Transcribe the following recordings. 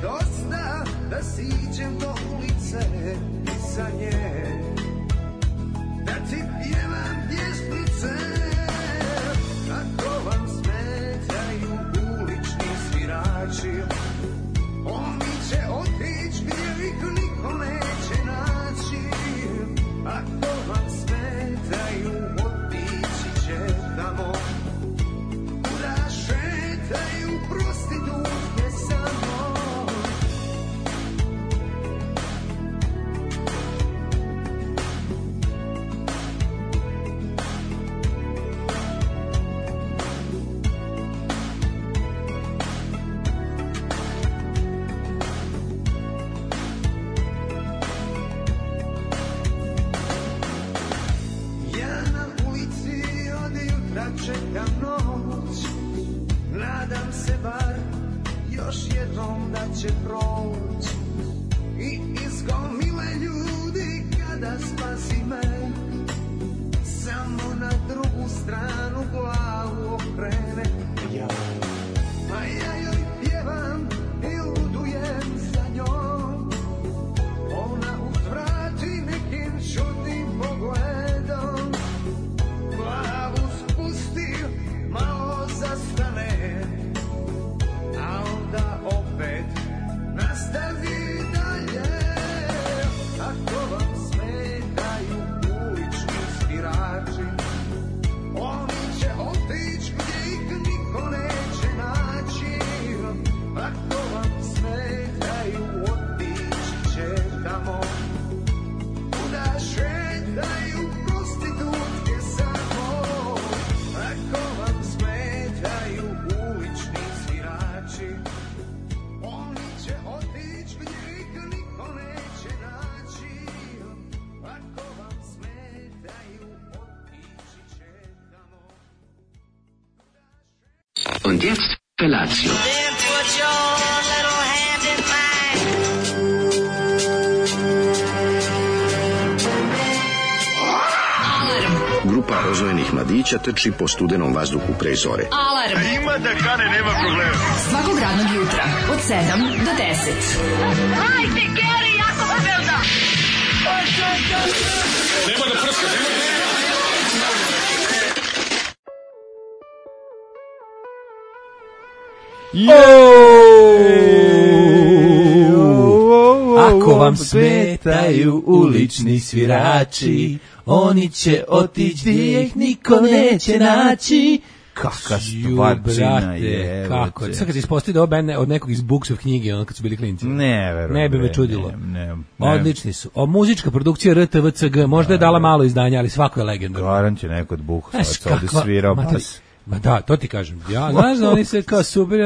dosta da siđem do ulice iza nje, da ti pjevam pjesmice. Ako vam smetaju ulični svirači, oni će otići gdje ih niko neće naći. Ako vam smetaju, otići će tamo kuda šetaju prostitutke samo. Čekam noć, nadam se bar još jednom da će proć. I iz gomile ljudi kada spasi me, samo na drugu stranu glavu okrene. A ja joj pjevam i ludujem za njom. Ona uzvrati nekim čudnim pogledom, glavu spusti, malo zastane, a onda opet nastavi dalje. Ako vam smetaju ulični svirači, oni će otići gdje ih niko neće naći. Ako vam smetaju, otići će tamo kuda šetaju prostitutke samo. Ako vam smetaju ulični svirači, oni će otići gdje ih niko neće naći. Ako vam smetaju, otići će tamo. Und jetzt Felatio. Then put your little hand in mine. Grupa rozvojenih mladića trči po studenom vazduhu pre zore. Alarm. Ima da kane, nema problema. Svakog radnog jutra od 7 do 10. Hajde, Geri, jako se velda. Nema da prska, nema da... Ako vam smetaju ulični svirači, oni će otići gdje ih niko neće naći. Kakva stvarčina je. Kako? Sad kad se ispostavi da ovo band od nekog iz Buksov knjige, ono kad su bili klinci. Ne, verujem. Ne bi me čudilo. Ne. Odlični su. Muzička produkcija RTVCG, možda je dala malo izdanja, ali svako je legendarno. Garan će neko od Buksova ovdje svirao bas. Ma da, to ti kažem. Ja, znaš da oni se kao super,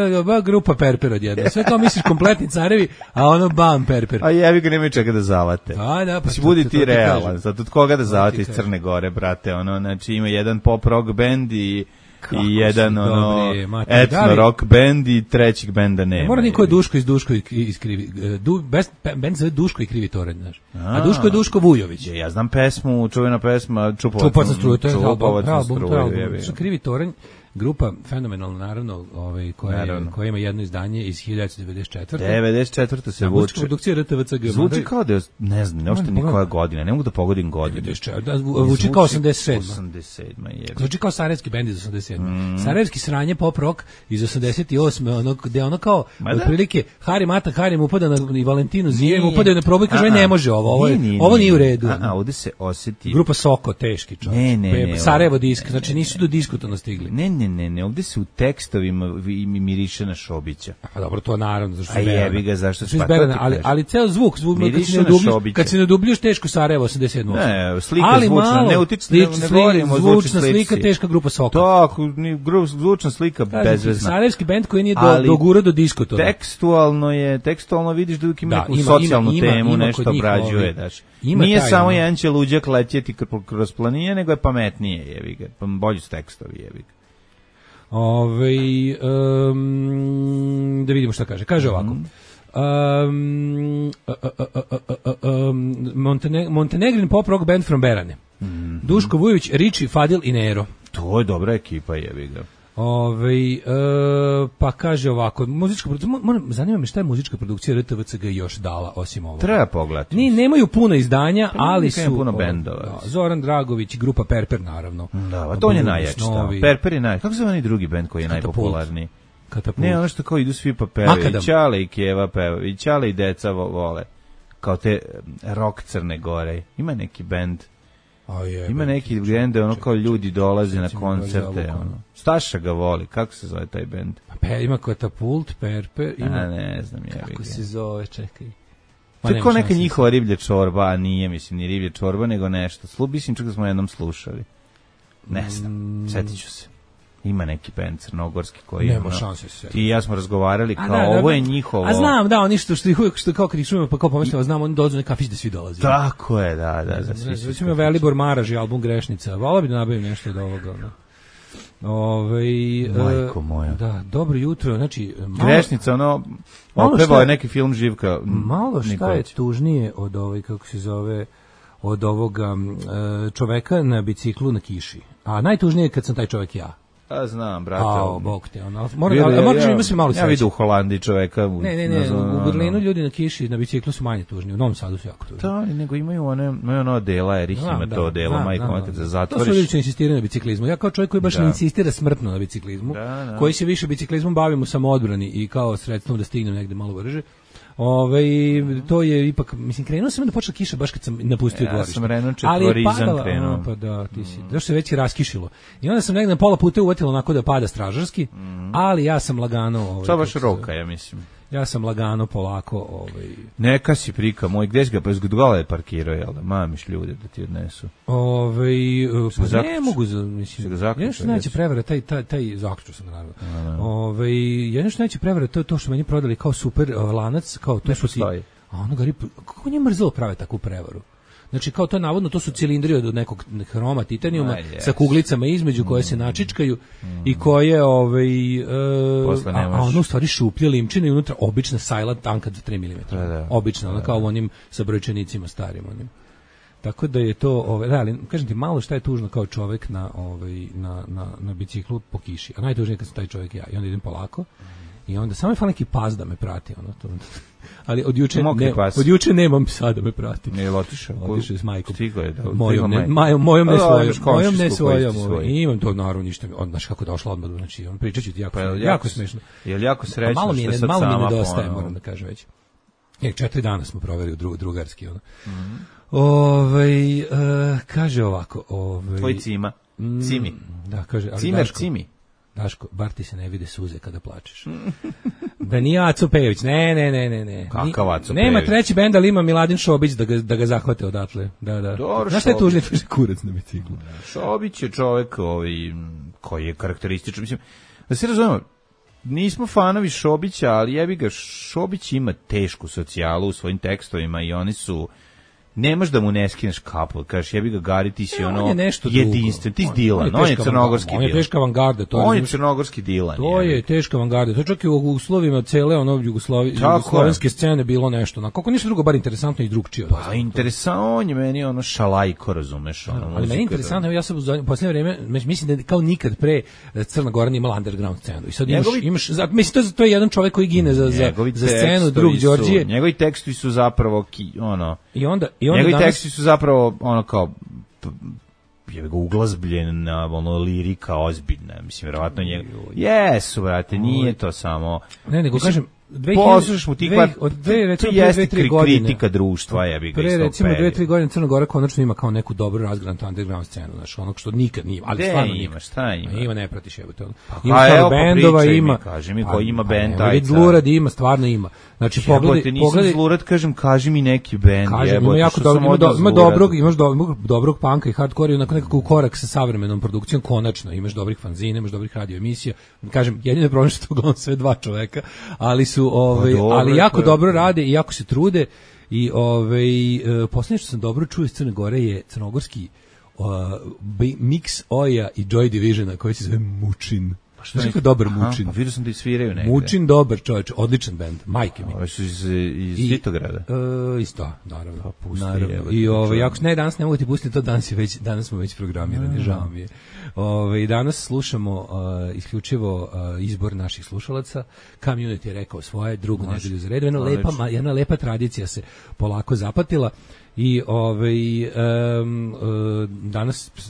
grupa Perper odjedno. Sve kao misliš kompletni carevi, a ono bam Perper. A jevi ga nemaju čega da zavate. Da, pa budi ti realan. Zato od koga da zavate iz Crne Gore, brate. Ono, znači ima jedan pop rock band i jedan ono etno rock band i trećeg benda nema. Mora niko je Duško iz Duško i krivi. Band zove Duško i krivi toranj, znaš. A Duško je Duško Vujović. Ja znam pesmu, čuvena pesma Čupovac na struju, to je album. Krivi toranj. Grupa fenomenalna, naravno, koja ima jedno izdanje iz 1994. 94. se vuče. Produkcija RTVCG. Zvuči kao da je, ne znam, neošte ni koja godina, ne mogu da pogodim godinu. Zvuči kao 87. 87. je. Zvuči kao sarajevski bend iz 87. Sarajevski sranje pop rock iz 88. Gde ono kao, otprilike, Hari Mata, Hari mu upada i Valentinu Zijem upadaju na proboj, kaže, ne može ovo nije u redu. Ovde se osjeti. Grupa Soko, teški čovjek. Sarajevo disk, znači nisu do diskutona stigli. Ne, ovdje se u tekstovima miriše na Šobića. Pa dobro, to naravno, zašto su izberane. A jebi ga, zašto su ali ceo zvuk kad se ne udubljuješ teško Sarajevo 87. Ne, slika zvučna, ne utiče, ne govorimo o zvučnoj slika, teška grupa Soko. Tako, zvučna slika bezvezna. Sarajevski bend koji nije dogurao do diskotona. Tekstualno vidiš da ima neku socijalnu temu, nešto obrađuje, daš. Nije samo jedan će luđak letjeti kroz planine, nego je pametnije, jebi ga, bolji su tekstovi, jebi ga. Da vidimo šta kaže. Kaže ovako. Montenegrin pop rock band from Berane. Duško Vujović, Riči, Fadil i Nero. To je dobra ekipa, jebi ga. Pa kaže ovako, muzička produkcija, zanima me šta je muzička produkcija RTVCG još dala osim ovoga. Treba pogledati. Nemaju puno izdanja, ali su puno bendova. Zoran Dragović i grupa Perper naravno. Da, to on je najjači. Perper je najjači. Kako se zove onaj drugi bend koji je najpopularniji? Katapult. Ne, ono što kao idu svi pa pevaju. Ćale i Keva pevaju. I Ćale i deca vole. Kao te rock Crne Gore. Ima neki bend. Ima neki bend, ono kao ljudi dolaze na koncerte. Staša ga voli. Kako se zove taj bend? Ima Katapult, Perper. Ne znam. Kako se zove, čekaj. To je kao neka njihova riblja čorba, a nije, mislim, ni riblja čorba, nego nešto. Mislim, čak da smo jednom slušali. Ne znam, setit ću se. Ima neki bend crnogorski koji nema šanse se. Ti i ja smo razgovarali kao ovo je njihovo. A znam, da, oni što kao kad ih čujemo pa kao pomislimo, znam, oni dolaze na kafić da svi dolaze. Tako je, da. Svi ima Velibor Maraž i album Grešnica. Volao bi da nabavim nešto od ovoga. Majko moja. Da, dobro jutro, znači Grešnica, opevao je neki film Živka. Malo šta je tužnije od kako se zove, od ovoga čoveka na biciklu na kiši. A najtužnije je kad sam taj čovek ja. A znam, brate. Bog te, moraš imati malo sreće. Ja vidim u Holandiji čoveka. Ne, u Berlinu ljudi na kiši, na biciklu su manje tužni, u Novom Sadu su jako tužni. Da, nego imaju ono odela, Erich ima to odelo, majko, kad se zatvoriš. To su ljudi koji insistiraju na biciklizmu. Ja kao čovjek koji baš ne insistira smrtno na biciklizmu, koji se više biciklizmom bavim u samoodbrani i kao sredstvom da stignem negde malo brže. To je ipak, mislim, krenuo sam da počela kiša baš kad sam napustio dvorište. Ja sam Renault četvorizam krenuo. Pa da, ti si. Zašto se već i raskišilo. I onda sam negdje na pola puta uvatilo onako da pada stražarski, ali ja sam lagano... To baš roka, ja mislim. Ja sam lagano, polako... Neka si prika moj, gdje si ga, pa izgledala je parkirao, jel da? Mamiš ljude da ti odnesu. Pa ne mogu, mislim... Jedno što neće prevara, taj zaključio sam, naravno. Jedno što neće prevara, to je to što meni prodali kao super lanac, kao to su ti... A ono gari, kako nije mrzelo prave takvu prevaru? Znači, kao to navodno, to su cilindri od nekog hroma titanijuma sa kuglicama između koje se načičkaju i koje, a ono u stvari šuplje limčine i unutra obična sajla tanka za 3 mm. Obična, ona kao u onim sa brojčanicima starim onim. Tako da je to, ali kažem ti, malo šta je tužno kao čovek na biciklu po kiši. A najtužnije kad sam taj čovek ja. I onda idem polako i onda samo je fal neki pas da me prati. Ali od juče nemam psa da me prati. Nije otišao s majkom. Stigo je. Mojom ne svojom. Imam to naravno ništa. Znaš kako došla odmah. Znači, pričat ću ti jako smešno. Je li jako srećno što sad sama? Malo mi nedostaje, moram da kažem već. 4 dana smo proveli u drugarski. Kaže ovako. Tvoj cima. Cimi. Da, kaže. Cimer cimi. Daško, bar ti se ne vide suze kada plačeš. Da nije Aco Pejović, ne. Kakav Aco Pejović? Nema treći bend, ali ima Miladin Šobić da ga zahvate odatle. Da. Znaš šta je tužnije? Kurac na biciklu. Šobić je čovek koji je karakterističan. Mislim, da se razumemo, nismo fanovi Šobića, ali jebi ga, Šobić ima tešku socijalu u svojim tekstovima i oni su... Nemaš da mu ne skineš kapu, kažeš jebi ga Gari, ti si jedinstven, ti si Dilan, on je crnogorski Dilan. On je teška avangarda. On je crnogorski Dilan. To je teška avangarda, to čak i u uslovima cele jugoslovenske scene bilo nešto. Kako ništa drugo, bar interesantno i drugčije. Pa interesantno, on je meni šalajko, razumeš. Ali meni je interesantno, ja sam u posljednje vreme, mislim da kao nikad pre Crna Gora nije imala underground scenu. I sad imaš, mislim, to je jedan čovjek koji gine za scenu, drug Đorđije. Njegovi tekstovi su zapravo, njegovi teksti su zapravo kao uglazbljena lirika ozbiljna, mislim, verovatno jesu, brate, nije to samo... Ne, nego kažem, poslušaš mu ti to jeste kritika društva, jebi ga. Pre recimo 2-3 godine Crna Gora konačno ima kao neku dobru razgranatu underground scenu, znači onog što nikad nije, ali stvarno nikad. Ima, ne pratiš jebote. Ima stvarno bendova, ima. Kaži mi koji ima bend, aj. Zlurad ima, stvarno ima. Znači pogledaj, Zlurad, kažem, kaži mi neki bend, jebote. Ima dobrog punka i hardcore i nekako korak sa savremenom produkcijom, konačno imaš dobrih fanzina, imaš dobrih radio emisija. Kažem, jedini problem što uglavnom sve dva čoveka, ali ali jako dobro rade i jako se trude i posljednje što sam dobro čuo iz Crne Gore je crnogorski mix Oja i Joy Divisiona koji se zove Mučin. Što Znaš kako dobar Mučin? Pa vidio sam da i sviraju negde. Mučin dobar čovječ, odličan bend, majke mi. Ovo su iz Titograda. Isto, naravno. Pa pusti, naravno. I jako ne, danas ne mogu ti pustiti to, danas smo već programirani, žao mi je. Danas slušamo isključivo izbor naših slušalaca. Community je rekao svoje, drugu nedelju za redu. Jedna lepa tradicija se polako zapatila. I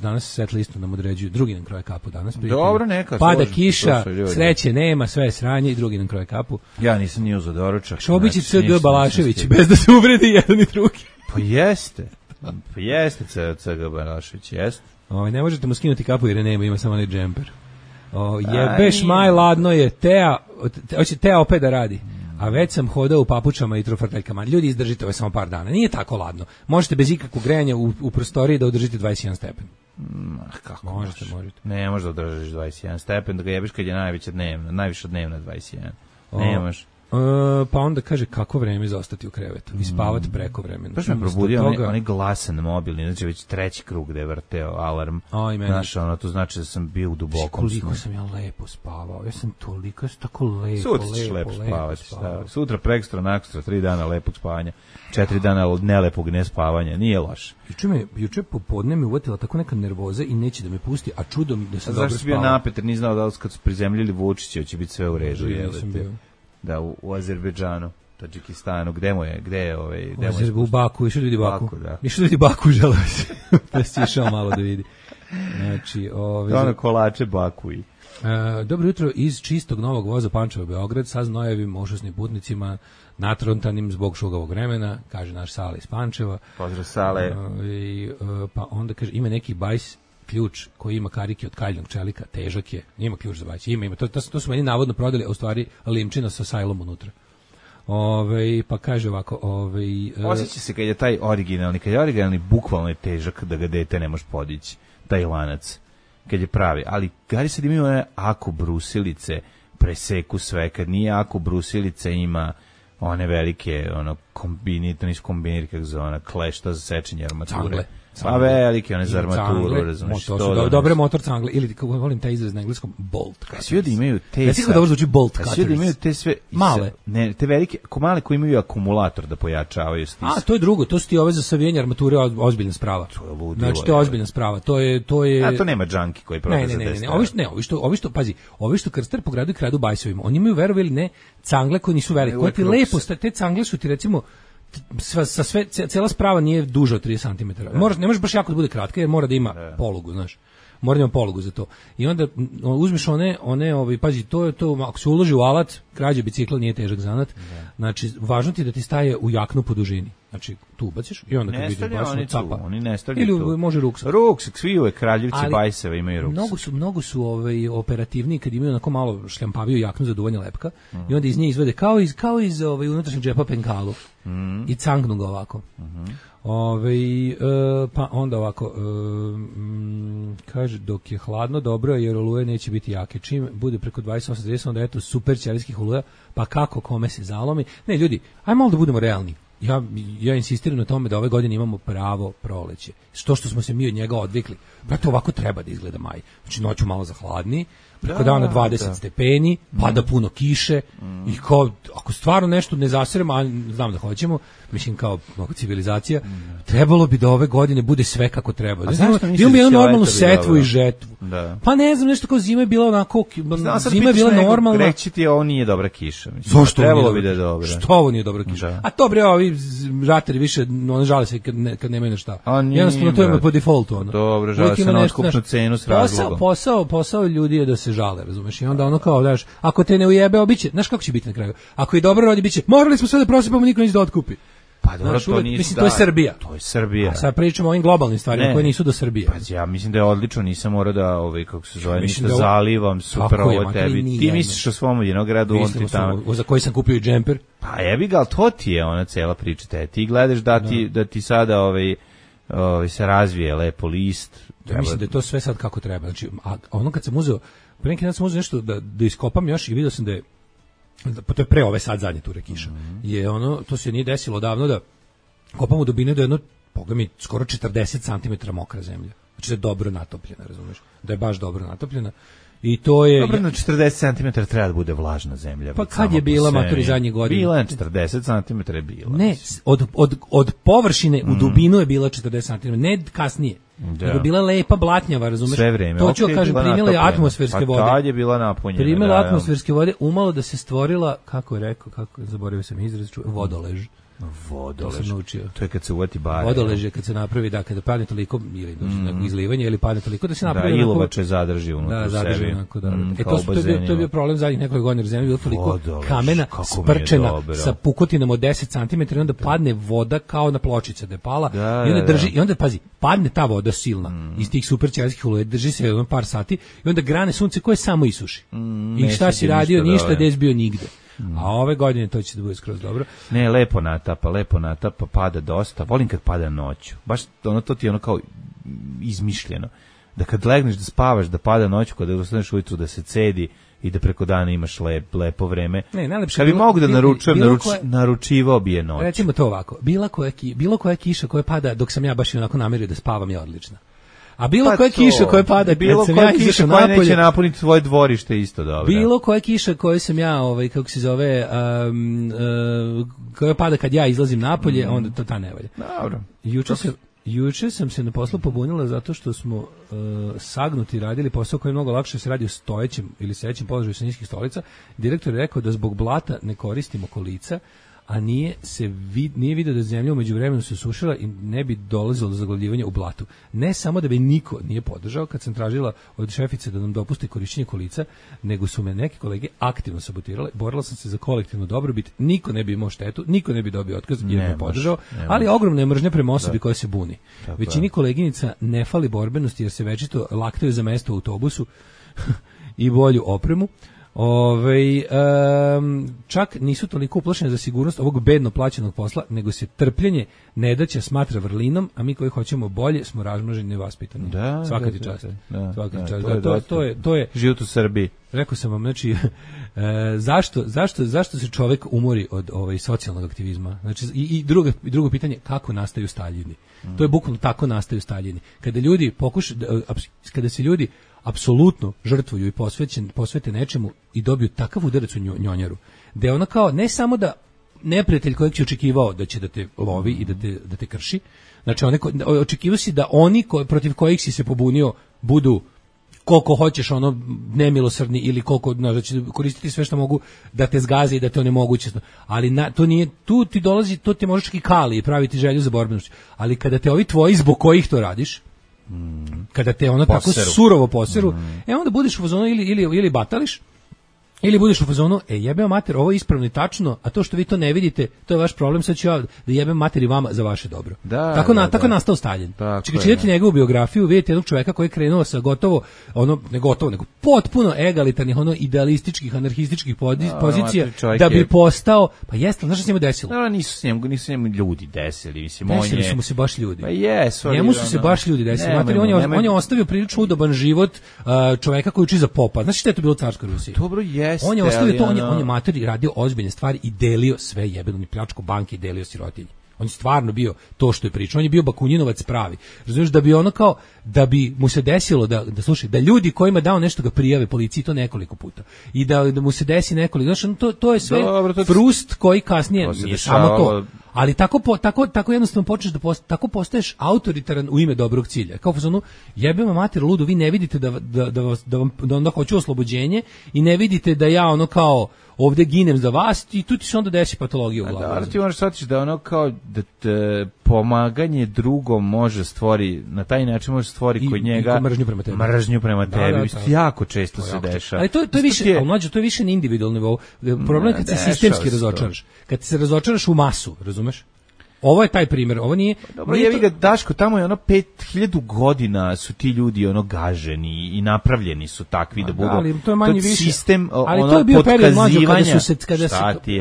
danas set listu nam određuju, drugi nam kroje kapu danas. Dobro, neka. Pada kiša, sreće nema, sve je sranje i drugi nam kroje kapu. Ja nisam ni uzeo doručak. Šobić i C.G. Balašević, bez da se uvredi jedan i drugi. Pa jeste C.G. Balašević, jeste. Ne možete mu skinuti kapu jer je nema, ima samo onaj džemper. Jebeš maj, ladno je, hoće Tea opet da radi. A već sam hodao u papučama i trofrtaljkama. Ljudi, izdržite ovo samo par dana. Nije tako ladno. Možete bez ikakvog grejanja u prostoriji da održite 21 stepen. Kako možete? Ne možeš da održiš 21 stepen, da ga jebiš kad je najviša dnevna 21. Ne možeš. Pa onda kaže kako vreme za ostati u krevetu i spavati preko vremena. Baš me probudio onaj glasan mobilni, znači već treći krug da je vrteo alarm. Znaš, to znači da sam bio u dubokom snu. Koliko sam ja lepo spavao, ja sam tako lepo. Sutra ćeš lepo spavati. Sutra, prekstra, nakstra, 3 dana lepog spavanja, 4 dana od nelepog nespavanja, nije loše. Juče popodne me uvatila tako neka nervoza i neće da me pusti, a čudo mi da sam dobro spavao. Zašto si bio napet, jer nije znao da li kad su prizemljili Vučića će biti sve u redu. Da, u Azerbejdžanu, Tadžikistanu, gde je u Baku, išao da vidi Baku. Išao da vidi Baku, želeo se. Da si išao malo da vidi. Znači, kolače Baku i. Dobro jutro iz čistog novog voza Pančevo Beograd sa znojevim ošasnim putnicima natrontanim zbog šugavog vremena, kaže naš Sale iz Pančeva. Pozdrav Sale. Pa onda kaže ima neki bajs ključ koji ima karike od kaljnog čelika, težak je, nima ključ za bajs, ima, to su meni navodno prodali, a u stvari limčina sa sajlom unutra. Pa kaže ovako, osjeća se kad je taj originalni, bukvalno je težak da ga dete ne može podići, taj lanac, kad je pravi, ali gari sad imaju one ako brusilice, preseku sve, kad nije ako brusilice ima one velike, to nisu kombiniri, kako zove, klešta za sečenje armature. Pa velike, one za armaturu, razumiješ. To su dobre motor cangle, ili kako volim taj izraz na engleskom, bolt cutters. Svi da imaju te... Svi da ovo zvuči bolt cutters. Svi da imaju te sve... Male. Ne, te velike, male koji imaju akumulator da pojačavaju stis. To je drugo, to su ti ove za savijanje armature ozbiljna sprava. To je ludilo. Znači, to je ozbiljna sprava. To je... A to nema džanki koji prodaje za 10. Ne, ovi što krstari po gradu i kradu bajsovima, oni imaju, verovali ne, cangle koji nisu velike. Koji ti lepo, te cangle su ti recimo... Cela sprava nije duža od 30 cm. Ne može baš jako da bude kratka, jer mora da ima polugu, znaš. Mora da ima polugu za to. I onda uzmeš pazi, to ako se uloži u alat, krađa bicikla nije težak zanat. Znači, važno ti da ti staje u jaknu po dužini. Znači, tu ubaciš i onda kad vidiš basno capa. Oni ne stavljaju tu. Ili može ruksak. Ruksak, svi ove kraljevci bajseva imaju ruksak. Mnogo su operativni kad imaju onako malo šljampaviju jaknu za duvanje lepka i onda iz nje izvede kao iz unutrašnjeg džepa penkalu i cangnu ga ovako. Pa onda ovako kaže dok je hladno dobro jer oluje neće biti jake, čim bude preko 28-30 onda eto super ćelijskih oluja, pa kako kome se zalomi. Ne ljudi, ajmo malo da budemo realni. Ja insistiram na tome da ove godine imamo pravo proleće. Što smo se mi od njega odvikli. Brate, ovako treba da izgleda maj. Znači noću malo zahladni, preko dana 20 stepeni, pada puno kiše i kao, ako stvarno nešto ne zasiremo, a znam da hoćemo, mislim kao mnogo civilizacija, trebalo bi da ove godine bude sve kako treba. Imamo jednu normalnu setvu i žetvu. Pa ne znam, nešto kao zima je bila onako, zima je bila normalna. Reći ti ovo nije dobra kiša. Zašto trebalo bi da je dobra? Što ovo nije dobra kiša? A to bre, ovi žateri više, žale se kad nemaju na šta. Jednostavno to je po defaultu. Dobro, žale se na otkupnu cenu s razlogom. Posao ljudi je da se žale, razumeš? I onda ono kao, daš, ako te ne ujebe, obiće, znaš kako će biti na kraju? Ako je dobro rodi, biće, morali smo sve da prosipamo, niko neće da otkupi. Pa dobro, to nije. Mislim, to je Srbija. To je Srbija. A sad pričamo o ovim globalnim stvarima koje nisu do Srbije. Pa ja mislim da je odlično, nisam morao da, kako se zove, ništa zalivam, super ovo tebi. Ti misliš o svom vinogradu, on ti tamo. Za koji sam kupio i džemper. Pa jebi ga, ali to ti je ona cela priča. Ti gledaš da ti sada se razvije lepo list. Ja mislim da je to sve sad kako treba. Znači, a ono kad sam uzeo, pre neki dan sam uzeo nešto da iskopam još i vidio sam da je, pa to je pre ove sad zadnje ture kiša, je to se nije desilo davno da kopam u dubine do jedno, pogledaj mi, skoro 40 cm mokra zemlja. Znači da je dobro natopljena, razumiješ? Da je baš dobro natopljena. I to je... Dobro, na 40 cm treba da bude vlažna zemlja. Pa kad je bila matori zadnje godine? Bila je 40 cm je bila. Ne, od površine u dubinu je bila 40 cm, ne kasnije. Da. Nego bila lepa blatnjava, razumeš? Sve vreme. To ću kažem, primila je atmosferske vode. Pa tad je bila napunjena. Primila atmosferske vode, umalo da se stvorila, kako je rekao, zaboravio sam izraz, vodolež. Vodolež. To je kad se uvati bare. Vodolež je kad se napravi, da, kada padne toliko, ili izlivanje, ili padne toliko da se napravi... Da, ilovače zadrži unutra da, zadrži sebi. Onako, da. To je bio problem zadnjih nekoliko godina, jer zemlja je bila toliko kamena, sprčena, sa pukotinama od 10 cm, i onda padne voda kao na pločice da je pala, i onda drži, i onda, pazi, padne ta voda silna, iz tih super ćelijskih oluja, drži se par sati, i onda grane sunce koje samo isuši. I šta si radio, ništa, des bio nigde. A ove godine to će da bude skroz dobro. Ne, lepo natapa, pada dosta. Volim kad pada noću. Baš ono, to ti je ono kao izmišljeno. Da kad legneš da spavaš, da pada noću, kada ustaneš ujutru da se cedi i da preko dana imaš lepo vreme. Ne, najlepše. Kad bi mogu da naručujem, naručivao bi je noć. Recimo to ovako. Bilo koja kiša koja pada dok sam ja baš onako namerio da spavam je odlična. A bilo koja kiša koja pada, bilo koja kiša koja neće napuniti tvoje dvorište isto dobro. Bilo koja kiša koju sam ja, kako se zove, koja pada kad ja izlazim napolje, onda to ta ne valja. Dobro. Juče sam se na poslu pobunila zato što smo sagnuti radili posao koji je mnogo lakše se radi u stojećem ili sedećem položaju sa niskih stolica. Direktor je rekao da zbog blata ne koristimo kolica, a nije vidio da zemlja umeđu vremenu se sušila i ne bi dolazilo do zaglavljivanja u blatu. Ne samo da bi niko nije podržao kad sam tražila od šefice da nam dopusti korišćenje kolica, nego su me neke kolege aktivno sabotirale. Borila sam se za kolektivnu dobrobit, niko ne bi imao štetu, niko ne bi dobio otkaz jer me podržao, ali ogromna je mržnja prema osobi koja se buni. Većini koleginica ne fali borbenosti jer se večito laktaju za mesto u autobusu i bolju opremu. Čak nisu toliko uplašene za sigurnost ovog bedno plaćenog posla, nego se trpljenje nedaća smatra vrlinom, a mi koji hoćemo bolje smo razmnoženi i vaspitani. Svaka ti čast. To je život u Srbiji. Rekao sam vam, znači, zašto se čovjek umori od socijalnog aktivizma? Znači, i drugo pitanje, kako nastaju staljini? To je bukvalno tako nastaju staljini. Kada se ljudi apsolutno žrtvuju i posvete nečemu i dobiju takav udarac u njonjaru, da je ono kao, ne samo da neprijatelj kojeg će očekivao da će da te lovi i da te krši, znači očekivao si da oni protiv kojih si se pobunio budu koliko hoćeš nemilosrdni ili koliko, da će koristiti sve što mogu da te zgaze i da te onemoguće. Ali to nije, tu ti dolazi, to te možeš čak i kali i praviti želju za borbenost. Ali kada te ovi tvoji zbog kojih to radiš, kada te tako surovo poseru, onda budeš u fazonu ili batališ, ili budeš u fazonu, jebeo mater, ovo je ispravno i tačno, a to što vi to ne vidite, to je vaš problem, sad ću ja da jebem mater i vama za vaše dobro. Tako je nastao Staljin. Čitati njegovu biografiju, vidite jednog čoveka koji je krenuo sa nego potpuno egalitarnih, idealističkih, anarhističkih pozicija, da bi postao, pa jeste, znaš što se njemu desilo? Nisu s njemu ljudi desili, mislim, desili su mu se baš ljudi. Pa jesu. Njemu su se baš ljudi desili. On je ostavio prilično udoban život čoveka koji uči za popa. Znaš šta je to bilo u carskoj Rusiji? Dobro je. On je ostavio to, on je matori radio ozbiljne stvari i delio sve jebeno, ni pljačko banke i delio sirotinji. On je stvarno bio to što je pričao, on je bio Bakunjinovac pravi. Razumiješ, da bi ono kao, da bi mu se desilo da slušaj, da ljudi kojima dao nešto ga prijave policiji to nekoliko puta. I da mu se desi nekoliko, znači to je sve frust koji kasnije nije samo to. Ali tako jednostavno počneš tako postaješ autoritaran u ime dobrog cilja. Kao fazonu, jebema mater ludu, vi ne vidite da onda hoću oslobođenje i ne vidite da ja ono kao ovdje ginem za vas i tu ti se onda desi patologija u glavu. Da, ti možeš shvatiti da ono kao da pomaganje drugom može stvori, na taj način može stvori kod njega mržnju prema tebi. Jako često se dešava. Ali to je više, mlađe, to je više na individualnom nivou. Problem je kad se sistemski razočaraš. Kad se razočaraš u masu, razumeš? Ovo je taj primjer, ovo nije... Dobro, jevi ga, Daško, tamo je 5000 godina su ti ljudi gaženi i napravljeni su takvi da budu... Ali to je manje više... Sistem ali to je bio period mlađo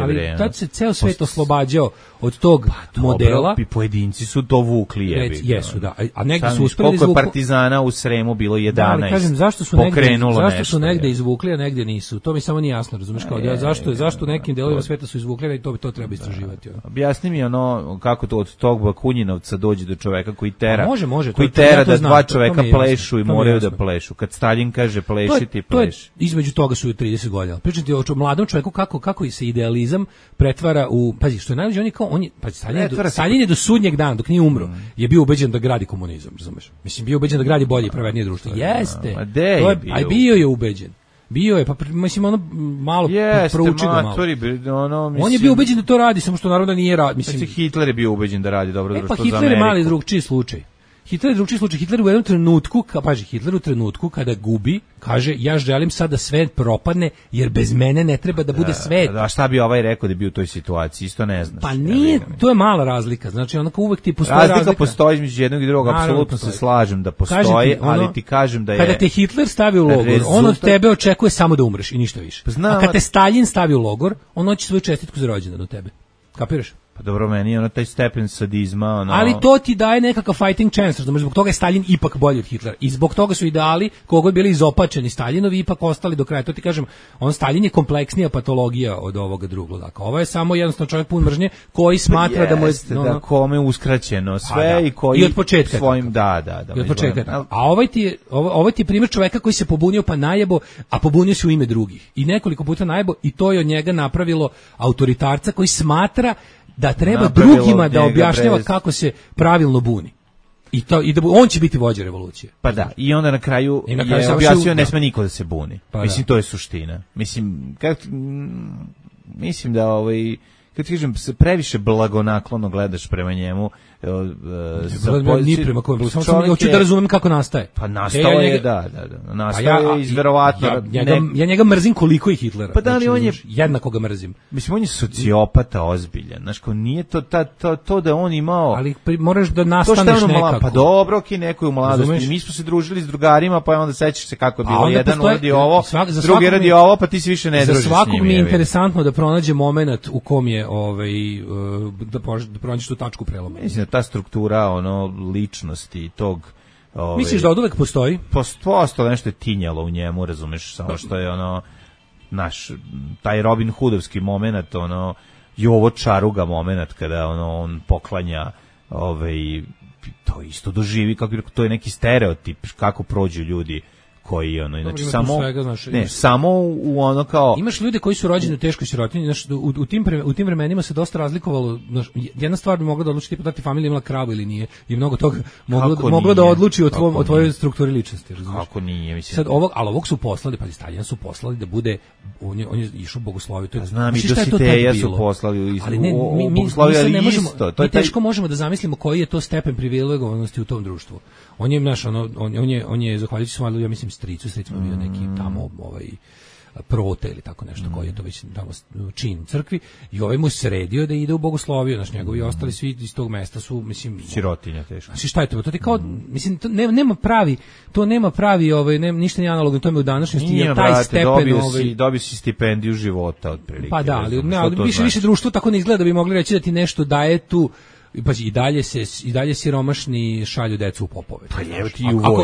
ali tad se ceo svet oslobađao od tog modela. I pojedinci su to vukli, jebi. Jesu, da. A negdje su uspeli izvukli... Koliko partizana u Sremu bilo 11. Da, ali kažem, zašto su negdje izvukli, a negdje nisu? To mi samo nije jasno, razumiješ, kao zašto nekim delovima sveta su izvukli i to treba istraživati. Objasni mi kako to od tog Bakunjinovca dođe do čoveka koji tera, može, koji to tera ja to da znam, dva to čoveka mi je plešu jasno, i to mi je moraju da jasno. plešu. Kad Stalin kaže pleši, ti pleši. Između toga su 30 godina. Pričam ti o mladom čoveku kako se idealizam pretvara u, pazi, što je najveće, Stalin je do sudnjeg dana, dok nije umro, je bio ubeđen da gradi komunizam, razumeš? Mislim, bio ubeđen da gradi bolje i pravednije društvo. Jeste. Bio je ubeđen. Bio je, pa mislim, ono malo prouči ga malo. On je bio ubeđen da to radi, samo što naravno nije radi. Mislim, Hitler je bio ubeđen da radi dobro društvo za Ameriku. Pa Hitler je mali drugčiji slučaj. Hitler u jednom trenutku, Hitler u trenutku kada gubi, kaže, ja želim sad da svet propadne, jer bez mene ne treba da bude svet. A šta bi ovaj rekao da je bio u toj situaciji, isto ne znaš. Pa nije, to je mala razlika, znači onako uvek ti postoji razlika. Razlika postoji između jednog i drugog, apsolutno se slažem da postoji, ali ti kažem da je... Kada te Hitler stavi u logor, on od tebe očekuje samo da umreš i ništa više. A kad te Stalin stavi u logor, on hoće svoju čestitku za rođendan od tebe. Kapiraš? Pa dobro, meni je taj stepen sadizma. Ali to ti daje nekakav fighting chance, znači zbog toga je Stalin ipak bolji od Hitlera. I zbog toga su ideali, kogo bili izopačeni Staljinovi, ipak ostali do kraja. To ti kažem, Stalin je kompleksnija patologija od ovoga drugog. Dakle, ovo je samo jednostavno čovjek pun mržnje koji smatra da mu je... da kome uskraćeno sve i koji... I od početka. Svojim, da. I od početka. A ovaj ti je primjer čoveka koji se pobunio pa najebo, a pobunio se u ime drugih. I nekoliko puta najebo i to je od njega napravilo autoritarca koji smatra da treba drugima da objašnjava kako se pravilno buni. I da on će biti vođa revolucije. Pa da, i onda na kraju je objasnio ne sme niko da se buni. Pa mislim, to je suština. Mislim, mislim da kad ti kažem, previše blagonaklono gledaš prema njemu. Ni prema kojem, samo sam hoću da razumem kako nastaje. Pa nastao je, da. Nastao je iz verovatno... Ja njega mrzim koliko i Hitlera. Pa da li on je... Jednako ga mrzim. Mislim, on je sociopata ozbiljan. Znaš, kao nije to da on imao... Ali moraš da nastaneš nekako. Pa dobro, neko je u mladosti. Mi smo se družili s drugarima, pa onda sećaš se kako je bilo. Jedan radi ovo, drugi radi ovo, pa ti se više ne družiš s njim. Za svakog mi je interesantno da pronađe moment u kom je da pronađeš tu tačku preloma. Mislim da ta struktura ličnosti tog misliš da oduvek postoji? Postoji nešto je tinjalo u njemu, razumeš, samo što je naš taj Robin Hoodovski moment, Jovo Čaruga moment kada on poklanja to isto doživi, kako to je neki stereotip kako prođu ljudi koji inače samo u kao imaš ljude koji su rođeni u teškoj sirotinji, znači u tim vremenima se dosta razlikovalo, jedna stvar bi mogla da odluči da ti familija imala kravu ili nije, i mnogo toga moglo da odluči o tvojoj strukturi ličnosti, razumiješ? Kako nije, mislim. Sad ovog su poslali, pa Staljina su poslali da bude, on je išao bogosloviju, to je, znam, i Dositeja su poslali, ali mi teško možemo da zamislimo koji je to stepen privilegovanosti u tom društvu. On je zahvaljujući svom, ja mislim, stricu bio neki tamo prote ili tako nešto, koji je to već tamo čin u crkvi, i ovaj mu sredio da ide u bogosloviju, znači njegovi ostali svi iz tog mesta su, mislim, sirotinja teško. Znači šta je to? To je kao, mislim, to nema pravi ništa nije analogno tome u današnjosti, jer taj stepen dobio si stipendiju života otprilike. Pa da, ali više društvo tako ne izgleda da bi mogli reći da ti nešto daje tu. Pa i dalje siromašni šalju decu u popove. Pa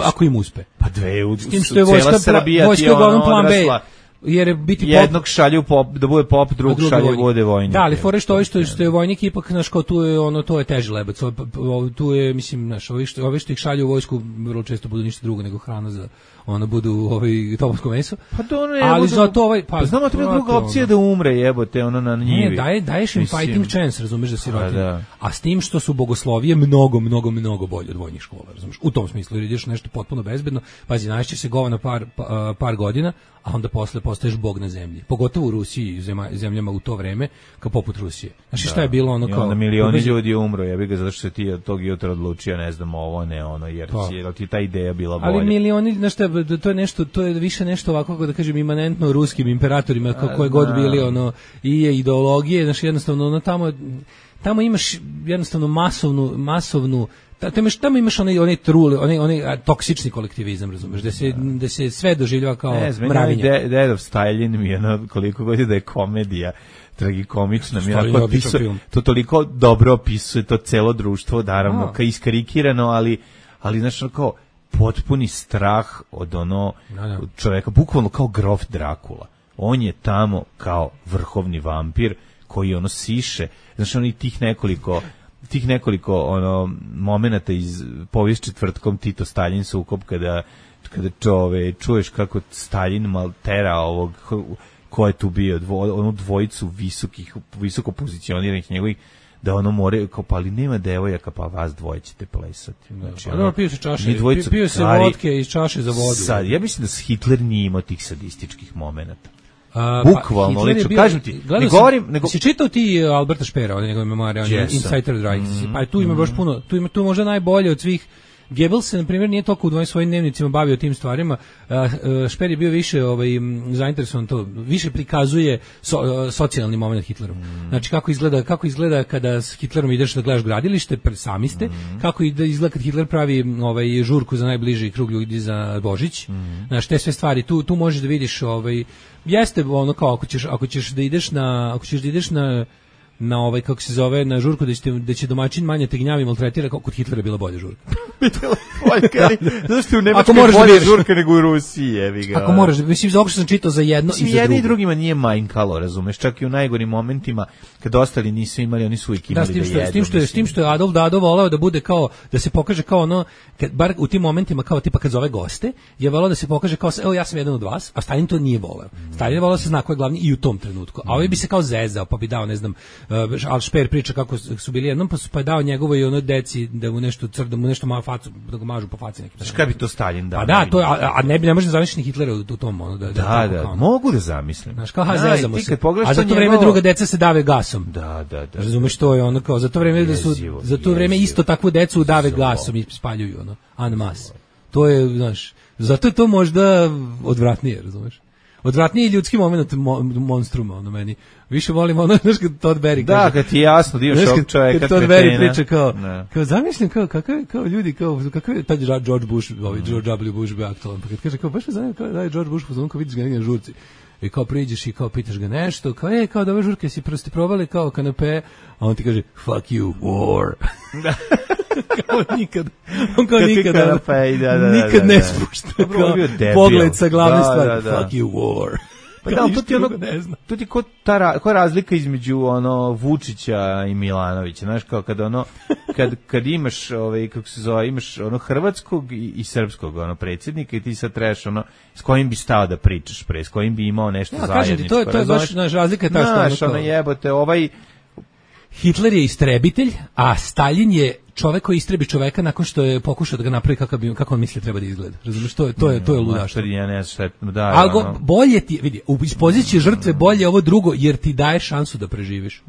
ako im uspe. Pa cela Srbija ti je odrasla. Jer biti jednog šalju da bude pop, drugog šalju bude vojnik. Da, ali fore što je vojnik ipak, znaš, kao tu je to je teži lebac. Tu je, mislim, znaš, ovi što ih šalju u vojsku vrlo često budu ništa drugo nego hrana za budu topovsko meso. Pa to ne, ali zato pa znamo treba druga opcija da umre, jebote, na njivi. Ne, daješ im fighting chance, razumeš, da si rotin. A s tim što su bogoslovije mnogo bolje od vojnih škola, razumeš. U tom smislu, jer ideš nešto potpuno bezbedno, pazi, naći se govana par godina, a onda posle postaješ bog na zemlji. Pogotovo u Rusiji, zemljama u to vreme, kao poput Rusije. Znači šta je bilo ono kao... I onda milioni ljudi umro, ja bih ga, zato što se ti od tog jutra odlučio, ne znam, jer ti ta ideja bila bolja. Ali milioni, znaš šta, to je više nešto ovako, kako da kažem, imanentno ruskim imperatorima, koje god bili, i ideologije, znači jednostavno, tamo imaš jednostavno masovnu tamo imaš onaj trule, onaj toksični kolektivizam, razumeš, da se sve doživljava kao mravinje. Dead of Stalin mi je koliko god da je komedija tragikomična, to toliko dobro opisuje to celo društvo, naravno, kao iskarikirano, ali znaš, kao potpuni strah od čoveka, bukvalno kao grof Drakula. On je tamo kao vrhovni vampir koji siše, znaš, tih nekoliko tih nekoliko momenata iz povijest četvrtkom Tito Staljin sukob kada čuješ kako Staljin maltera ovog ko je tu bio, onu dvojicu visoko pozicioniranih njegovih, da ono more, kao, pa ali nema devojaka, pa vas dvoje ćete plesati. Znači, pio se čaše, pio se vodke iz čaše za vodu. Sad, ja mislim da Hitler nije imao tih sadističkih momenata. Bukvalno, lično, kažem ti, ne govorim... Si čitao ti Alberta Špera, on je njegove memoare, on je Insider Drive, pa tu ima baš puno, tu možda najbolje od svih. Goebbels se, na primjer, nije toliko u svojim dnevnicima bavio tim stvarima. Šper je bio više zainteresovan to, više prikazuje socijalni moment Hitleru. Znači, kako izgleda kada s Hitlerom ideš da gledaš gradilište, sami ste, kako izgleda kad Hitler pravi žurku za najbliži krug ljudi za Božić. Znači, te sve stvari, tu možeš da vidiš, jeste ono kao, ako ćeš da ideš na kako se zove, na žurku da će domaćin manje tegnjavi maltretira, kao kod Hitlera je bila bolja žurka. Zašto u Nemačkoj bolje žurka nego u Rusiji, jevi ga. Ako moraš, mislim, zato što sam čitao za jedno i za drugo. Jedni i drugima nije manjkalo, razumeš, čak i u najgorim momentima, kad ostali nisu imali, oni su uvijek imali da jedu. S tim što je Adolf Dado voleo da bude kao, da se pokaže kao ono, bar u tim momentima, kao tipa kad zove goste, je voleo da se pokaže kao, evo ja sam jedan od vas, a Stalin to nije voleo. Stalin je voleo da se zna ko je glavni i u tom trenutku. A ovaj bi se kao zezao, pa bi dao, ne znam, al Šper priča kako su bili jednom, pa je dao njegovo i ono deci da mu nešto malo facu, da ga mažu po faci nekim. Šta bi to Stalin dao? Pa da, to ne može da zamisliš Hitlera u tom ono da, mogu da zamislim. Znaš, kao zezamo se. A za to vreme druga deca se dave gasom. Da. Razumeš, to je ono kao za to vreme isto takvu decu dave gasom i spaljuju ono en masse. To je, znaš, zato je to možda odvratnije, razumeš? Odvratniji ljudski moment monstruma, ono meni. Više volim ono, znaš, kad Todd Berry kaže. Da, kad ti je jasno da imaš ovog čovjeka. Kad Todd Berry priča kao zamišljam kao ljudi, kakav je taj George Bush, George W. Bush bio aktualan. Pa kad kaže, kao baš me zanima, da je George Bush pozvon, kao vidiš ga negdje na žurci. I kao priđeš i kao pitaš ga nešto, kao da ove žurke si prosti probali kao kanape, a on ti kaže, fuck you, war. Kao nikad. On kao nikad ne spušta. Pogled sa glavne stvari. Fuck you, war. Pa da, to ti koja razlika između Vučića i Milanovića, znaš, kao kad imaš kako se zove, imaš hrvatskog i srpskog predsjednika i ti sad trebaš s kojim bi stao da pričaš s kojim bi imao nešto zajedničko. To je baš naš razlika je ta što jebote, Hitler je istrebitelj, a Stalin je čovek koji istrebi čoveka nakon što je pokušao da ga napravi kako on misli treba da izgleda. Razumiješ, to je ludaštvo. Ja ne znam šta je. Ali bolje ti, vidi, iz pozicije žrtve bolje ovo drugo, jer ti daje šansu da preživiš.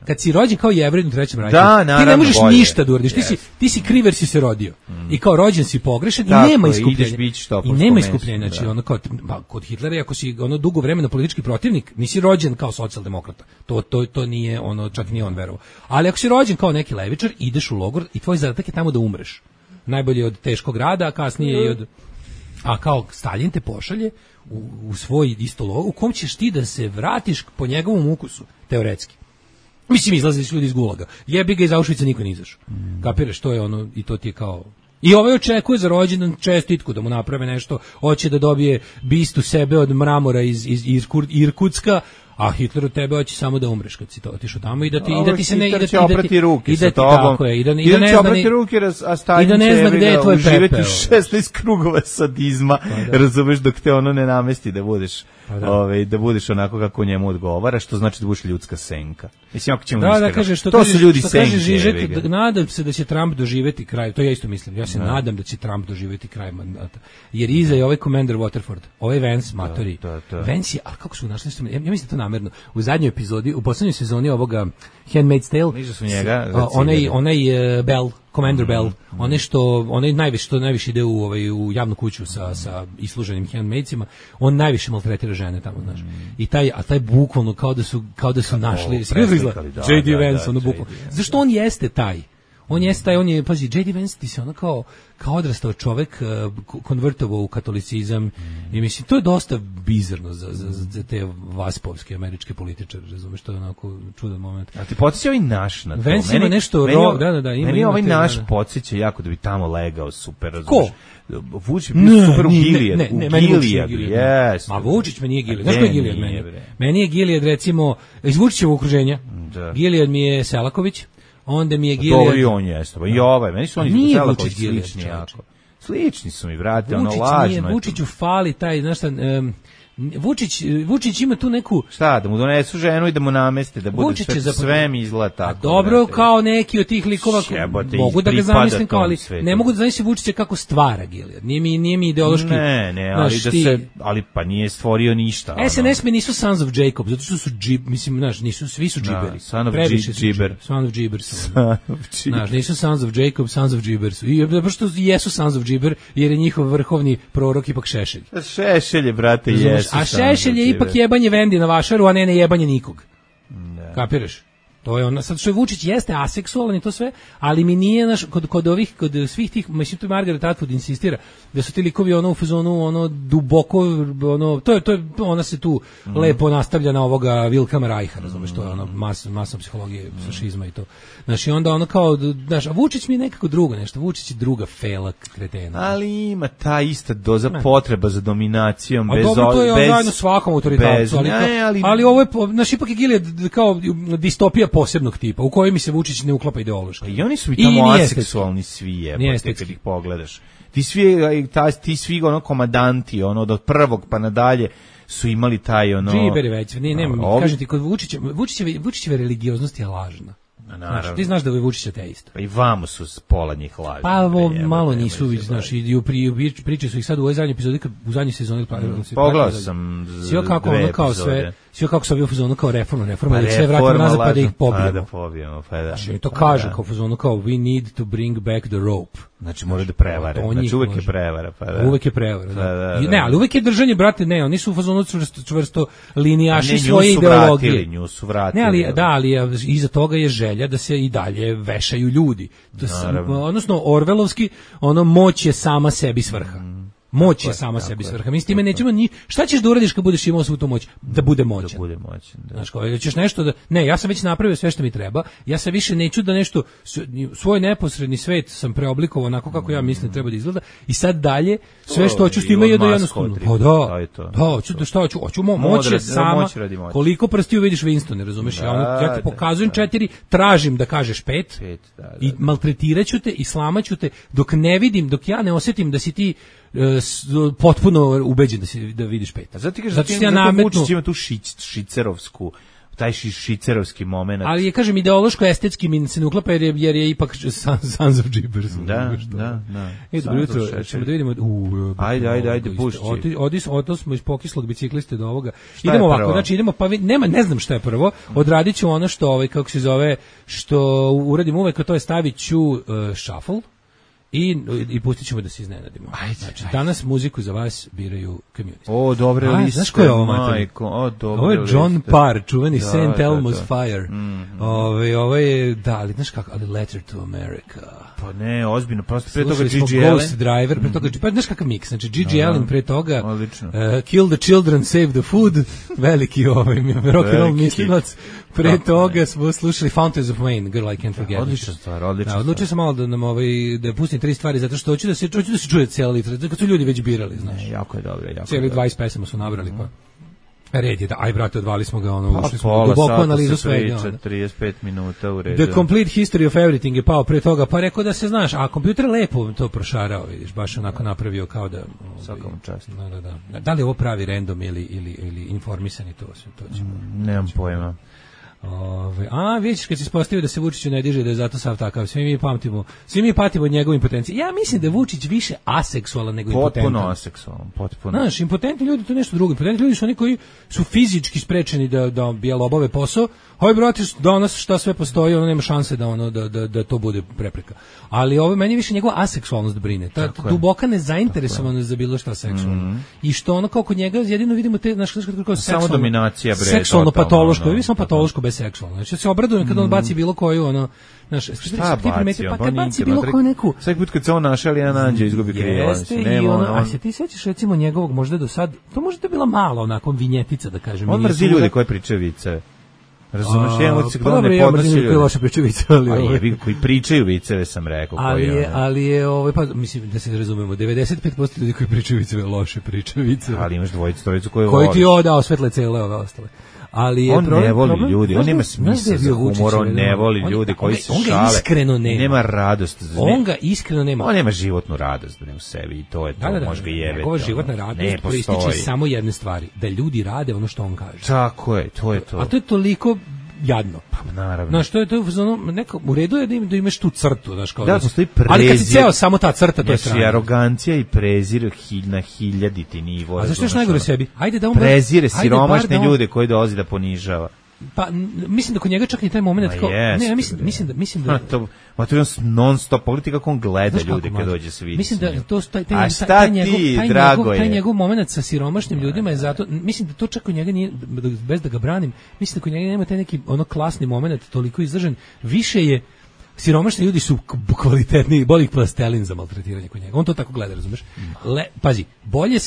Kad si rođen kao Jevrej u Trećem rajku, ti ne možeš ništa da uradiš. Ti si kriv jer si se rodio. I kao rođen si pogrešan i nema iskupljenja. I nema iskupljenja. Znači, kod Hitlera, ako si dugo vremena politički protivnik, nisi rođen kao socijaldemokrata. To nije čak nije on verovao. Ali ako si rođen kao neki levičar, ideš u logor i tvoj zadatak je tamo da umreš. Najbolje od teškog rada, a kasnije i od... A kao Stalin te pošalje u svoj isto logor, u kom ćeš ti da se vratiš po njegovom ukusu, teoretski. Mislim, izlazili su ljudi iz Gulaga. Jebi ga, iz Auschwitza niko ne izašao. Kapiraš, to je ono, i to ti je kao... I ovaj očekuje za rođendan čestitku, da mu naprave nešto, hoće da dobije bistu sebe od mramora iz Irkutska, a Hitler od tebe hoće samo da umreš kad si to otišao tamo i da ti se ne Hitler će oprati ruke sa tobom. I da ne zna gde je tvoj pepeo. 16 krugova sadizma, razumeš, dok te ono ne namesti da budeš da budeš onako kako njemu odgovara, što znači da budeš ljudska senka. Mislim, ako ćemo to su ljudi senke. Nadam se da će Trump doživeti kraj, to ja isto mislim, ja se nadam da će Trump doživeti kraj mandata. Jer iza je ovaj Commander Waterford, ovaj Vance matori. Vance je, ali kako su našli, ja mislim to namerno, u zadnjoj epizodi, u poslednjoj sezoni ovoga Handmaid's Tale, nisu su njega, onaj Bell, Commander Bell, onaj najviše ide u javnu kuću sa isluženim handmaidsima, on najviše maltretira žene tamo, znaš. I taj bukvalno kao da su našli J.D. Vance, ono bukvalno. Zašto on jeste taj? On je, pazi, J.D. Vance ti se ono kao odrastao čovek konvertovao u katolicizam i mislim, to je dosta bizarno za te vaspovske američke političare, razumeš, to je onako čudan moment. A ti podsjeća ovaj naš na to? Vance ima nešto meni ovaj naš podsjeća jako da bi tamo legao super, razumeš. Ko? Vučić bio super u Gilijadu. Yes. Ma Vučić me nije Gilijad. Znaš ko je Gilijad meni? Meni je Gilijad, recimo, iz Vučićevog okruženja. Gilijad mi je Selaković, onda mi je Gilead. Dobro i on jeste, i ovaj, meni su oni Nije Selaković Vučić Gilead, slični čovječe. jako. Slični su mi, brate, ono lažno. Vučiću fali taj, znaš šta, Vučić ima tu neku... Šta, da mu donesu ženu i da mu nameste, da bude Vučić je sve mi izgleda tako. Dobro, brate. kao neki od tih likova, Jebote, mogu da ga pripada zamislim kao, tom ali svetu. ne mogu da zamislim Vučića kako stvara Gilead. Nije mi ideološki... Ne, ali znaš, ali pa nije stvorio ništa. SNS mi nisu Sons of Jacob, zato što su mislim, znaš, svi su džiberi. Son of Džiber. Son of Džibers. Znaš, nisu Sons of Jacob, Sons of Džibers. I zato što jesu Sons of Džiber, jer je njihov vrhovni prorok ipak Šešelj. Šešelj je, brate, jesu. A Šešelj je ipak jebanje Vendi na vašaru, a ne jebanje nikog. Kapiraš? To je ono, sad što je Vučić jeste aseksualan i to sve, ali mi nije naš kod svih tih, mislim tu Margaret Atwood insistira da su ti likovi ono u fazonu ono duboko ono to je ona se tu lepo nastavlja na ovoga Wilhelma Reicha, razumeš, to je ono masa psihologije, fašizma i to. Znači onda ono kao, znaš, a Vučić mi je nekako drugo nešto, Vučić je druga fela kretena. Ali ima ta ista doza potreba za dominacijom, bez dobro, to je zajedno svakom autoritetu, ali ovo je, znaš, ipak je Gilead kao distopija posebnog tipa, u kojoj mi se Vučić ne uklapa ideološki. I oni su i tamo aseksualni svi, jebote, kad ih pogledaš. Ti svi ono komandanti, ono od prvog pa nadalje su imali taj ono... Džiberi već, nema, kažem ti, kod Vučićeve religioznost je lažna. Znaš, ti znaš da je Vučić ateista. Pa i vamo su pola njih lažni. Pa ovo malo nisu, znaš, i priče su ih sad u ovoj zadnjoj epizodi, u zadnjoj sezoni. Pogledao sam sve kako ono kao sve kako sam bio u fazonu kao reforma, da sve vratimo nazad pa da ih pobijemo. Znači, to kaže kao u fazonu kao we need to bring back the rope. Znači mora da prevare, znači uvek je prevara. Uvek je prevara, da. Ne, ali uvek je držanje, brate, ne, oni su u fazonu čvrsto linijaši svoje ideologije. Nju su vratili. Ne, ali iza toga je želja da se i dalje vešaju ljudi. Odnosno, orvelovski, ono, moć je sama sebi svrha. Moć je sama sebi svrha. Mi s time nećemo šta ćeš da uradiš kad budeš imao svu tu moć? Da bude moćan. Da bude moćan, da. Znaš, kao, ćeš nešto da... Ne, ja sam već napravio sve što mi treba, ja se više neću da nešto... Svoj neposredni svet sam preoblikovao onako kako ja mislim treba da izgleda i sad dalje sve što hoću s time je da jednostavno... Pa hoću moć je sama... Koliko prstiju vidiš Winston, razumeš? Ja ti pokazujem 4, tražim da kažeš 5 i maltretiraću te i slamaću te dok ne vidim, dok ja ne osjetim da si ti potpuno ubeđen da vidiš 5. A zato ti kažeš da Vučić ima tu šicerovsku, taj šicerovski moment. Ali je, kažem, ideološko-estetski mi se ne uklapa jer je ipak Sons of Džibers. Da. Dobro jutro, ćemo da vidimo... Ajde, pušći. Oto smo iz pokislog bicikliste do ovoga. Idemo ovako, znači idemo, pa ne znam šta je prvo, odradit ću ono što, kako se zove, što uradim uvek, a to je stavit ću shuffle, i pustit ćemo da se iznenadimo. Znači, danas muziku za vas biraju Community. O, dobre liste. Znaš ko je ovo, majko? Ovo je John Parr, čuveni St. Elmo's Fire. Ovo je, da, ali znaš kako, ali Letter to America. Pa ne, ozbiljno, prosto pre toga G.G. Allen. Ghost Driver, pre toga, pa znaš kakav miks, znači G.G. Allen pre toga, Kill the Children, Save the Food, veliki rock and roll mislilac, pre toga smo slušali Fountains of Wayne, Girl I Can't Forget. Odlična stvar. Odlučio sam malo da nam da pustim 3 stvari, zato što hoću da se čuje cijela literatura, kad su ljudi već birali, znaš. Jako je dobro, cijeli 20 pesama su nabrali, pa red je da, aj brate, odvali smo ga, ušli smo u duboku analizu svega. 35 minuta u redu. The Complete History of Everything je pao pre toga, pa rekao da se, znaš, a kompjuter lepo to prošarao, vidiš, baš onako napravio kao da... Svakom čast. Da li je ovo pravi random ili informisani, to ćemo... Nemam pojma. Vidiš kad se ispostavio da se Vučiću ne diže, da je zato sav takav, svi mi patimo od njegove impotencije. Ja mislim da je Vučić više aseksualan nego impotentan. Potpuno aseksualan, potpuno. Znaš, impotentni ljudi to je nešto drugo. Impotentni ljudi su oni koji su fizički sprečeni da obave posao. Hoj brate, danas šta sve postoji, ono nema šanse da to bude prepreka. Ali ovo meni više njegova aseksualnost brine. Ta duboka nezainteresovanost za bilo šta seksualno. I što ono kao kod njega jedino vidimo te, znaš, kako samo dominacija, bre, seksualno patološko, vi samo patološko bez seksualno. Znači se obradujem kad on baci bilo koju ono, znaš, šta baci, pa kad baci bilo koju neku. Svaki put kad se on našali jedan anđeo izgubi krivac. A se ti sećaš recimo njegovog možda do sad, to možda je bila mala onako vinjetica da kažem. On mrzi ljudi koji pričaju vice. Razumeš, jedan od se gdje ne podnosi ljudi. Loše pričaju vice, ali koji pričaju viceve sam rekao. Ali je, pa mislim da se razumemo, 95% ljudi koji pričaju viceve loše pričaju viceve. Ali imaš dvojicu koji ti osvetle cele ove ostale. Ali on ne voli ljudi, on nema smisla za humor, on ne voli ljudi koji se šale. On ga iskreno nema. Nema radost. On ga iskreno nema. On nema životnu radost u sebi i to je to, može ga jebeti. Njegova životna radost proističe samo jedne stvari, da ljudi rade ono što on kaže. Tako je, to je to. A to je toliko jadno. Pa naravno. Znaš, to je neko, u redu je da imaš tu crtu, znaš, kao da postoji prezir. Ali kad si ceo samo ta crta, to je strano. Znači, arogancija i prezir na hiljaditi nivo. A zašto još najgore sebi? Ajde da on prezire siromašne ljude koji dolazi da ponižava. Pa mislim da kod njega čak i taj momenat kao ne, mislim da to non stop politika kako on gleda ljude kad dođe se vidi. Mislim da to taj njegov momenat sa siromašnim ljudima je zato, mislim da to čak kod njega nije, bez da ga branim, mislim da kod njega nema taj neki ono klasni momenat toliko izražen, više je siromašni ljudi su kvalitetniji, bolji plastelin za maltretiranje kod njega. On to tako gleda, razumeš? Pazi, bolje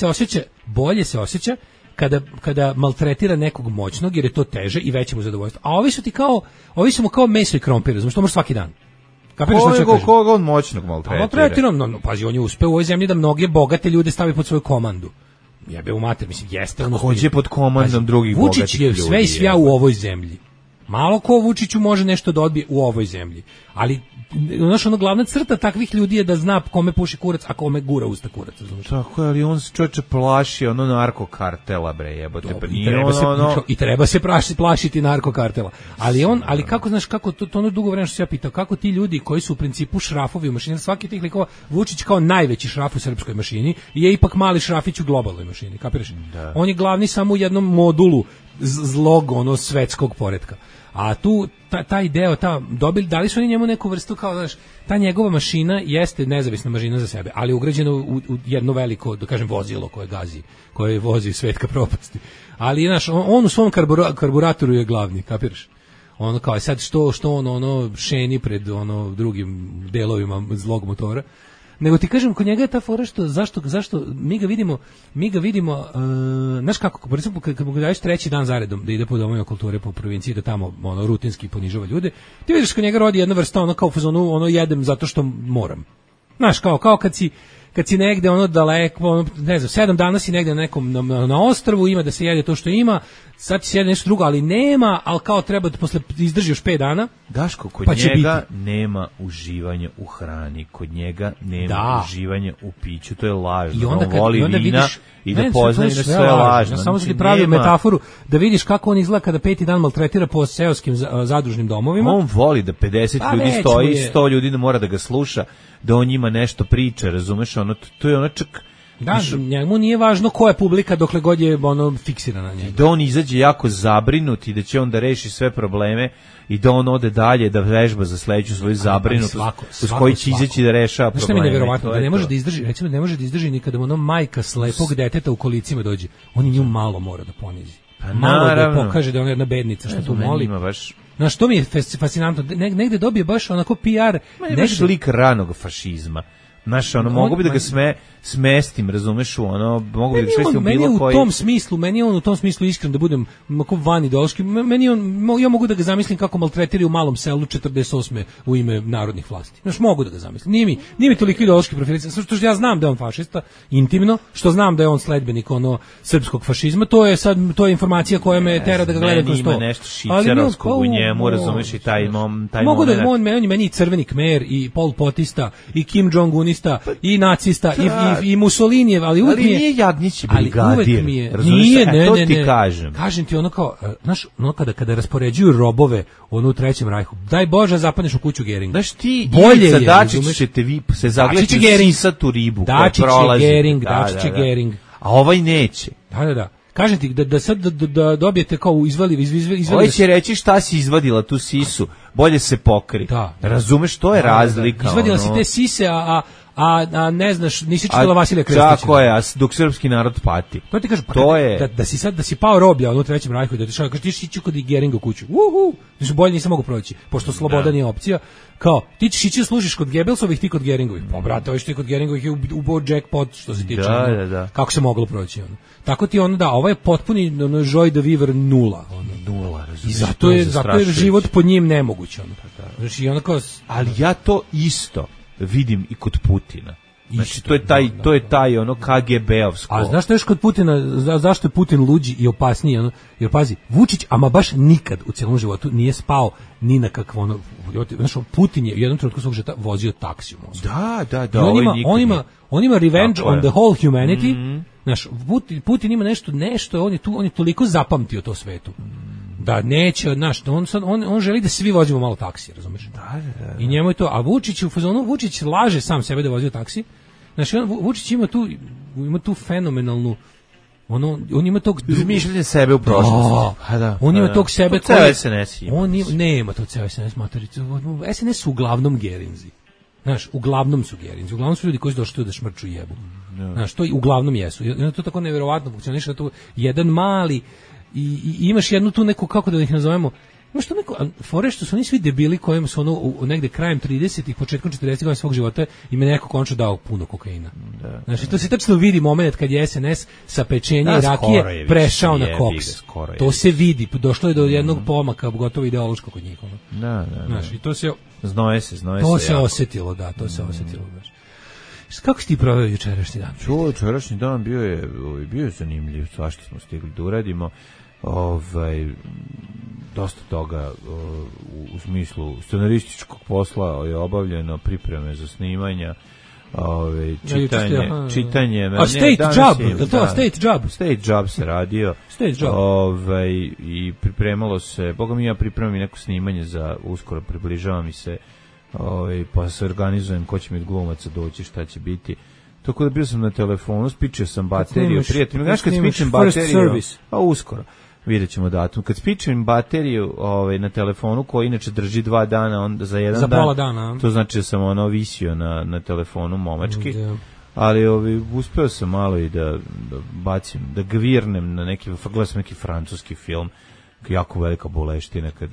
se osjeća kada maltretira nekog moćnog, jer je to teže i veće mu zadovoljstvo. A ovi su mu kao meso i krompir, razumiješ, to može svaki dan. Koga on moćnog maltretira? Pazi, on je uspeo u ovoj zemlji da mnoge bogate ljude stavi pod svoju komandu. Jebe u mater, mislim, jeste. Hoće pod komandom drugih bogatih ljudi. Vučić je sve i svja u ovoj zemlji. Malo ko Vučiću može nešto da odbije u ovoj zemlji. Ali ono glavna crta takvih ljudi je da zna kome puši kurac, a kome gura usta kurac. Tako je, ali on se čovječe plaši narkokartela, bre, jebote. I treba se plašiti narkokartela. Ali kako, znaš, kako to ono dugo vremena što se ja pitao, kako ti ljudi koji su u principu šrafovi u mašini, svaki tih likova, Vučić kao najveći šraf u srpskoj mašini, je ipak mali šrafić u globalnoj mašini, kapiraš? Da. On je glavni samo u jednom modulu zlog, svetskog poretka. A tu taj deo, dali su oni njemu neku vrstu, kao, znaš, ta njegova mašina jeste nezavisna mašina za sebe, ali ugrađena u jedno veliko, da kažem, vozilo koje gazi, koje vozi svet ka propasti. Ali, znaš, on u svom karburatoru je glavni, kapiraš? Ono kao, sad što on šeni pred drugim delovima zlog motora. Nego ti kažem, kod njega je ta fora zašto mi ga vidimo, znaš kako, kad mu daješ treći dan zaredom da ide po domovima kulture po provinciji, da tamo rutinski ponižava ljude, ti vidiš kod njega rodi jedna vrsta kao u fazonu, jedem zato što moram. Znaš, kao kad si negde daleko, ne znam, 7 dana si negde na ostrvu, ima da se jede to što ima, sad si jede nešto drugo, ali nema, ali kao treba da posle izdrži još 5 dana. Daško, kod njega nema uživanja u hrani, kod njega nema uživanja u piću, to je lažno. On voli vina i da poznaje da sve je lažno. Ja samo sam ti pravio metaforu da vidiš kako on izgleda kada 5. dan maltretira po seoskim zadružnim domovima. On voli da 50 ljudi stoji, 100 ljudi mora da ga sluša, da on njima nešto priča, razumeš, to je čak. Da, njemu nije važno koja je publika dokle god je fiksirana na njega. Da on izađe jako zabrinut i da će on da reši sve probleme i da on ode dalje da vežba za sledeću svoju zabrinutost uz koji će izaći da rešava probleme. Što mi je nevjerovatno, da ne može da izdrži, recimo ne može da izdrži ni kada mu majka slepog deteta u kolicima dođe. On nju malo mora da ponizi. Malo da pokaže da je ona jedna bednica što tu moli. Znaš, što mi je fascinantno, negde dobije baš onako PR. Negde lik ranog fašizma. Znaš, mogu bi da ga smestim, razumeš, mogu bi da ga smestim u bilo koji. Meni je on u tom smislu iskren, da budem van ideološki, ja mogu da ga zamislim kako maltretiri u malom selu 48. u ime narodnih vlasti. Znaš, mogu da ga zamislim. Nije mi toliko ideološki profilican, što ja znam da je on fašista, intimno, što znam da je on sledbenik srpskog fašizma, to je informacija koja me tera da ga gledam kroz to. Ima nešto šićarovskog u njemu, razumeš, i taj moment. Mogu da on meni i crveni Kmer, i Pol Potista, i Kim Jong-un, i nacista i Mussolinijev, ali uvek mi je. Ali nije Jadnić brigadir. Nije, ti kažem. Kažem ti kao, znaš, kada raspoređuju robove u Trećem rajhu, daj Bože zapadneš u kuću Geringa. Znaš ti, Ivica Dačić ćete vi se zagledati u sisatu ribu koja prolazi. Dačić je Gering. A ovaj neće. Da. Kažem ti da sad da dobijete kao izvali. Ovaj će reći šta si izvadila tu sisu, bolje se pokri. Da. Razumeš, to je razlika. Izvadila si te sise, a ne znaš, nisi čitala Vasilija Krstića. Tako je, dok srpski narod pati. To ti kažem, da si pao roblja u Trećem rajhu i da ti ići kod Geringa u kuću. Bolje nisam mogu proći, pošto sloboda nije opcija. Kao, ti ćeš ići da služiš kod Gebelsovih, ti kod Geringovih. Pa brate, ovo što je kod Geringovih je ubao jackpot što se tiče. Da. Kako se moglo proći ono. Tako ti ovo je potpuni joy de vivre nula. Nula, i zato je život pod njim nemoguć. Znači, ali ja to isto vidim i kod Putina. Znači, to je taj ono KGB-ovsko. A znaš što još kod Putina, zašto je Putin luđi i opasniji? Ono, jer pazi, Vučić, ama baš nikad u cijelom životu nije spao ni na kakvo ono, znaš, Putin je u jednom trenutku svog života vozio taksi u Moskvu. Da. On ima revenge on the whole humanity. Znaš, Putin ima nešto, on je toliko zapamtio to svetu. Da neće, znaš, on želi da svi vozimo malo taksi, razumeš? Da. I njemu je to, a Vučić u fazonu, Vučić laže sam sebe da vozio taksi. Znači, Vučić ima tu fenomenalnu, on ima tog izmišljanje sebe u prošlosti. On ima tog sebe koji SNS ima. Nema to ceo SNS matericu. SNS su uglavnom gerinzi. Znaš, uglavnom su gerinzi. Uglavnom su ljudi koji su došli tu da šmrču i jebu. Znaš, to i uglavnom jesu. I to tako neverovatno funkcioniše, to jedan mali i imaš jednu tu neku, kako da ih nazovemo, imaš tu neko, fore što su oni svi debili kojima su ono negde krajem 30-ih, početkom 40-ih godina svog života im je neko končno dao puno kokaina. Znači, to se tačno vidi moment kad je SNS sa pečenja i rakije prešao na koks. To se vidi, došlo je do jednog pomaka, gotovo ideološko kod njih. Znači, to se znoje se. To se osetilo, to se osetilo. Kako si ti proveo jučerašnji dan? Jučerašnji dan bio je zanimljiv, svašta smo stigli da uradimo. Dosta toga u smislu scenarističkog posla je obavljeno, pripreme za snimanja, čitanje. A state job, je to state job? State job se radio. State job. I pripremalo se, boga mi ja pripremam i neko snimanje za uskoro, približava mi se, pa se organizujem ko će mi od glumaca doći, šta će biti. Tako da bio sam na telefonu, spičio sam bateriju, prijatelj. Znaš kad spičem bateriju, a uskoro. Vidjet ćemo datum. Kad spičem bateriju na telefonu, koji inače drži 2 dana, onda za jedan dan, pola dana, to znači da sam visio na telefonu momački, ali uspeo sam malo i da bacim, da gvirnem na gledam sam neki francuski film, jako velika boleština kad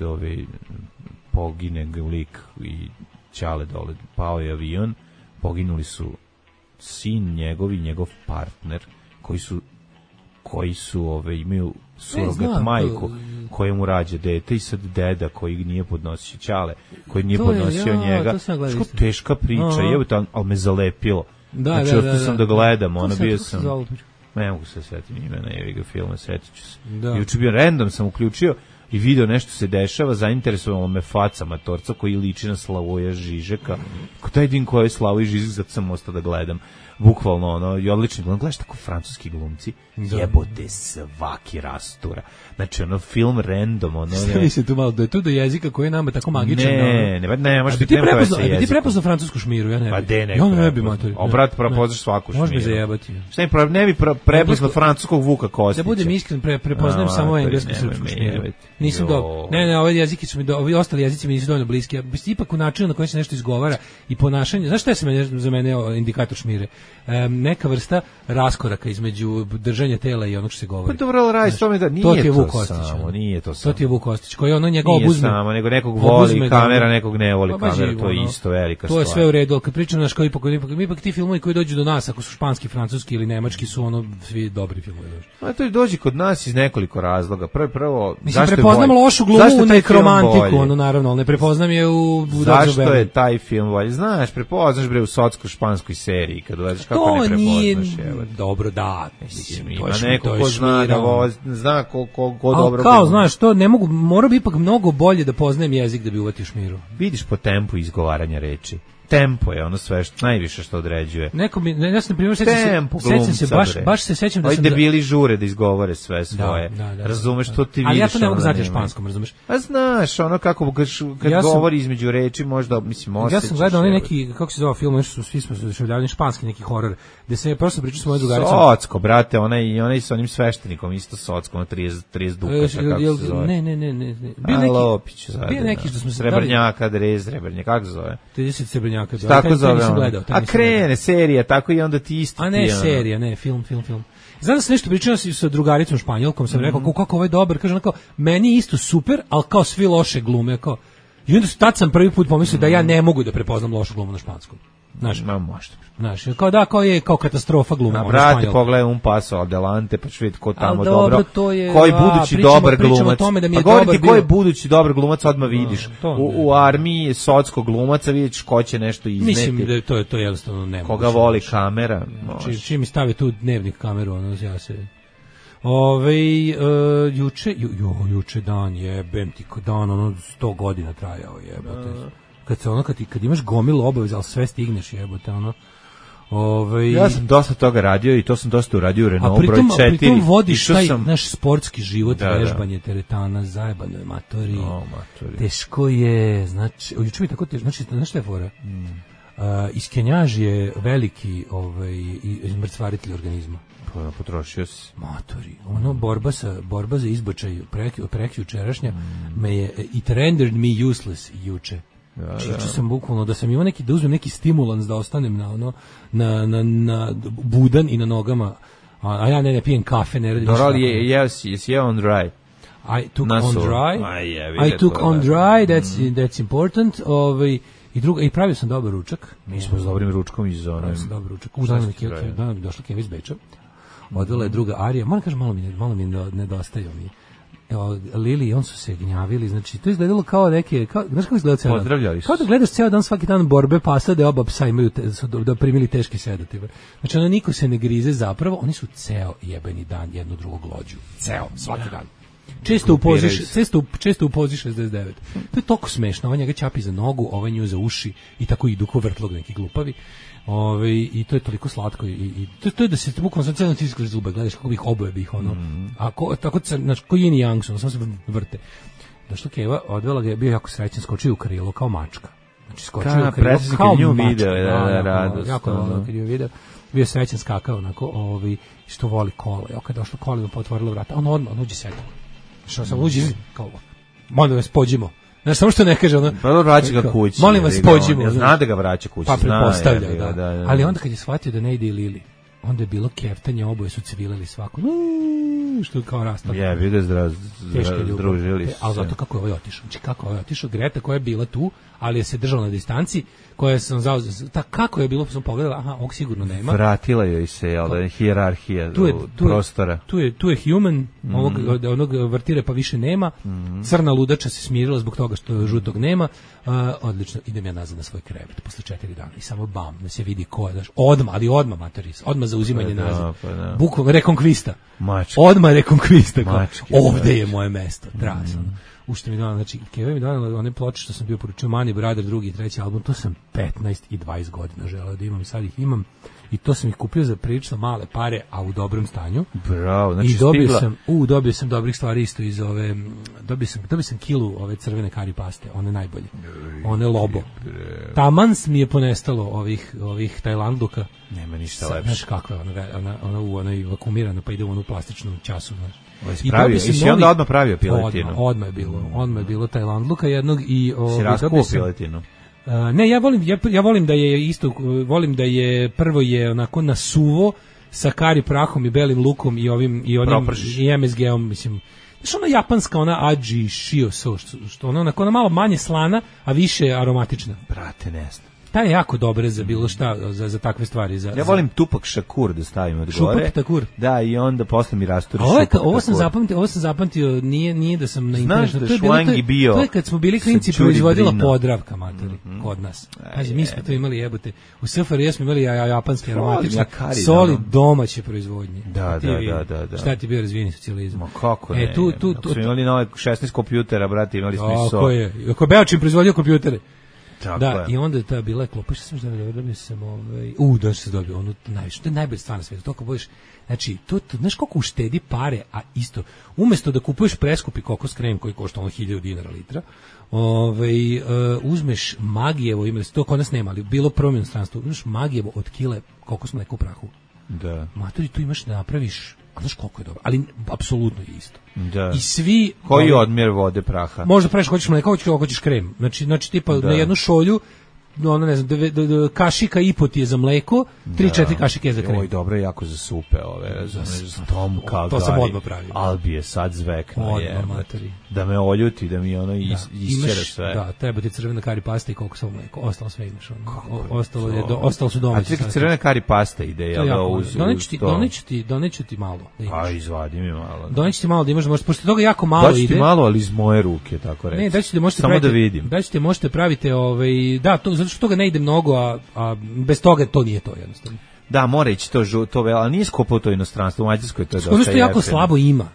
pogine lik i ćale dole, pao je avion, poginuli su sin njegov i njegov partner, koji su imaju surogat majku koja mu rađa dete i sad deda koji nije podnosio ćale, koji nije podnosio njega. Što teška priča, ali me zalepilo. Znači, ostao sam da gledam, bio sam... Ne mogu se setiti imena jeviga filma, setit ću se. Juče bio random, sam uključio i video nešto se dešava, zainteresovalo me faca matorca koji liči na Slavoja Žižeka. Ko taj din koji je Slavoj Žižek, zato sam ostao da gledam. Bukvalno, i odlični glum. Gledaš tako francuski glumci, jebote svaki rastura. Znači, film random, Stavi se tu malo, da je tu do jezika koji je nama tako magičan. Ne, možda ti prepoznao francusku šmiru, ja ne bi. Pa de ja ne bi, matori. Obrat, prepoznaš svaku šmiru. Može me zajebati. Ne bi prepoznao francuskog Vuka Kostića. Da budem iskren, prepoznajem samo englesku srpsku šmiru. Nisam dobro. Ne, ovi jezici su mi, ovi ostali jezici mi nisu dovoljno bliski. Ipak u načinu na koji se nešto izgovara i ponašanje, znaš šta je za mene indikator šmire? Neka vrsta raskoraka između držanja tela i onog što se govori. Pa dobro, nije to samo. To ti je Vuk Kostić, koji ono njega obuzme. Nije samo, nego nekog voli kamera, nekog ne voli kamera, to je isto velika stvar. To je sve u redu, ali kad pričam naš ipak ti filmovi koji dođu do nas, ako su španski, francuski ili nemački, su svi dobri filmovi. A to dođe kod nas iz nekoliko razloga. Prvo, mislim, prepoznam lošu glumu u nekromantiku, naravno, ali ne prepoznam je u zašto je taj film bolji? Znaš, prepoznaš u socko-španskoj seriji, kad gledaš kako ne prepoznaš. Dobro, da. Ima neko ko zna ko dobro. Kao, znaš, to ne mogu, mora bi ipak mnogo bolje da poznajem jezik da bi uvatio šmiru. Vidiš po tempu izgovaranja reči. Tempo je ono sve najviše što određuje. Neko mi, ja sam na primjer sećam se baš se sećam da sam debili žure da izgovore sve svoje. Razumeš to ti vidiš. Ali ja to ne mogu znati španskom, razumeš? A znaš, ono kako kad govori između reči možda mislim osjećaš. Ja sam gledao neki, kako se zove film, nešto svi smo doživljavali španski neki horor, gde se prosto pričao s mojom drugaricom. Socko, brate, onaj sa onim sveštenikom isto Socko, 30 dukata, kako se zove. Ne. Bio neki što smo se Srebrnjaka, Srebrnjak, kako se zove? 30 Srebrnjaka. Tako zove. A krene serija, tako i onda ti isto. A ne serija, ne, film. Znam da sam nešto pričao sa drugaricom Španjolkom, sam rekao kako ovo je dobar, kaže onako, meni isto super, ali kao svi loše glume, kao. I onda tad sam prvi put pomislio da ja ne mogu da prepoznam lošu glumu na španskom. Znaš, možda. Znaš, kao katastrofa gluma. Brate, pogledaj Un Paso Adelante, pa ću vidjeti ko tamo dobro. Je, koji budući dobar glumac. Pa govoriti ko je budući dobar glumac, odmah vidiš. U armiji socskog glumaca vidiš ko će nešto izneti. Mislim da to je jednostavno nemoguće. Koga voli kamera. Čim mi stave tu dnevnik kameru, ja se... juče dan jebem ti ko dan, 100 godina trajao jebote. Kad imaš gomilu obaveza, ali sve stigneš jebote, Ja sam dosta toga radio i to sam dosta uradio u Renault broj 4. A pritom vodiš taj naš sportski život, vežbanje teretana, zajebano je matori. Teško je, znači, juče mi tako teško, znači šta je fora? Iskenjaž je veliki izmrcvaritelj organizma. Potrošio si. Matori, borba za izbačaj prekjučerašnja me je, it rendered me useless juče. Čiču sam bukvalno da sam imao da uzmem neki stimulans da ostanem na budan i na nogama, a ja ne pijem kafe, ne radim ništa. Dorali jesi on dry. I took on dry, that's important. I pravio sam dobar ručak. Mi smo s dobrim ručkom iz zone. Dobar ručak. Danas mi došla Keva iz Beča. Odvela je druga Arija. Moram kažem, malo mi nedostaje mi. Lili i on su se gnjavili, znači to izgledalo kao neke, znaš kako izgleda ceo dan? Pozdravljali su. Kao da gledaš ceo dan, svaki dan borbe pasa da oba psa imaju da primili teške sedative. Znači niko se ne grize zapravo, oni su ceo jebeni dan jedno drugog lođu. Ceo, svaki dan. Često u pozi 69. To je toliko smešno, on njega ćapi za nogu, ovaj nju za uši i tako idu ko vrtlog neki glupavi. I to je toliko slatko i to je da se bukvalno sa celom tiskaš zube, gledaš kako bih oboje bih tako znači ko yin i yang su, samo se vrte. Došla Keva, odvela ga, bio jako srećan, skočio u krilo kao mačka. Znači skočio u krilo kao mačka. Video, radost. Jako volio kad je video. Bio srećan, skakao onako, što voli kola. Ja kad došlo kola, pa otvorilo vrata, on odmah uđe sedi. Što sam uđe kao, molim vas pođimo. Znaš, samo što ne kaže ono... Pa vraća ga kući. Molim vas, pođimo. Zna da ga vraća kući. Pa pretpostavlja, da. Ali onda kad je shvatio da ne ide i Lili, onda je bilo keftanje, oboje su civilili svako. Što kao rastalo. Vidio združili se. Ali zato kako je ovaj otišao. Znači kako je ovaj otišao, Greta koja je bila tu, ali je se držala na distanci, koja sam zauzeo, kako je bilo, pa sam pogledala, ovog sigurno nema. Vratila joj se, hijerarhija prostora. Tu je human, onog vrtire pa više nema, crna ludača se smirila zbog toga što žutog nema, odlično, idem ja nazad na svoj krevet posle 4 dana i samo bam, da se vidi ko je, odmah materis, odmah za uzimanje nazad. Bukvalno, rekonkvista. Odmah rekonkvista. Ovde je moje mesto, trasno. Ušte mi dala, znači, Keva mi dala one ploče što sam bio poručio, Money Brother, 2. i 3. album, to sam 15 i 20 godina želeo da imam, sad ih imam, i to sam ih kupio za prilično male pare, a u dobrom stanju. Bravo, znači i dobio sam dobrih stvari isto iz ove, dobio sam kilu ove crvene kari paste, one najbolje, one Lobo. Taman mi je ponestalo ovih Tajlandluka. Nema ništa lepše. Znaš kakva je ona vakumirana, pa ide u onu plastičnu času, znaš. I onda odmah pravio piletinu. Odmah je bilo Tajlandluka jednog i si raskuo piletinu. Ne, ja volim da je isto, volim da je prvo je onako na suvo sa kari prahom i belim lukom i onim i MSG-om, mislim. Znaš, ona japanska, ona aji shio so, što ona onako malo manje slana, a više aromatična. Brate, ne znam. Ta je jako dobra za bilo šta, za takve stvari. Ja volim tupak šakur da stavim od gore. Šupak takur. Da, i onda posle mi rasturi šupak takur. Ovo sam zapamtio, nije da sam na internetu. Znaš da Švangi bio... To je kad smo bili klinci proizvodila Podravka, matori, kod nas. Kaži, mi smo to imali, jebote. U SFRJ smo imali japanske aromatične soli domaće proizvodnje. Da. Šta ti bio razvijeni socijalizam? Ma kako ne? Smo imali nove 16 kompjutera, brate, imali smo i sol. Ako je Beočin proizvodio kompjutere. Tako da, je. I onda je ta bila klopa, što sam dobio sam da se dobio, ono najviše, to je najbolja stvar na svijetu, toliko budeš, znači, to, znaš koliko uštedi pare, a isto, umjesto da kupuješ preskupi kokos krem koji košta ono 1000 dinara litra, uzmeš Magijevo, to kod nas nema, ali bilo prvom inostranstvu, uzmeš Magijevo od kile kokos mleka u prahu. Da. Matori, tu imaš da napraviš, a znaš koliko je dobro, ali apsolutno je isto. Da. I svi... Koji odmjer vode praha? Možda praviš, hoćeš mleka, hoćeš krem. Znači tipa na jednu šolju ono ne znam, kašika i po ti je za mleko, 3-4 kašike za krem. Oj, dobro je jako za supe ove, razumeš, tom kao to sam odmah pravio. Albi je sad zvekna je. Matori. Da me oljuti, da mi ono isčera sve. Da, treba ti crvena kari pasta i kokosovo mleko, ostalo sve imaš. Ostalo su domaći. A ti crvena kari pasta ide, jel da uz to? Doneću ti malo. A izvadi mi malo. Doneću ti malo da imaš, pošto toga jako malo ide. Doći ti malo, ali iz moje ruke, tako reći. Ne, da ćete možete samo praviti, da vidim. Da ćete možete pravite da, to zato što toga ne ide mnogo, a bez toga to nije to jednostavno. Da, mora ići to ali nije skupo to inostranstvo, u Mađarskoj to je dosta. Ono jako slabo ima.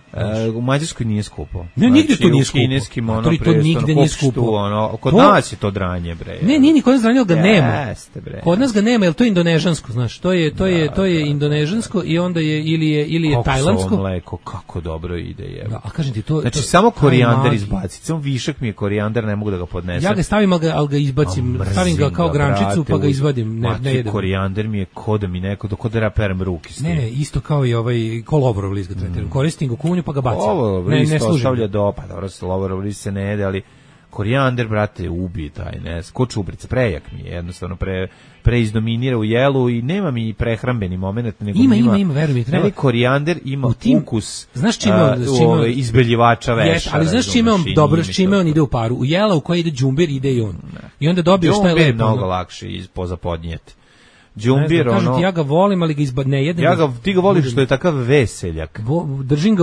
U Mađarskoj nije skupo. Ne, nigde to nije skupo. Kineskim ono to nigde nije skupo. Kod nas je to dranje, bre. Ne, nije ni kod nas dranje, ali ga nema. Jeste, bre. Kod nas ga nema, jer to je indonežansko, znaš. To je indonežansko i onda je ili je tajlandsko. Kokosovo mleko, kako dobro ide je. Da, a kažem ti to. Znači samo korijander izbaciti, samo višak mi je korijander, ne mogu da ga podnesem. Ja ga stavim, al ga izbacim, stavim ga kao grančicu pa ga izvadim, ne jedem. Korijander mi je kod da mi neko perem ruke s tim. Ne, isto kao i ovaj kolovorov list ga tretiram. Koristim ga u kuhinju pa ga bacam. Ovo list ostavlja pa dobro, lovorov list se ne jede, ali korijander, brate, ubije taj, ne, ko čubrica, prejak mi je, jednostavno preizdominira u jelu i nema mi prehrambeni moment, nego ima, veruj mi, treba. Korijander ima ukus, znaš čime izbeljivača veša. Ali znaš čime on dobro, čime on ide u paru? U jela u kojoj ide đumbir ide i on. I onda dobiješ taj lepo. Đumbir je mnogo lakše pozapodnijeti. Đumbir, ono... Ja ga volim, ali ga ne jedem. Ti ga voliš što je takav veseljak. Držim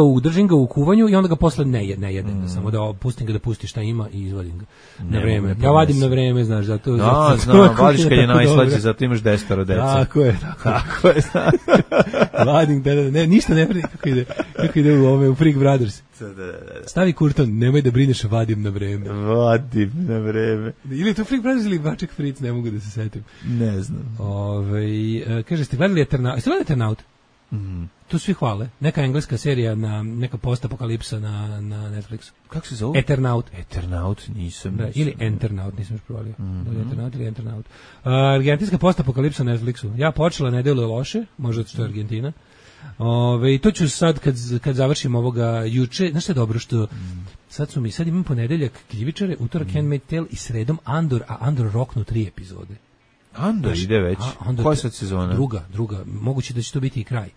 ga u kuvanju i onda ga posle ne jedem. Samo da pustim ga da pusti šta ima i izvadim ga na vreme. Ja vadim na vreme, znaš, zato... Da, znam, vadiš kad je najslađe, zato imaš 10 deca. Tako je. Vadim, ne, ništa ne predi, kako ide u Freak Brothers. Stavi kurton, nemoj da brineš, vadim na vreme. Vadim na vreme. Ili to Freak Brothers ili Baček Fritz, ne mogu da se setim. Ne znam. Kaže, ste gledali Eternaut? Tu svi hvale. Neka engleska serija, neka postapokalipsa na Netflixu. Kako se zove? Eternaut nisam. Da, ili Enternaut, nisam još provalio. Eternaut ili Enternaut. Argentinska postapokalipsa na Netflixu. Ja počela, ne deluje loše, možda što je Argentina. I to ću sad kad završim ovoga juče, znaš što je dobro što sad imam ponedeljak Kljivičare, utorak Handmaid's Tale i sredom Andor, a Andor roknu 3 epizode. Andor ide već? Koja sad sezona? Druga, moguće da će to biti i kraj.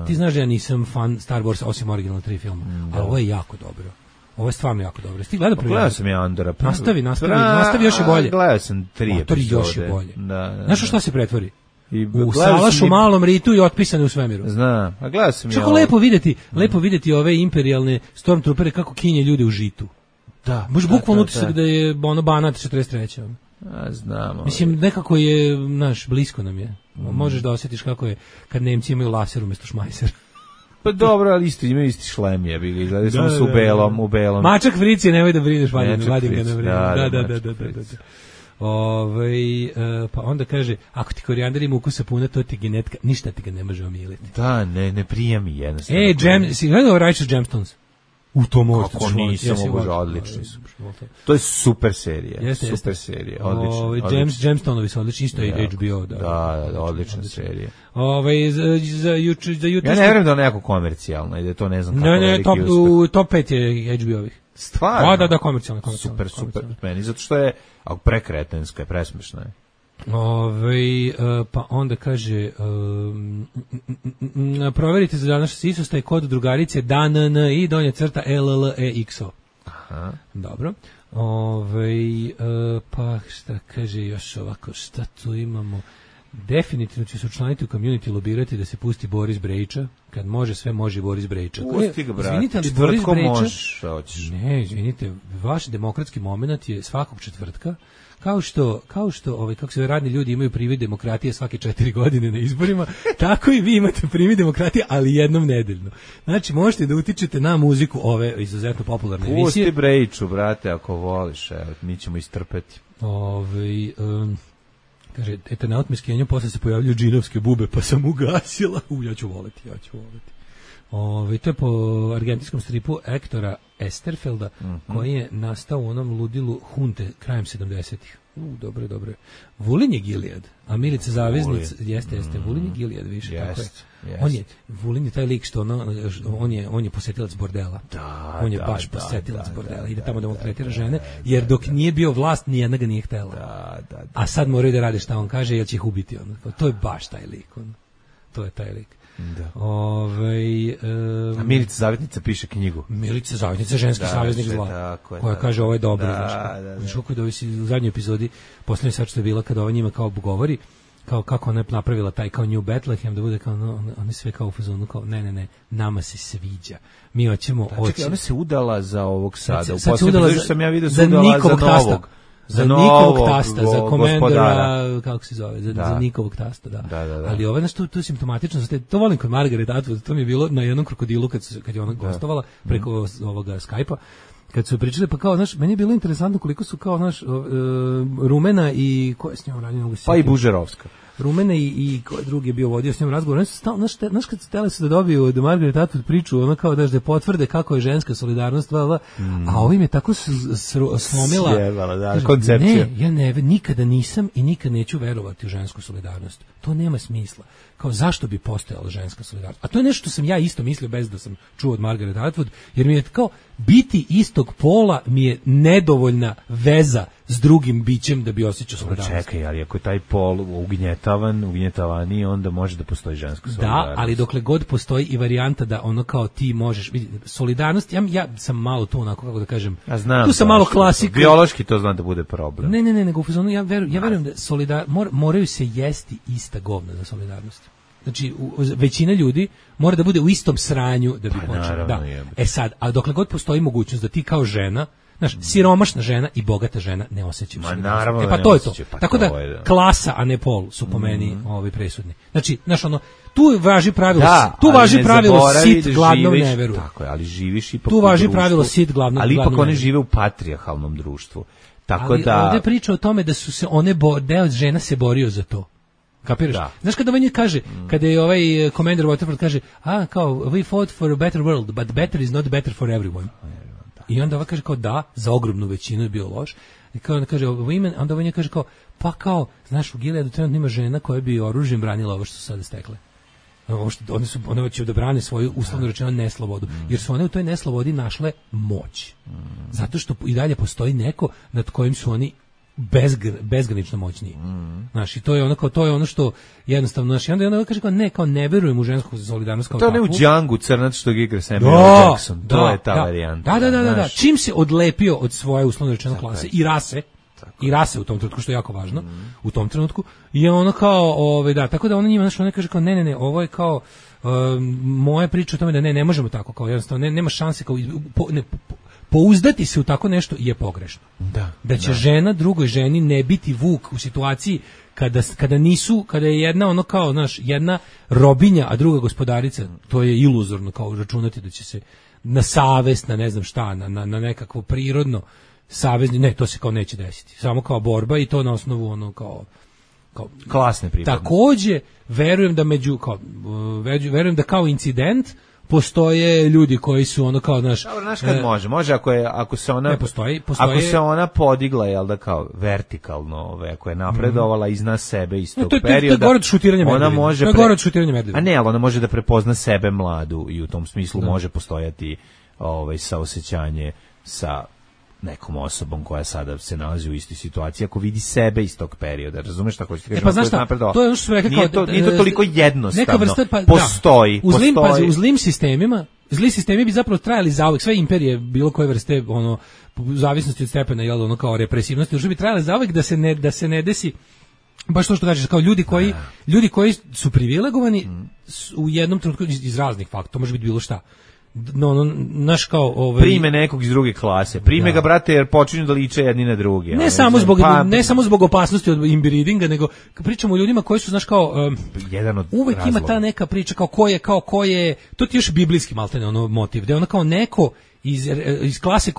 Ti znaš da ja nisam fan Star Wars osim originalna 3 filma, ali ovo je jako dobro. Ovo je stvarno jako dobro. Ti gledao prvi? Gledao sam ja Andora. Nastavi još je bolje. Gledao sam 3 epizode. Još je bolje. Da. Znaš šta se pretvori? U salaš u malom ritu i otpisane u svemiru. Znam, a gledao sam ja. Čako lepo videti ove imperialne stormtroopere kako kinje ljude u žitu. Da. Baš bukvalno utisak da je ono Banat 43. Znamo. Mislim, nekako je, blisko nam je. Možeš da osjetiš kako je kad Nemci imaju laser umjesto šmajsera. Pa dobro, ali imaju isti šlem, je bili. Gledali smo se u belom. Mačak Frici, nemoj da brineš, vadim ga na vreme. Da. Pa onda kaže, ako ti korijander ima ukusa puna, to ti genetika, ništa ti ga ne može omiliti. Da, ne prija mi jednostavno. Si gledao Righteous Gemstones? U to možete. Kako nisam obožao, odlični su. To je super serija. Super serija, odlično. Gemstonovi su odlični, isto je HBO. Da, odlična serija. Za jutro... Ja ne vjerujem da je neko komercijalno, i da to ne znam kako veliki uspeh. Top 5 je HBO-ovih. Stvarno? Da, komercijalno. Super, meni, zato što je prekretenska, presmešna je. Pa onda kaže proverite za današnji Isus, taj kod drugarice DANN i donja crta LLEXO. Aha. Dobro. Pa šta kaže još ovako, šta tu imamo? Definitivno će se učlaniti u community, lobirati da se pusti Boris Brejča. Kad može, sve može i Boris Brejča. Pusti ga, brate. Izvinite, ali Boris Brejča... Možeš. Ne, izvinite, vaš demokratski moment je svakog četvrtka. Kao što kako se radni ljudi imaju privid demokratije svake 4 godine na izborima, tako i vi imate privid demokratije, ali jednom nedeljno. Znači, možete da utičete na muziku ove izuzetno popularne emisije. Pusti Brejču, brate, ako voliš, evo, mi ćemo istrpeti. Kaže, Eternaut me skenju, posle se pojavljuju džinovske bube, pa sam ugasila. Ja ću voleti. To je po argentinskom stripu Ektora Esterfelda, koji je nastao u onom ludilu Hunte krajem 70-ih. Dobro. Vulin je Gilead, a Milica Zaveznica, jeste, Vulin je Gilead više, tako je. On je, Vulin je taj lik što on je posetilac bordela. On je baš posetilac bordela. Ide tamo da maltretira žene, jer dok nije bio vlast, nijedna ga nije htela. A sad moraju da rade šta on kaže, jer će ih ubiti. To je baš taj lik. To je taj lik. A Milica Zavetnica piše knjigu. Milica Zavetnica, ženski saveznik zla, koja kaže ovo je dobro. Znaš kako je da u zadnjoj epizodi, poslednji sad što je bila, kada ova njima kao govori, kao kako ona je napravila taj kao New Bethlehem, da bude kao, oni sve kao u fazonu, kao ne, nama se sviđa. Mi hoćemo... Čekaj, ona se udala za ovog sada. U posljednju sam ja vidio se udala za novog. Za Nikovog tasta, za komendora, kako se zove, za Nikovog tasta, da. Ali ovo je nešto tu simptomatično, to volim kod Margaret Atwood, to mi je bilo na jednom krokodilu kad je ona gostovala preko ovoga Skype-a, kad su pričali, pa kao, znaš, meni je bilo interesantno koliko su kao, znaš, Rumena i, ko je s njom radio? Pa i Bužerovska. Rumena i drugi je bio vodio s njom razgovor. Oni su znaš kad stele su da dobiju od Margaret Atwood priču, ona kao da potvrde kako je ženska solidarnost, a ovim je tako slomila koncepcija. Ne, ja nikada nisam i nikad neću verovati u žensku solidarnost. To nema smisla. Kao zašto bi postojala ženska solidarnost? A to je nešto što sam ja isto mislio bez da sam čuo od Margaret Atwood, jer mi je kao biti istog pola mi je nedovoljna veza s drugim bićem da bi osjećao solidarnost. Čekaj, ali ako je taj pol ugnjetavani, onda može da postoji ženska solidarnost. Da, ali dokle god postoji i varijanta da ono kao ti možeš vidjeti solidarnost, ja sam malo tu onako, kako da kažem, tu sam malo klasik. Biološki to znam da bude problem. Ne, nego u fazonu ja verujem da moraju se jesti ista govna za solidarnost. Znači, većina ljudi mora da bude u istom sranju da bi počela. Da. Sad, a dokle god postoji mogućnost da ti kao žena, znaš, siromašna žena i bogata žena ne osjećaju solidarnost. Pa to je to. Tako da klasa, a ne pol su po meni presudni. Znači, znaš, tu važi pravilo sit gladnom ne veruje. Tako je, ali živiš ipak tu važi pravilo sit gladnom. Ali ipak one žive u patrijarhalnom društvu. Tako ali da ovdje priča o tome da su se deo žena se borio za to. Kapiraš? Da. Znaš kada on kaže, kada je ovaj Commander Waterford kaže, kao, we fought for a better world, but better is not better for everyone. I onda ova kaže kao da, za ogromnu većinu je bio loš. I kao onda kaže women, onda on kaže kao, pa kao, znaš, u Gileadu trenutno ima žena koja bi oružjem branila ovo što su sada stekle. One će da brane svoju, uslovno rečeno, neslobodu. Jer su one u toj neslobodi našle moć. Zato što i dalje postoji neko nad kojim su oni bezgranično moćniji. Znaš, i to je ono što jednostavno, znaš, i onda kaže kao ne verujem u žensku solidarnost kao takvu. To ne u Django crnac što igra Samuel Jackson, to je ta varijanta. Da. Čim se odlepio od svoje uslovno rečeno klase i rase u tom trenutku, što je jako važno, u tom trenutku, je ono kao, tako da ona njima, znaš, ona kaže kao ne, ovo je kao moja priča o tome da ne možemo tako, kao jednostavno, nema šanse, kao pouzdati se u tako nešto je pogrešno. Da će žena drugoj ženi ne biti vuk u situaciji kada je jedna ono kao, znaš, jedna robinja, a druga gospodarica, to je iluzorno kao računati da će se na savest, na ne znam šta, na nekakvo prirodno savezni, ne, to se kao neće desiti. Samo kao borba i to na osnovu ono kao klasne pripadnosti. Takođe, verujem da kao incident postoje ljudi koji su ono kao znaš kad može ako se ona ako se ona podigla, jel da, kao vertikalno, ako je napredovala iznad sebe iz tog perioda, ona može a ne, ali ona može da prepozna sebe mladu i u tom smislu može postojati saosećanje sa nekom osobom koja sada se nalazi u istoj situaciji, ako vidi sebe iz tog perioda, razumeš šta hoćeš kažeš? Pa znaš šta, to je ono što su rekli kao... Nije to toliko jednostavno, postoji. U zlim sistemima, zli sistemi bi zapravo trajali zauvek, sve imperije, bilo koje vrste, u zavisnosti od stepena, jel, ono kao represivnosti, bi trajali zauvek da se ne desi, baš to što kažeš, kao ljudi koji su privilegovani u jednom trenutku iz raznih faktora, može biti bilo šta. Naš kao prime nekog iz druge klase, prime ga, brate, jer počinju da liče jedni na druge. Ne samo zbog opasnosti od inbreedinga, nego pričamo o ljudima koji su, znaš, kao jedan od uvek razloga. Ima ta neka priča kao ko je, to ti još biblijski maltene ono motiv, da je ono kao neko iz klase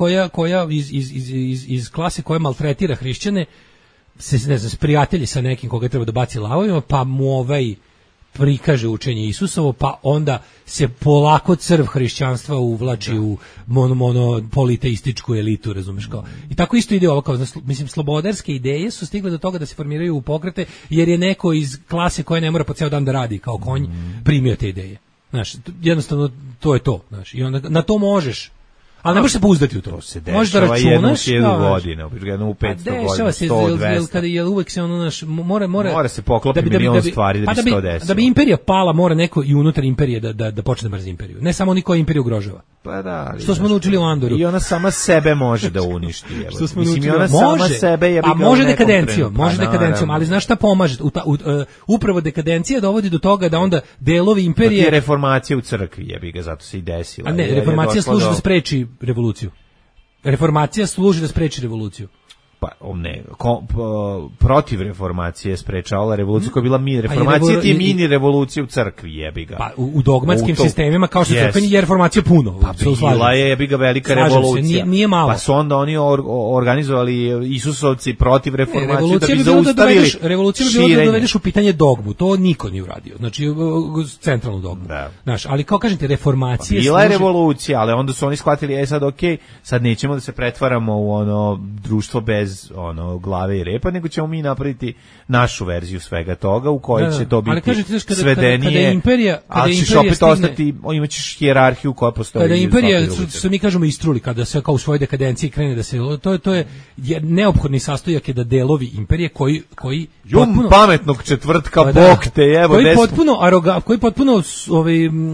iz klase koja maltretira hrišćane, se ne znam, prijatelji sa nekim koga treba da baci lavovima, pa mu prikaže učenje Isusovo, pa onda se polako crv hrišćanstva uvlači u monopoliteističku elitu, razumeš kao. I tako isto ide ovo, kao, mislim, slobodarske ideje su stigle do toga da se formiraju u pokrete, jer je neko iz klase koja ne mora po ceo dan da radi kao konj, primio te ideje. Znaš, jednostavno to je to, znaš, i onda na to možeš. Ali ne možeš se pouzdati u to. To se dešava jednu 1000 godina, jednu u 500 godina, 100, 200. Kada je uvek se ono naš mora se poklopiti milion stvari da bi se to desilo. Da bi imperija pala, mora neko i unutar imperije da počne da mrzi imperiju. Ne samo oni koji imperiju ugrožava. Pa da. Što smo naučili u Andoru. I ona sama sebe može da uništi. Što smo naučili. Ona sama sebe je a može dekadencijom, ali znaš šta pomaže? Upravo dekadencija dovodi do toga da onda delovi imperije... Pa ti reformacija u crkvi, jebi ga, zato se i desila. A ne, reformacija služi da spreči revoluciju. Reformacija služi da spreči revoluciju. Pa ne, protiv reformacije sprečavala revoluciju koja je bila reformacija, ti mini revolucije u crkvi, jebi ga. Pa u dogmatskim sistemima kao što crkveni je reformacija puno. Pa bila je, jebi ga, velika revolucija. Nije malo. Pa su onda oni organizovali Isusovci protiv reformacije da bi zaustavili revolucija bi bilo da dovedeš u pitanje dogmu. To niko nije uradio. Znači centralnu dogmu. Znaš, ali kao kažete reformacija bila je revolucija, ali onda su oni shvatili sad okej, sad nećemo da se pretvaramo u ono društvo bez glave i repa, nego ćemo mi napraviti našu verziju svega toga u kojoj će to biti svedenije, ali ćeš opet ostati, imaćeš hijerarhiju koja postoji. Kada imperija, što mi kažemo, istruli, kada se kao u svojoj dekadenciji krene da se, to je neophodni sastojak je da delovi imperije koji potpuno, pametnog četvrtka, bog te jebo, koji potpuno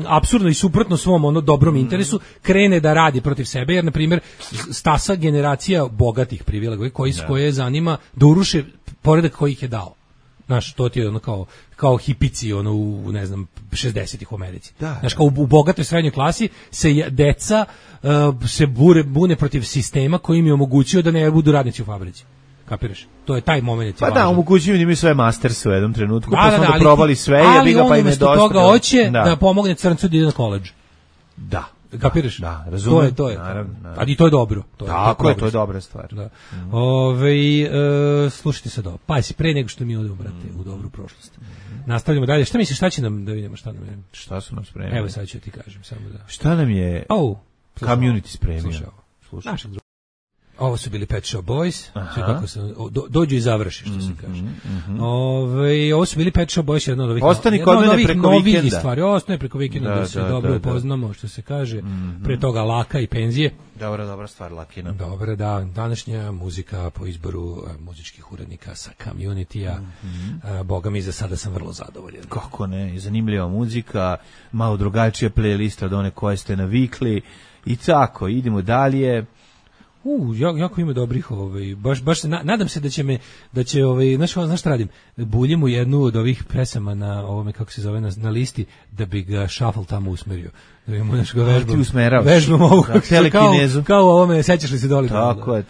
apsurdno i suprotno svom dobrom interesu krene da radi protiv sebe, jer na primjer stasa generacija bogatih privilegija koje zanima da uruše poredak koji ih je dao. Znaš, to ti je ono kao hipici u ne znam 60-ih u Americi. Znaš, kao u bogatoj srednjoj klasi se deca se bune protiv sistema koji im je omogućio da ne budu radnici u fabrici. Kapiraš? To je taj moment. Pa da, omogućuju im sve masterse u jednom trenutku, pa su onda probali sve i jebi ga pa im je dosta. Ali on toga hoće da pomogne crncu da ide na koledž. Da. Kapiraš? Da, razumem. To je. Ali to je dobro. Tako je, to je dobra stvar. Da. Slušajte sad ovo. Pa si pre nego što mi odemo, brate, u dobru prošlost. Nastavljamo dalje. Šta misliš, šta će nam, da vidimo šta nam je? Šta su nam spremili? Evo sad ću ti kažem. Samo da. Šta nam je community spremio? Slušaj. Ovo su bili Pet Shop Boys, kako se dođu i završi, što se kaže. Ovo su bili Pet Shop Boys, jedna od ovih novih stvari. Ostane preko vikenda da se dobro upoznamo, što se kaže. Pre toga laka i penzije. Dobra stvar, lakina. Dobro, da. Današnja muzika po izboru muzičkih urednika sa Community-a. Boga mi, za sada sam vrlo zadovoljan. Kako ne, zanimljiva muzika, malo drugačija playlista od one koje ste navikli. I tako, idemo dalje. Jako ima dobrih, baš se nadam se da će znaš šta radim, buljim u jednu od ovih pesama na ovome, kako se zove, na listi, da bi ga shuffle tamo usmerio, da bi mu nešto vežbom ovu, kao ovome, sećaš li se doli? Tako je,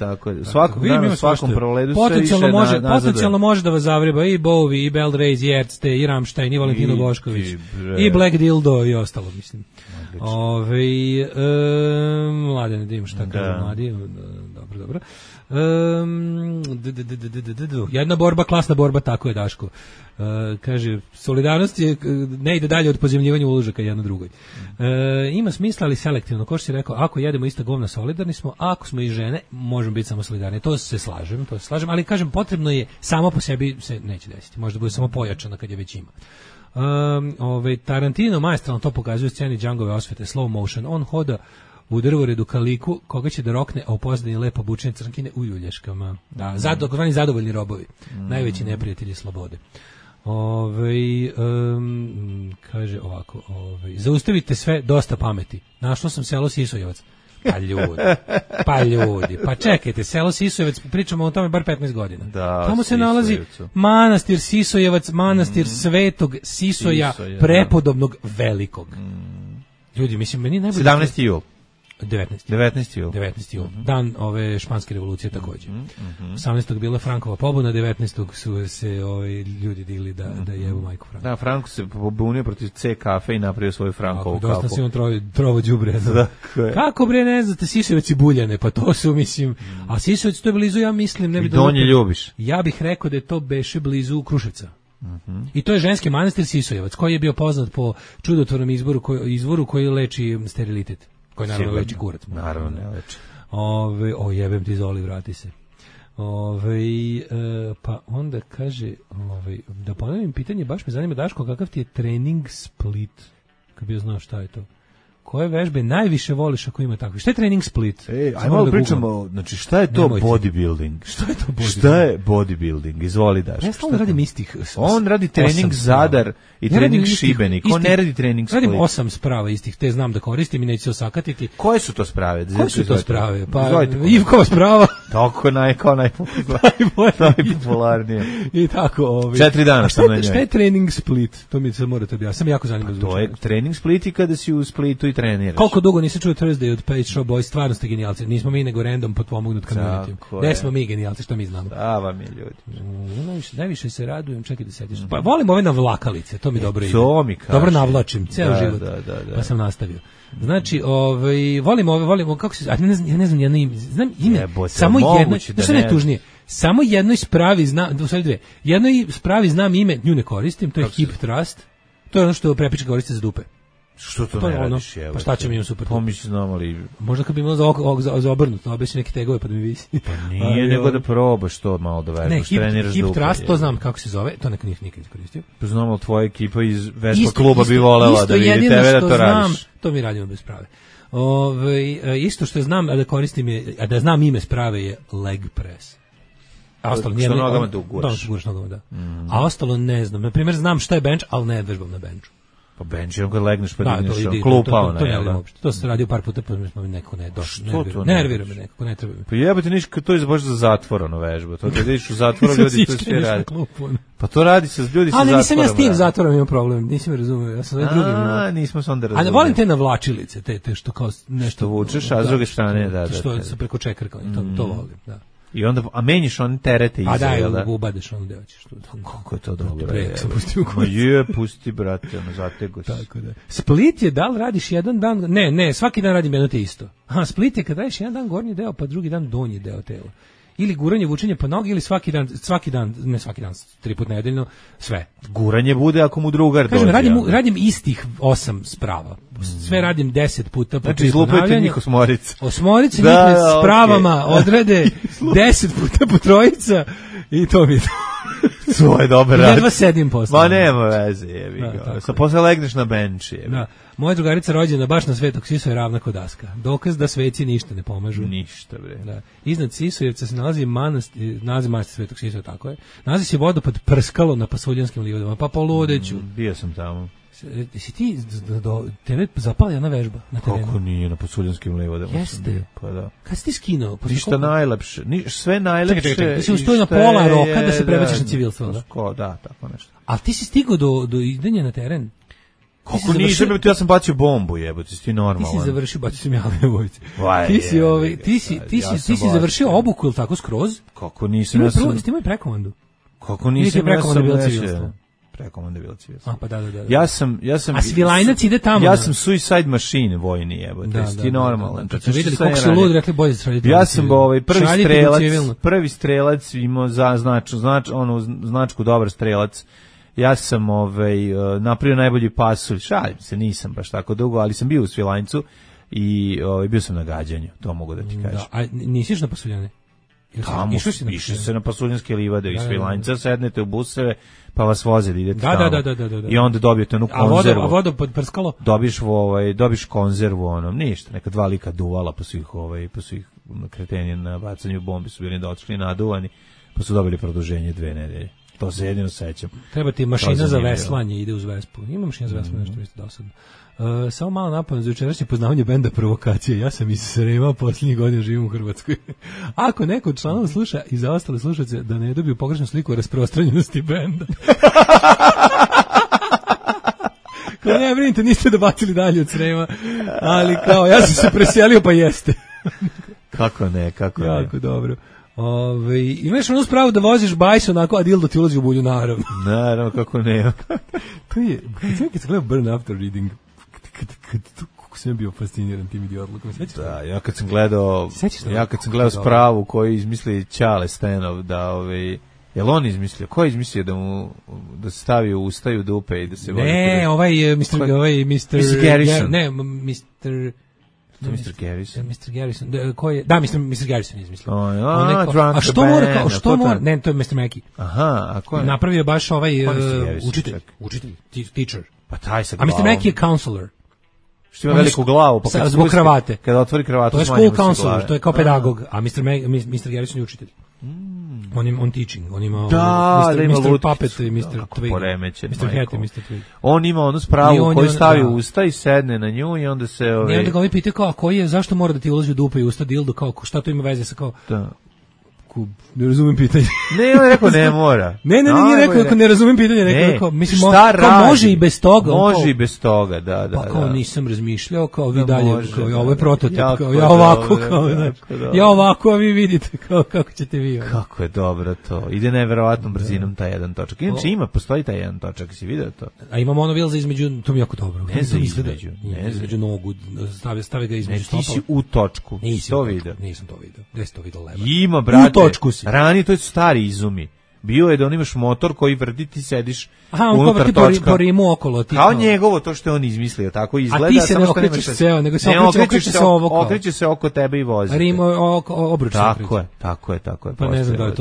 svakog dana, svakom proledu se više potencijalno može da vas zavreba i Bowie, i Bell Rays, i Erste, i Rammstein, i Valentino Bošković, i Black Dildo i ostalo, mislim. Mladene, da imam šta kaže mladi. Dobro. Jedna borba, klasna borba, tako je, Daško. Kaže, solidarnost ne ide dalje od pozemljivanja uložaka jedno drugoj. Ima smisla, ali selektivno. Ko što si rekao, ako jedemo ista govna, solidarni smo, a ako smo i žene, možemo biti samo solidarni. To se slažem, ali kažem, potrebno je, samo po sebi se neće desiti. Možda bude samo pojačano kad je već ima. Tarantino maestralno to pokazuje u sceni Djangove osvete, slow motion. On hoda u drvoredu ka liku koga će da rokne, a u pozadini lepo obučene crnkine u ljulješkama. Takozvani zadovoljni robovi. Najveći neprijatelji slobode. Kaže ovako, zaustavite sve, dosta pameti. Našlo sam selo Sisojevac. Pa ljudi, pa čekajte, selo Sisojevac, pričamo o tome bar 15 godina. Tamo se nalazi manastir Sisojevac, manastir Svetog Sisoja, prepodobnog velikog. Ljudi, mislim, meni najbolje... 17. jul. 19. jul. Dan ove španske revolucije također. 18. bila Frankova pobuna, 19. su se ljudi digli da jebu majku Franku. Da, Franko se pobunio protiv C kafe i napravio svoju Frankovu kafu. Dosta si on trovo đubre. Kako bre, ne znate, Sisojevac i Buljane, pa to su, mislim, a Sisojevac to je blizu, ja mislim, ne bi Donje ljubiš. Ja bih rekao da je to beše blizu Kruševca. I to je ženski manastir Sisojevac, koji je bio poznat po čudotvornom izvoru koji leči sterilitet, koji naravno leči kurac. Naravno ne leči. Jebem ti Zoli, vrati se. Pa onda kaže, da ponovim pitanje, baš me zanima, Daško, kakav ti je trening split? Kad bi znao šta je to. Koje vežbe najviše voliš ako ima takvi? Šta je trening split? Ajmo malo pričamo, znači šta je to bodybuilding? Šta je to bodybuilding? Šta je bodybuilding? Izvoli Daško. Ja stalno radim istih. On radi trening Zadar i trening Šibenik. On ne radi trening Split. Radim 8 sprava istih, te znam da koristim i neću se osakatiti. Koje su to sprave? Koje su to sprave? Pa Ivkova sprava. Tako najpopularnije. I tako. 4 dana sam na njoj. Šta je trening Split? To mi se morate objasniti. Sam jako zanimljivo. To je trening Split i kada si u Splitu i treniraš. Koliko dugo nisi čuo Thursday od Page Show Boys, stvarno ste genijalci. Nismo mi nego random potpomognut community. Gde smo mi genijalci, što mi znamo. Da, vam je ljudi. Najviše se radujem, čekaj da sediš. Pa volim ove navlakalice, to mi dobro ide. To mi kaže. Dobro navlačim, ceo život. Da. Pa sam nastavio. Znači, volim kako se, ja ne znam jedno ime, znam ime, samo jedno, što je najtužnije, samo jednoj spravi znam, u sve dve, jednoj spravi znam ime, nju ne koristim, to je Hip Trust, to je ono što prepička koriste za dupe. Što to ne radiš? Pa šta će mi imam super? Pomisli znam, ali... Možda kad bi imao za obrnuto, obesi neke tegove pa da mi visi. Pa nije, nego da probaš to malo da vežbaš, treniraš dupe. Hip Trust, to znam kako se zove, to nikad iskoristio. Pa znamo, tvoja ekipa iz Vespa kluba bi volela da vidi tebe da to radiš. To mi radimo bez sprave. Isto što znam, a da koristim je, a da znam ime sprave je leg press. A ostalo što nogama da uguraš. Da. A ostalo ne znam. Na primjer, znam šta je bench, ali ne vežbam na benchu. Pa bench je kad legneš pa digneš klupa ona. To ne radim uopšte. To se radio par puta pa mi smo nekako ne došlo. Nervira me nekako, ne treba mi. Pa jebote ništa, to je baš za zatvoreno vežba. To da ideš u zatvor, ljudi to sve radi. Pa to radi se ljudi sa zatvorom. Ali nisam ja s tim zatvorom imam problem, nisi me razumeo. Ja sam drugim. Nismo se onda razumeli. Ali volim te navlačilice, te što kao nešto vučeš, a s druge strane da. Što se preko čekrka, to volim, da. I onda, a menjiš one terete iza, jel da? Ubadeš ono gde hoćeš. Kako je to dobro. Ma pusti, brate, ono, zatego si. Tako da. Split je, da li radiš jedan dan? Ne, svaki dan radim jedno te isto. Split je kad radiš jedan dan gornji deo, pa drugi dan donji deo tela. Ili guranje, vučenje po nogi, ili svaki dan, ne svaki dan, 3 puta nedeljno, sve. Guranje bude ako mu drugar dođe. Kažem, radim istih 8 sprava. Sve radim 10 puta. Znači, izlupajte njih osmorica. Osmorica njih s pravama odrade 10 puta po trojica i to mi je to. To je dobar rad. Jedva sedim posle. Ma nema veze, jebi ga. Sa posle legneš na bench, jebi. Da. Moja drugarica rođena baš na Svetog Sisu je ravna ko daska. Dokaz da sveci ništa ne pomažu. Ništa, bre. Da. Iznad Sisujevca se nalazi manastir Svetog Sisu, tako je. Nalazi se vodopad Prskalo na Pasuljanskim livadama, pa poludeću. Bio sam tamo. Si ti, tebe zapala jedna vežba na terenu? Kako nije, na Pasuljanskim livadama. Jeste. Pa da. Kad si ti skinuo? Ništa najlepše. Sve najlepše. Čekaj. Ti si ustoji na pola roka da se prebaciš na civilstvo, da? Da, tako nešto. Ali ti si stigao do idenja na teren? Kako nisam, ja sam bacio bombu, jebote, ti normalan. Ti si završio, bacio sam ja vojci. Ti si završio obuku ili tako skroz? Kako nisam, ja sam... Ti imaju prekomandu? Kako nisam, ja sam civilstvo. Prekomanda bila civilstvo. Pa da. Ja sam a Svilajnac ide tamo. Ja sam suicide machine vojni, jebote. Ti normalan. Kad su videli kako se lud, rekli bolje da radite. Ja sam prvi strelac imao za značku dobar strelac. Ja sam napravio najbolji pasulj. Šalim se, nisam baš tako dugo, ali sam bio u Svilajncu i bio sam na gađanju, to mogu da ti kažem. Da, a nisi išao na pasuljane? Tamo išli se na Pasuljanske livade iz Svilajnca, sednete u buseve, pa vas voze da idete tamo. Da. I onda dobijete onu konzervu. A vodu pod Prskalo? Dobiš konzervu onom, ništa, neka 2 lika duvala po svih kretenja na bacanju bombi su bili dočekli naduvani, pa su dobili produženje 2 nedelje. To se jedino sećam. Treba ti mašina za veslanje, ide uz Vespu. Ima mašina za veslanje, nešto isto dosadno. Samo malo napomenu za jučerašnje poznavanje benda Provokacije. Ja sam iz Srema, posljednjih godina živim u Hrvatskoj. Ako neko od članova sluša i za ostale slušalce da ne dobiju pogrešnu sliku o rasprostranjenosti benda. Kao ne brinite, niste dobacili dalje od Srema, ali kao ja sam se preselio pa jeste. Kako ne. Jako dobro. Imaš onu spravu da voziš bajs onako, a dildo ti ulazi u bulju, naravno. Naravno, kako ne. To je, kad sam gledao Burn After Reading, kako sam bio fasciniran tim idiotlukom. Da, ja kad sam gledao spravu koju izmisli Ćale Stenov, da Jel on izmislio? Ko je izmislio da se stavi u usta i u dupe i da se vodi? Ne, ovaj Mr. Garrison. Ne, Mr. Mr. Garrison. Mr. Garrison. Ko je? Da, Mr. Garrison je izmislio. A što mora, što mora? Ne, to je Mr. Mackey. Aha, a ko je? Napravio baš ovaj učitelj, teacher. Pa taj sa glavom. A Mr. Mackey je counselor. Što ima veliku glavu, pa zbog kravate. Kada otvori kravatu, to je school counselor, to je kao pedagog, a Mr. Garrison je učitelj. On teaching, on ima Mr. Puppet i Mr. Twig. Mr. Hat i Mr. Twig. On ima onu spravu koju stavi u usta i sedne na nju i onda se... I onda ga ovi pitaju kao, koji je, zašto mora da ti ulazi u dupe i usta dildo, kao, šta to ima veze sa kao... Da. Ne razumem pitanje. Ne, on je rekao ne mora. Ne, nije rekao ako ne razumem pitanje, rekao mislim može i bez toga. Može i bez toga, da. Pa kao nisam razmišljao, kao vi dalje, kao ovo je prototip, kao ja ovako, kao ja ovako, a vi vidite kao kako ćete vi. Kako je dobro to. Ide neverovatnom brzinom taj jedan točak. Inače postoji taj jedan točak, si video to? A ima monovil za između, to mi jako dobro. Ne za između nogu, stave ga između stopala. Ti si u točku. To video. Nisam to video. Gde si to video leva? Ima, brate. Rani, to je stari izumi. Bio je da on imaš motor koji vrti, ti sediš unutar točka. Po rimu okolo. Kao njegovo, to što je on izmislio, tako izgleda. A ti se ne okrećeš ceo, nego se okreće se ovo kao. Okreće se oko tebe i vozi. Rim obruč. Tako je. Pa ne znam da je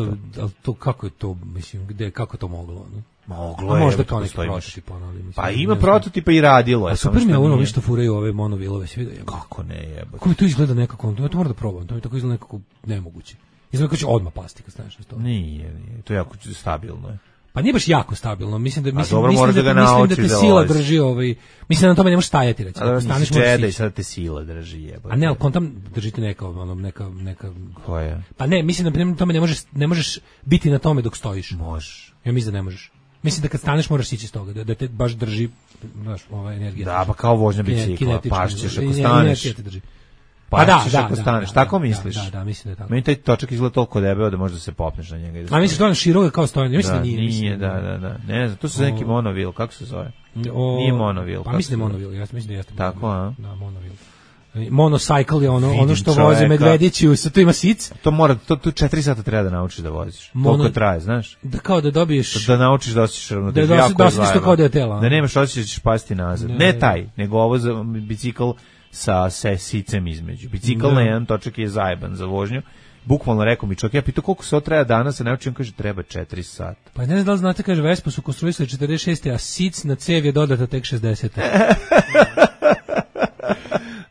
to, kako je to, mislim, kako to moglo, no? Moglo je. Možda kao neki prototip, mislim. Pa ima prototipa i radilo je. A super mi je ono što furaju ove monovilove, sve vidio. Kako ne jebote. Kako mi to izgleda nekako, to mora da probam, to mi tako izgleda nekako nemoguće. Izgleda kao će odmah pasti kad staneš na to. Nije, to je jako stabilno je. Pa nije baš jako stabilno, mislim da te sila drži mislim da na tome ne možeš stajati reći. Staneš možeš i sad te sila drži jebote. A ne, al kontam držite neka koja? Pa ne, mislim da na tome ne možeš biti na tome dok stojiš. Možeš. Ja mislim da ne možeš. Mislim da kad staneš moraš ići s toga, da te baš drži, znaš, ova energija. Da, pa kao vožnja bicikla, pašćeš ako staneš. Pa ako staneš, tako misliš? Da, mislim da je tako. Meni taj točak izgleda toliko debeo da možda se popneš na njega. A misliš da on širok kao stojanje? Mislim da nije. Nije, da. Ne znam, to su neki monovil, kako se zove? Nije monovil. Pa mislim da je monovil, ja mislim da jeste. Tako, a? Da, monovil. Monocycle je ono što voze medvedići, to ima sic. To 4 sata treba da naučiš da voziš. Toliko traje, znaš? Da kao da dobiješ... Da naučiš da osjećaš ravnotežu. Da osjećaš to kao da je tela. Da nemaš osjećaj da ćeš pasti nazad. Ne taj, nego ovo za bicikl sa sicem između. Bicikl na jedan točak je zajeban za vožnju. Bukvalno rekao mi čovjek, ja pitao koliko se treba danas, se naučim, kaže treba 4 sata. Pa ne znam da li znate, kaže Vespa su konstruisali 46. a sic na cev je dodata tek 60.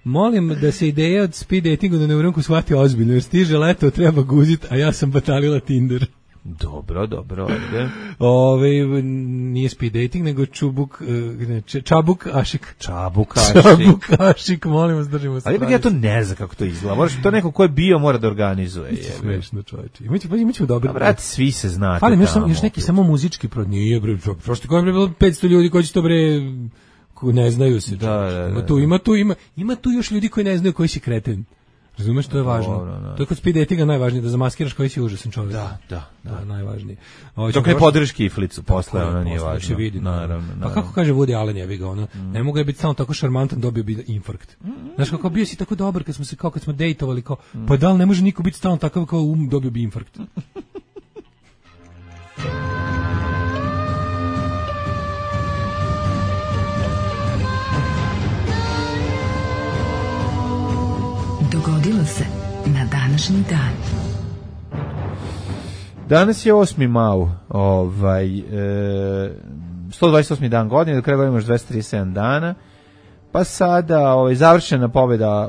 Molim da se ideja od speed datingu da Neurunku shvati ozbiljno, jer stiže leto, treba guzit, a ja sam batalila Tinder. Dobro, ajde. Nije speed dating, nego Čabuk Ašik. Čabuk Ašik, molim vas, držimo se. Ali ja to ne znam kako to izgleda. Moraš to neko ko je bio mora da organizuje. Smešno, čovječe. Imaćemo dobro. Brate, svi se znate. Fali još neki samo muzički nije bre. Prošle godine bilo 500 ljudi koji će to bre ne znaju se. Ima tu još ljudi koji ne znaju koji si kreten. Razumeš, to je važno. To je kod speed datinga najvažnije, da zamaskiraš koji si užasan čovjek. Da, najvažnije. Dok ne podržiš kiflicu, posle ona nije važno. Naravno. Pa kako kaže Woody Allen, jebi ga, ne mogu je biti samo tako šarmantan, dobio bi infarkt. Znaš, kako bio si tako dobar kad smo dejtovali, kao, pa da li ne može niko biti stalno takav kao dobio bi infarkt. Dogodilo se na današnji dan. Danas je 8. mau, 128. dan godine, do kraja godine imaš 237 dana, pa sada završena pobjeda,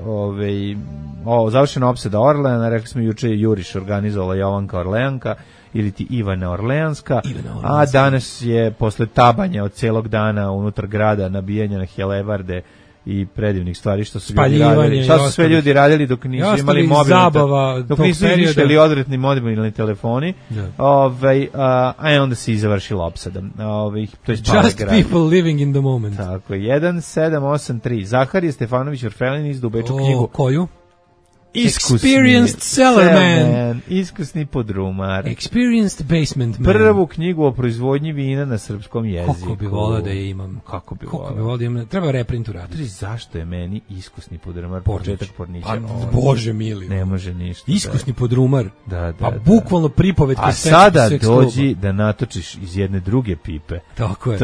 završena opsada Orleana, rekli smo juče Juriš organizovala Jovanka Orleanka, ili ti Ivana Orleanska, a danas je posle tabanja od celog dana unutar grada, nabijanja na helebarde i predivnih stvari što su ljudi radili. Šta su sve ljudi radili dok nisu imali mobilni, dok nisu izmišljali odvratni mobilni telefoni. A onda se i završila opsada. To je Just people living in the moment. Tako, 1783. Zahar je Stefanović Orfelin izdao u Beču knjigu. Koju? Experienced Cellarman. Iskusni podrumar. Experienced Basement Man. Prvu knjigu o proizvodnji vina na srpskom jeziku. Kako bi volao da je imam. Kako bi volao volao da imam. Treba reprint uraditi. Zašto je meni iskusni podrumar početak Pornića? Bože mili. Ne može ništa. Iskusni podrumar. Da. Pa bukvalno pripovetka. A sada dođi da natočiš iz jedne druge pipe. Tako je.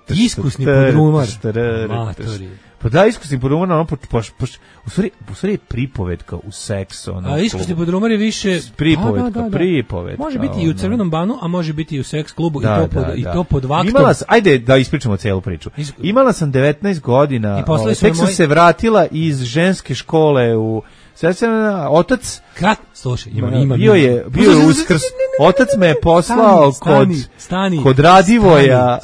Iskusni podrumar. Matori. Pa da, iskusni podrumar, ono, u stvari je pripovetka u seksu. Ono, a iskusni podrumar je više... Pripovetka. Može biti i u Crvenom banu, a može biti i u seks klubu i to pod vaktom. Ajde da ispričamo celu priču. Imala sam 19 godina, tek sam se vratila iz ženske škole u... Otac... Slušaj, bio je Uskrs. Otac me je poslao kod Radivoja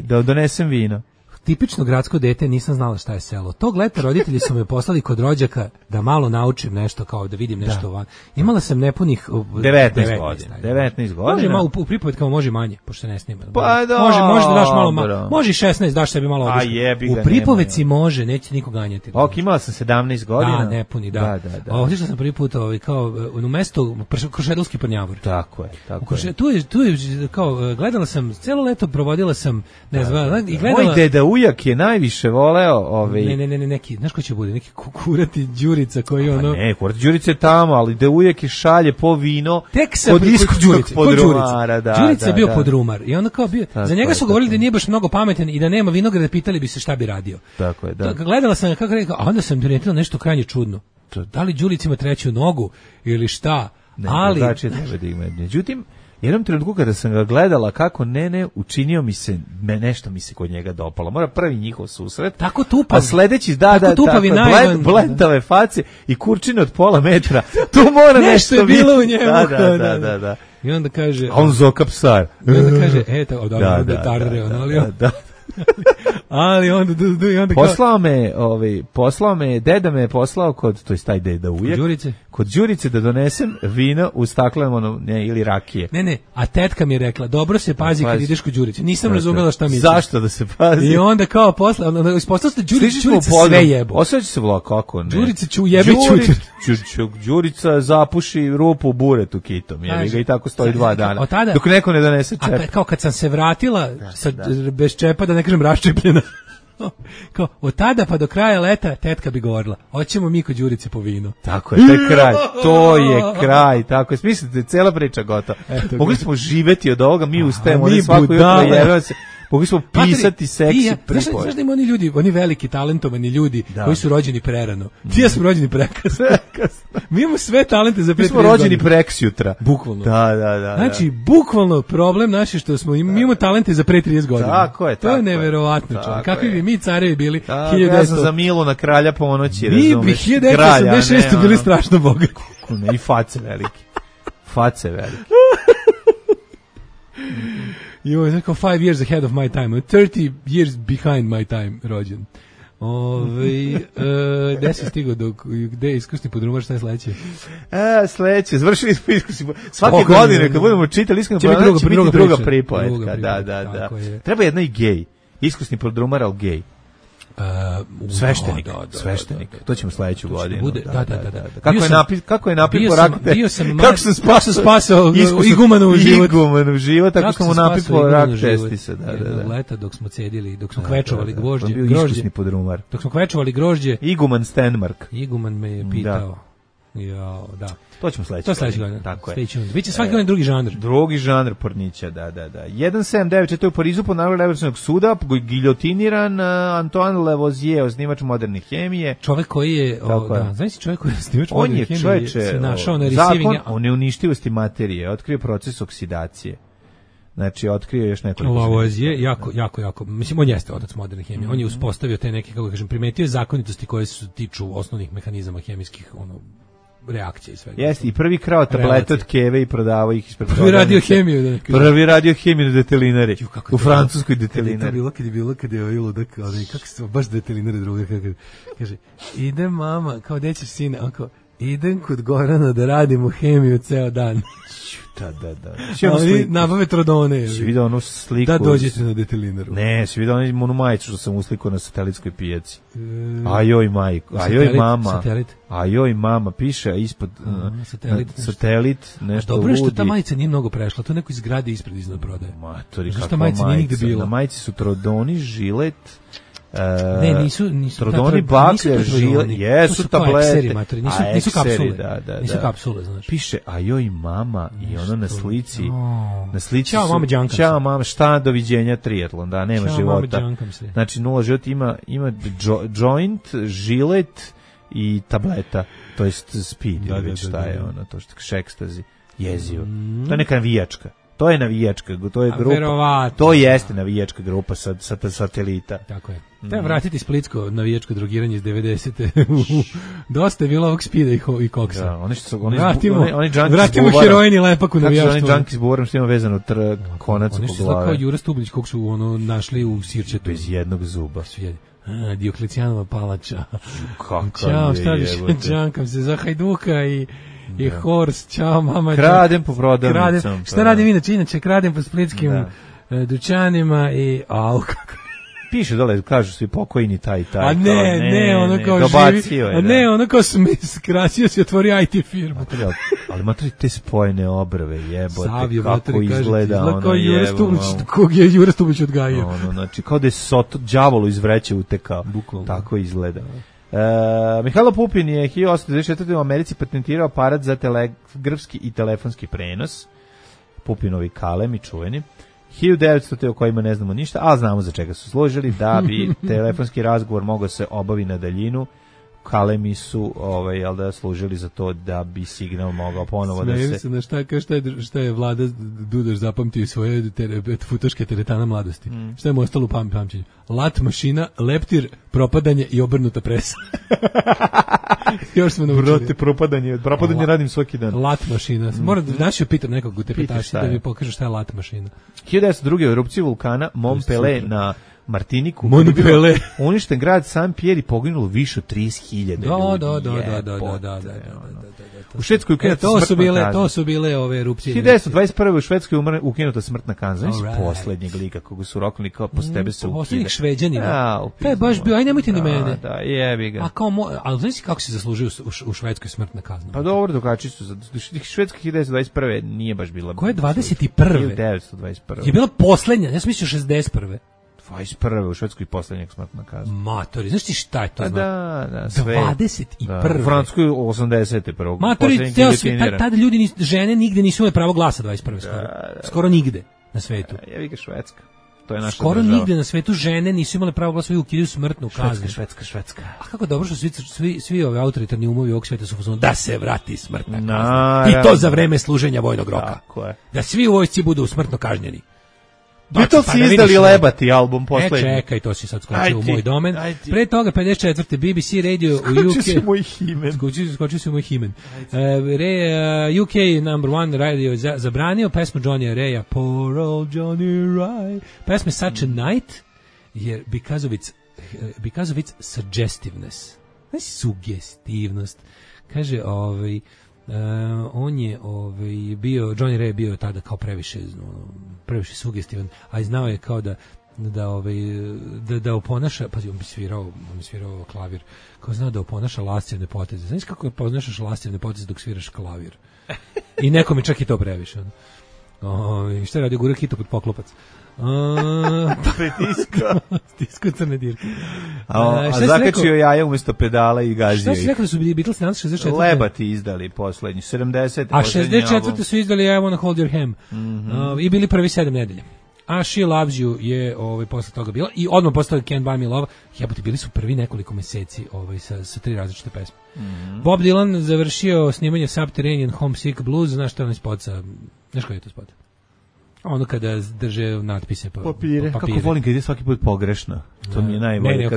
da donesem vino. Tipično gradsko dete, nisam znala šta je selo. Tog leta roditelji su me poslali kod rođaka da malo naučim nešto, kao da vidim nešto van. Imala sam nepunih 19 godina. Može malo u pripovetkama, može manje, pošto se ne snima. Pa da. Može da daš malo manje. Može 16, daš sebi malo odlično. U pripovetci može, neće niko ganjati. Ok, imala sam 17 godina. Da, nepuni, da. Otišla sam prvi put kao u mesto Krušedolski Prnjavor. Tako je. Tu je kao gledala sam celo leto, provodila sam, ne znam, i gledala. Moj deda ujak je najviše voleo Ne, neki, znaš ko će bude? Neki kurati Đurica koji ono... Ne, kurati Đurica je tamo, ali da ujak je šalje po vino kod iskusnog podrumara. Đurica je bio podrumar i onda kao bio... Za njega su govorili da nije baš mnogo pametan i da nema vinograda, pitali bi se šta bi radio. Tako je, da. Gledala sam kako rekao, a onda sam primetila nešto krajnje čudno. Da li Đurica ima treću nogu ili šta? Ali... Međutim, jednom trenutku kada sam ga gledala kako učinio mi se, nešto mi se kod njega dopalo. Mora prvi njihov susret. Tako tupav. A sledeći, blentave face i kurčine od pola metra. Tu mora nešto je bilo u njemu. Da. I onda kaže... A on zoka psar. I onda kaže, ali onda poslao me, deda me je poslao to je taj deda ujak. Kod Đurice da donesem vino u staklenom ili rakije. Ne, a tetka mi je rekla, dobro se pazi kad ideš kod Đurice. Nisam razumela šta misliš. Zašto da se pazi? I onda kao posle, ispostavilo se Đurica sve jebo. Osjeća se vlak, kako ne? Đurica ću jebe Đurica zapuši rupu u buretu kitom, jebi ga i tako stoji 2 dana. Dok neko ne donese čep. A kao kad sam se vratila bez čepa, da ne kažem raščepljena, kao, od tada pa do kraja leta tetka bi govorila, hoćemo mi kod Đurice po vino. Tako je, to je kraj, tako je, smislite, cela priča gotova. Mogli smo živeti od ovoga, mi ustajemo, svako jutro jebamo se. Mogli smo pisati seksi pripoved. Znaš da ima oni ljudi, oni veliki talentovani ljudi koji su rođeni prerano. Ti ja smo rođeni prekasno. Mi imamo sve talente za pre 30 godina. Mi smo rođeni preksjutra. Bukvalno. Da. Znači, bukvalno problem naš je što smo imamo talente za pre 30 godina. Tako je. To je neverovatno, čovjek. Kakvi bi mi carevi bili 1900. Ja sam za Milu na kralja ponoći, razumeš. Mi bi 1986 bili strašno bogati. I face velike. Jo, je tako 5 years ahead of my time, 30 years behind my time rođen. Gde si stigao gde je iskusni podrumar, šta je sledeće? Sledeće, završili smo iskusni podrumar. Svake godine kad budemo čitali iskusni podrumar će biti druga pripovetka. Da. Treba jedna i gej. Iskusni podrumar, ali gej. Sveštenik. To ćemo sledeću godinu. Kako je napil po rak testi? Kako sam spasao igumanu život, tako smo mu napil po rak testi se. Leta dok smo cedili, dok smo kvečovali grožđe. Iskusni podrumar. Dok smo kvečovali grožđe. Iguman Stenmark. Iguman me je pitao. Da. To ćemo sledeće godine. Tako je. Biće svaki godin drugi žanr. Drugi žanr Pornića, da. 179, to je u Parizu po nalogu Evropskog suda, giljotiniran Antoine Lavoisier, osnivač moderne hemije. Čovjek koji je, znači čovjek koji je osnivač moderne hemije, se našao na receiving. Zakon o neuništivosti materije, otkrio proces oksidacije. Znači, otkrio još nekoliko... Lavoisier, jako, mislim, on jeste otac moderne hemije. On je uspostavio te neke, kako kažem, primetio zakonitosti koje se tiču osnovnih mehanizama hemijskih, reakcije i svega. Jeste, i prvi krao tablete od keve i prodavao ih ispred Prvi radio hemiju. Prvi radio hemiju na detelinari. U francuskoj detelinari. Kad je ludak, kako se baš detelinari druga, kaže, ide mama, kao gde ćeš sine, on kao, idem kod Gorana da radimo hemiju ceo dan. Da. Ali nabave trodone. Si vidio onu sliku? Da dođete na detelinaru. Ne, si vidio onu majicu što sam uslikao na satelitskoj pijaci. Ajoj majko, ajoj mama. Satelit. Ajoj mama, piše ispod satelit, nešto ludi. Dobro što ta majica nije mnogo prešla, to neko iz zgrade ispred iznad prodaje. Matori, kakva majica? Nije nigde bila. Na majici su trodoni, žilet, ne, nisu trodoni, baklja, žilet, jesu tablete. Nisu kapsule. Da. Nisu kapsule, znaš. Piše ajoj mama i ono na slici. Na slici Ćao mama, džankam se. Ćao mama, šta doviđenja triatlon, da, nema Ćao, života. mama, džankam se. Znači, nula život ima joint, žilet i tableta, to jest speed, šta je ono, to što ekstazi, jezivo. To je neka navijačka. To je navijačka, to je grupa. Verovatno. To jeste navijačka grupa sa satelita. Tako je. Treba vratiti splitsko navijačko drogiranje iz 90-te. Dosta je bilo ovog spida i koksa. Da, vratimo heroin i lepak u navijaštvo. Kako su oni džanki s buvarom što ima vezano konac oko glave. Oni su kao Jura Stublić kog su našli u Sirčetu. Bez jednog zuba. Dioklecijanova palača. Ćao, šta viš, džankam se za Hajduka i Horst, čao mama. Kradem po prodavnicom. Šta radim inače kradem po splitskim dućanima i kako. Piše dole, kažu svi pokojni taj. A ne, ono kao živi. A ne, ono kao skrasio si, otvorio IT firmu. Ali matri te spojene obrve, jebote, Savio, kako izgleda ono jebote. Kog je Jura Stubić odgajio. Ono, znači, kao da je đavolu iz vreće utekao. Bukvalno. Tako izgleda. Mihajlo Pupin je 1824. u Americi patentirao aparat za telegrafski i telefonski prenos. Pupinovi kalemi čuveni. 1900. o kojima ne znamo ništa, ali znamo za čega su služili, da bi telefonski razgovor mogao se obavi na daljinu. Kalemi su služili za to da bi signal mogao ponovo da se... Smejem se na šta je Vlada Dudaš zapamtio svoje futaške teretana mladosti. Šta je mu ostalo u pamćenju? Lat mašina, leptir, propadanje i obrnuta presa. Još smo naučili. Propadanje radim svaki dan. Lat mašina. Moram da našio pitam nekog u tepetaši da mi pokaže šta je lat mašina. 1902. u erupciji vulkana Montpellier na Martiniku. Montpellier. Uništen grad Saint-Pierre i poginulo više od 30.000 ljudi. Da. U Švedskoj ukinuta smrtna kazna. To su bile ove erupcije. 1921. u Švedskoj ukinuta smrtna kazna. Poslednjeg lika koga su roknuli kao posle tebe se ukida. Poslednjih Šveđanina. To je baš bio, aj nemojte ni mene. Da, jebi ga. Ali znaš kako se zaslužio u Švedskoj smrtna kazna? Pa dobro, drugačiji su. Švedska 1921. nije baš bila. Koja je 21. 1921. Je bila poslednja, ja sam mislio 61. 21. u Švedskoj poslednjeg smrtna kazna. Matori, znaš ti šta je to? Da, sve. 21. U Francuskoj 81. Matori, tada ljudi, žene nigde nisu imali pravo glasa 21. skoro. Skoro nigde na svetu. Jevi ga Švedska. To je naša skoro država. Nigde na svetu žene nisu imale pravo glasa, ukidaju smrtnu kaznu. Švedska. A kako dobro što svi ovi autoritarni umovi ovog sveta su fazonu da se vrati smrtna kazna. I to za vreme služenja vojnog roka. Tako je. Da svi u vojsci budu smrtno kažnjeni. Beatles si izdali Lebati album poslednji. Čekaj, to si sad skočio u moj domen. Pre toga 54. BBC Radio u UK. Skočio si u moj himen. UK number one radio zabranio pesmu Johnny Raya, Poor Old Johnny Ray. Pesma Such a Night, jer because of its suggestiveness. Znači sugestivnost. Kaže, on je bio, Johnny Ray je bio tada kao previše sugestivan, a znao je kao da oponaša, pazi, on bi svirao klavir, kao znao da oponaša lascivne poteze. Znaš kako je poznašaš lascivne poteze dok sviraš klavir? I nekom je čak i to previše. Šta je radio, gura kitu pod poklopac? Stiskao crne dirke. A zakačio jaja umjesto pedala i gazio ih. Šta si rekao da su Beatles 64? Lebati izdali poslednji, 70. A 64. su izdali I Wanna Hold Your Hand. I bili prvi 7 nedelja. A She Loves You je posle toga bila. I odmah posle toga Can't Buy Me Love. Jebote, bili su prvi nekoliko meseci sa 3 različite pesme. Bob Dylan završio snimanje Subterranean Homesick Blues. Znaš što je onaj spot sa... Znaš koji je to spot? Ono kada drže natpise papire. Kako volim kad je svaki put pogrešno. To mi je najbolje.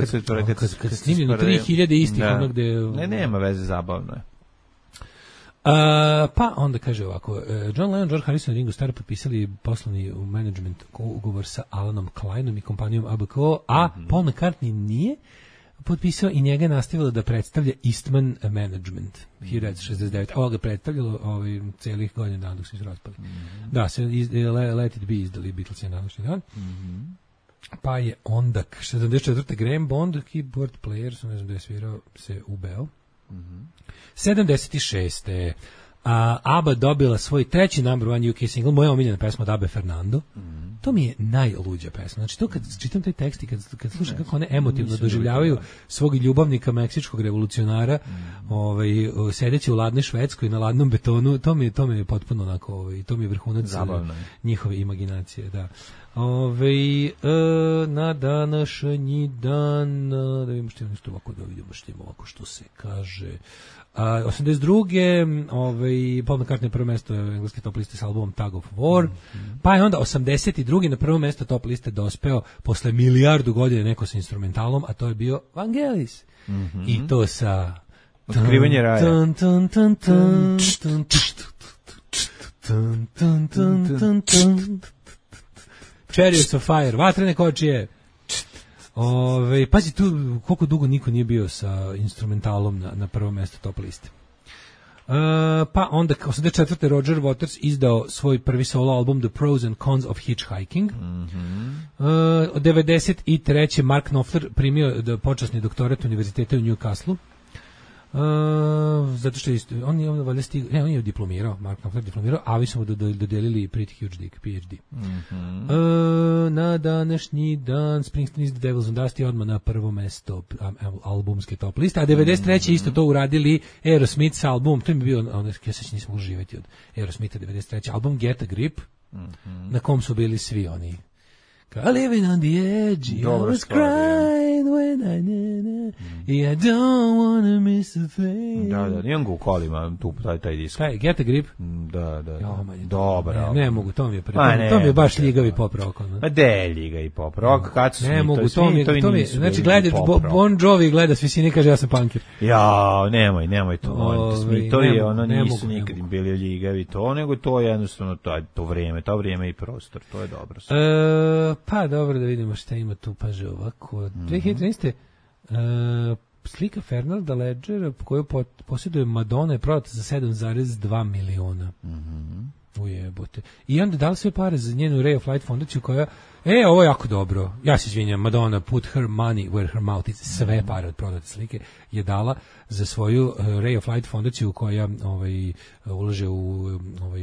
Kad snimljeno 3000 istih ono gde... nema veze, zabavno je. Pa onda kaže ovako, John Lennon, George Harrison i Ringo Starr potpisali poslovni management ugovor sa Alanom Kleinom i kompanijom ABKO, a Paul McCartney nije. potpisao i njega je nastavilo da predstavlja Eastman Management 1969. Ovo ga predstavljalo celih godina dana dok se raspali. Da, se Let It Be izdali Beatlesi na današnji dan. Pa je onda 74. Graham Bond, keyboard player, ne znam da je svirao, se ubeo. 76. ABBA dobila svoj treći number one UK single, moja omiljena pesma od ABBA Fernando. To mi je najluđa pesma. Znači to kad čitam taj tekst i kad slušam kako one emotivno doživljavaju svog ljubavnika meksičkog revolucionara, sedeći u ladnoj Švedskoj na ladnom betonu, to mi je potpuno onako, to mi je vrhunac njihove imaginacije, da. Na današnji dan, da vidimo što je nešto ovako, da vidimo što je ovako što se kaže. 82. Paul McCartney prvo mesto engleske top liste s albumom Tug of War, pa je onda 82. na prvo mesto top liste dospeo posle milijardu godina neko sa instrumentalom, a to je bio Vangelis. I to sa Otkrivanje raja. Chariots of Fire, vatrene kočije. Pazi tu koliko dugo niko nije bio sa instrumentalom na prvom mjestu top liste. Pa onda 84. Roger Waters izdao svoj prvi solo album The Pros and Cons of Hitchhiking. 93. Mark Knopfler primio počasni doktorat univerziteta u Newcastle. Zato što on je diplomirao, Mark Knopfler diplomirao, a vi su mu dodelili Pretty Huge Dick, PhD. Na današnji dan Springsteen is the Devil's on Dusty odmah na prvo mesto albumske top liste, a 93. isto to uradili Aerosmith s album, to mi je bio, ja se nisam mogli živjeti od Aerosmitha 93. album Get a Grip, na kom su bili svi oni. Living on the edge, I was crying when I don't wanna miss a thing. Da, nijem ga u kolima, taj disk. Get a Grip? Da. Dobar. Ne mogu, to mi je baš ljigavi pop rock. Ma de ljigavi pop rock, kad su ne mogu, to mi je, znači gledaš Bon Jovi gleda s visine, kaže ja sam punkir. Ja, nemoj to. To je ono, nisu nikad bili ljigavi to, nego to je jednostavno to vrijeme i prostor, to je dobro. Pa dobro, da vidimo šta ima tu, paže ovako. 2013. Slika Fernanda Ledgera koju posjeduje Madonna je prodata za 7,2 miliona. Ujebote. I onda dali sve pare za njenu Ray of Light fondaciju koja, ovo je jako dobro. Ja se izvinjam, Madonna put her money where her mouth is. Sve pare od prodate slike je dala za svoju Ray of Light fondaciju koja ulaže u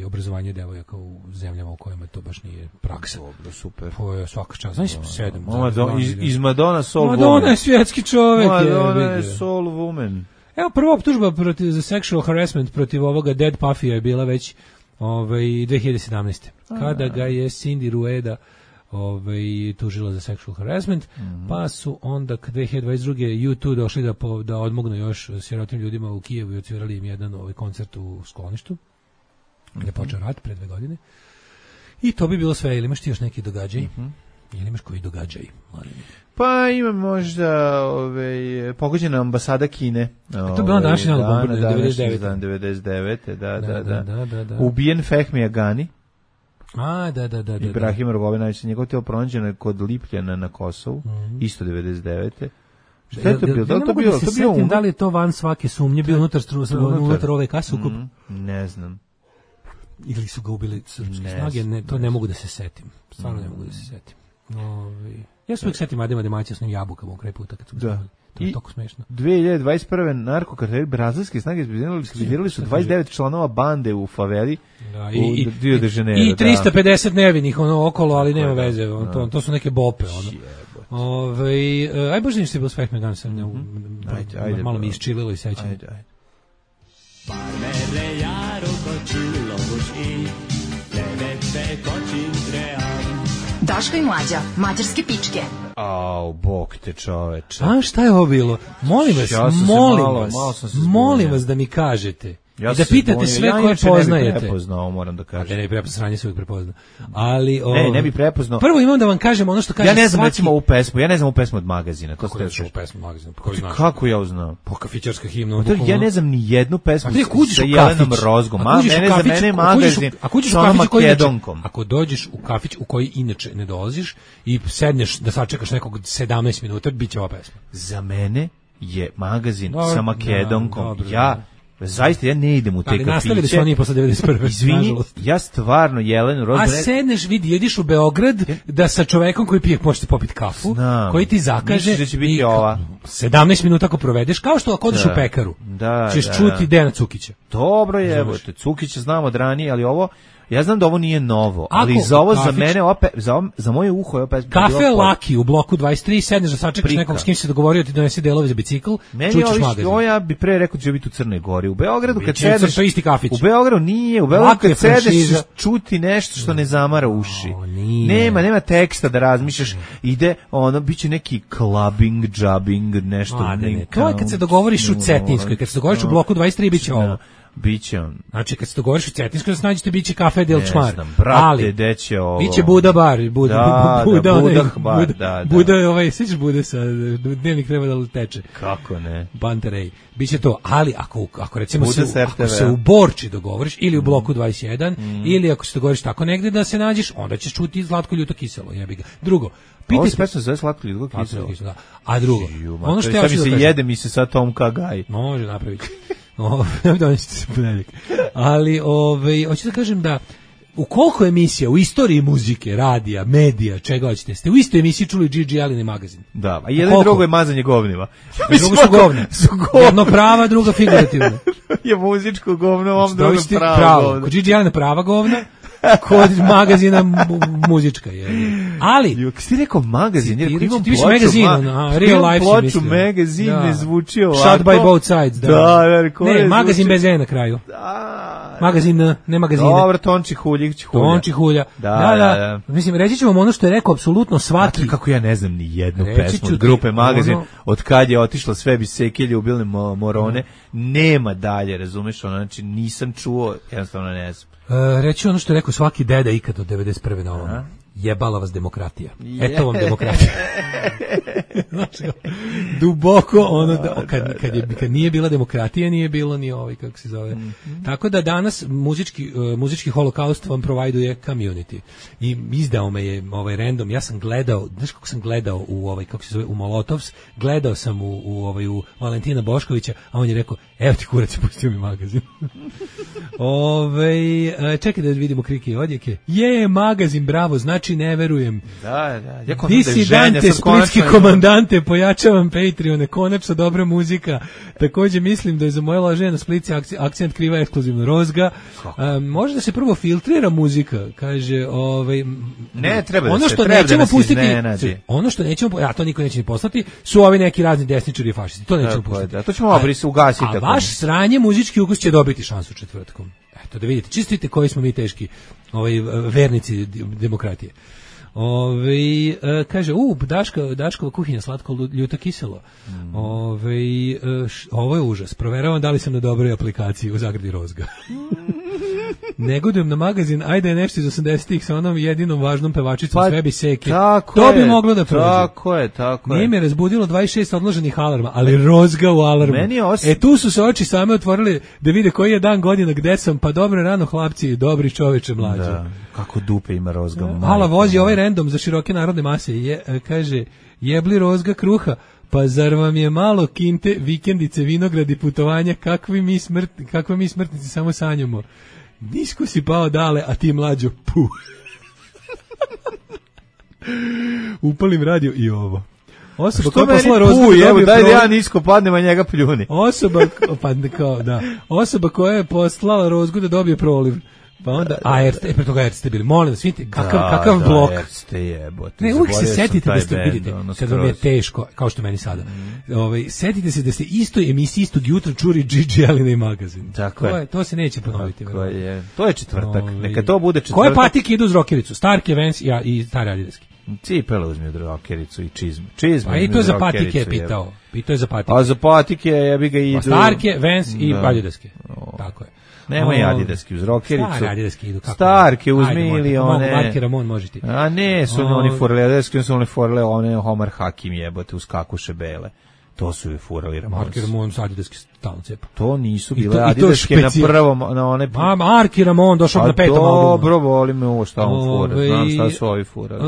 obrazovanje devojaka u zemljama u kojima to baš nije praksa. Dobro, super. To je svaka čast. Znači, 7. Iz Madonna Soul Woman. Madonna je svjetski čovjek. Madonna je Soul Woman. Evo, prva optužba za sexual harassment protiv ovoga Dead Puffija je bila već 2017. Kada ga je Cindy Rueda tužila za sexual harassment, pa su onda 2022. U2 došli da odmognu još sirotim ljudima u Kijevu i odsvirali im jedan koncert u skloništu, gdje je počeo rat pre 2 godine. I to bi bilo sve. Ili imaš ti još neki događaj? Ili imaš koji događaj? Pa ima možda pogođena ambasada Kine. To je bilo današnji album, 99. Da. Ubijen Fehmi Agani. Da. Ibrahim Rogovinović, njegov teo pronađeno kod Lipljana na Kosovu, isto 99. Šta je to bilo? Da li je to van svake sumnje, bio unutar ove kase ukup? Ne znam. Ili su ga ubili srpske snage, to ne mogu da se setim. Stvarno ne mogu da se setim. Ja se uvijek setim Adema Demaća s njim jabukama u kraj puta kad su ga stavili. To je toliko smešno. 2021. narkokarteli brazilske snage izbizirali su 29 članova bande u faveli u Rio de Janeiro. I 350 nevinih okolo, ali nema veze. To su neke bope. Aj bože ništa je bilo s Fehmi Agani, malo mi iščililo i sećanje. Daško i Mlađa, mađarske pičke. Bog te čoveče. Šta je ovo bilo? Molim vas da mi kažete. I da pitate sve koje poznajete. Ne bi prepoznao, moram da kažem. Ne bi prepoznao, sranje se uvijek prepozna. Ali, ne bi prepoznao. Prvo imam da vam kažem ono što kaže ja ne znam recimo ovu pesmu, ja ne znam ovu pesmu od Magazina. Kako ne znaš ovu pesmu od Magazina? Kako ja znam? Po kafićarska himna. Ja ne znam ni jednu pesmu sa Jelenom Rozgom. Za mene Magazin sa onom Makedonkom. Ako dođeš u kafić u koji inače ne dolaziš i sedneš da sačekaš nekog 17 minuta, bit će ova pesma. Za mene je Magazin sa Makedonkom. Zaista ja ne idem u te kafiće. Nastavili su oni posle 91. Izvini, ja stvarno Jelenu Rozgu... A sedneš, ideš u Beograd da sa čovekom koji pije možete popiti kafu, koji ti zakaže da će biti ova. 17 minuta ako provedeš, kao što ako odeš u pekaru. Ćeš čuti Dejana Cukića. Dobro je, Cukića znam od ranije, ali ovo... Ja znam da ovo nije novo, ali za ovo za mene, za moje uho je opet... Kafe Laki u bloku 23, sedneš da sačekaš nekog s kim se dogovorio ti donese delove za bicikl, čućeš Magazin. Ja bi pre rekao da će biti u Crnoj Gori. U Beogradu kad sedeš... To je isti kafić. U Beogradu nije, u Beogradu kad sedeš čuti nešto što ne zamara uši. Nema teksta da razmišljaš, ide bit će neki clubbing, jubbing, nešto... To je kad se dogovoriš u Cetinskoj, kad se dogovoriš u bloku 23, bit će ovo. Biće on. Znači kad se dogovoriš u Cetinskoj, da se nađete, biće kafe Del Čmar. Brate, deće ovo. Biće Buda bar, Buda sviđaš Bude sa dnevnik treba da teče. Kako ne? Banterej. Biće to, ali ako recimo se u Borči dogovoriš ili u bloku 21 ili ako se dogovoriš tako negde da se nađeš, onda ćeš čuti Zlatko ljuto kiselo, jebi ga. Drugo, ovo se pesma zove Slatko ljuto kiselo. A drugo, ono što ja hoću da kažem, jede mi se sa Tom Kagaj. Može napraviti. Donećete se ponedeljak. Ali hoću da kažem da u koliko emisija u istoriji muzike, radija, medija, čega hoćete, ste u istoj emisiji čuli Gigi Allen i Magazin. Da, a jedan drugo je mazanje govnima. Drugo su govne. Jedno prava, druga figurativna. Je muzičko govno, ovom drugo pravo govno. Kod Gigi Allena prava govna, kod Magazina muzička je. Ali si rekao Magazin, jer imam ploču Magazin, Real Life si mislio. Magazin ne zvuči ovako. Shot by both sides. Ne, Magazin bez E na kraju. Magazin, ne Magazine. Dobro, Tonči Hulja. Da. Mislim, reći ću vam ono što je rekao apsolutno svaki. Kako ja ne znam ni jednu pesmu od grupe Magazin, od kad je otišla sve bi seke ljubilne morone, nema dalje, razumeš, znači nisam čuo, jednostavno ne znam. Reći ono što je rekao svaki deda ikad od 91. na ovom. Jebala vas demokratija. Eto vam demokratija. Znači, duboko ono kad nije bila demokratija, nije bilo ni kako se zove. Tako da danas muzički holokaust vam provajduje Community. I izdao me je random. Ja sam gledao, znaš kako sam gledao u kako se zove, u Molotovs, gledao sam u Valentina Boškovića, a on je rekao, evo ti kurac, pustio mi Magazin. Čekaj da vidimo krike i odjeke. Magazin, bravo, znači ne verujem. Da. Disidante, splitski komandante, pojačavam Patreone, konačno dobra muzika. Također mislim da je za moje laženje na Splici akcent kriva ekskluzivno Rozga. Može da se prvo filtrira muzika, kaže, ne, treba da se, treba da nas iznenadi. Ono što nećemo, to niko neće ni poslati, su ovi neki razni desničari i fašisti. To nećemo pustiti. Da, to ćemo ugasiti. A vaš sranje muzički ukus će dobiti šansu četvrtkom. Eto, da vidite, čistite koji smo mi teški vernici demokratije. Kaže, Daškova kuhinja, slatko ljuto kiselo. Ovo je užas. Proveravam da li sam na dobroj aplikaciji u zagradi Rozga. Negodujem na Magazin, ajde je nešto iz 80-ih sa onom jedinom važnom pevačicom sve bi seke. To bi moglo da prođe. Tako je. Nije me razbudilo 26 odloženih alarma, ali Rozga u alarmu. Tu su se oči same otvorile da vide koji je dan godina, gde sam, pa dobro rano hlapci, dobri čoveče mlađe. Da, kako dupe ima Rozga. Hala vozi ovaj random za široke narodne mase. Kaže, jebli Rozga kruha, pa zar vam je malo kinte, vikendice, vinogradi, putovanja, kakvi mi smrtnici samo sanjamo. Nisko si pao dale, a ti mlađo, puh. Upalim radio i ovo. Osoba koja je poslala Rozgu da dobije daj da ja nisko padnem, a njega pljuni. Osoba koja je poslala Rozgu da dobije proliv. Pa onda, pre toga Erste bili, molim vas, vidite, kakav blok. Erste jebote. Ne, uvijek se setite da ste, vidite, sad vam je teško, kao što meni sada. Setite se da ste istoj emisiji, istog jutra čuli Gigi Allen i Magazin. Tako je. To se neće ponoviti. To je četvrtak, neka to bude četvrtak. Koje patike idu uz rokericu? Starke, Vans i stare adidaske. Cipele uzmi od rokericu i čizmu. Pa i to je za patike pitao. Pitao je za patike. A za patike ja bi ga idu. Starke, Vans i adidaske. tako je. Nemoj adidaski uz rokericu. Stari adidaski idu. Kako Starke uzmi ili one. Marki Ramon može ti. A ne, su oni furali adidaski, su oni furali one Omar Hakim jebote uz kakuše bele. To su je furali Ramones. Marki Ramon sa adidaski stalno cepa. To nisu bile adidaske na prvom, na one... Marki Ramon došao na 5. albumu. Dobro, volim me ovo šta on fura. Znam šta su ovi furali.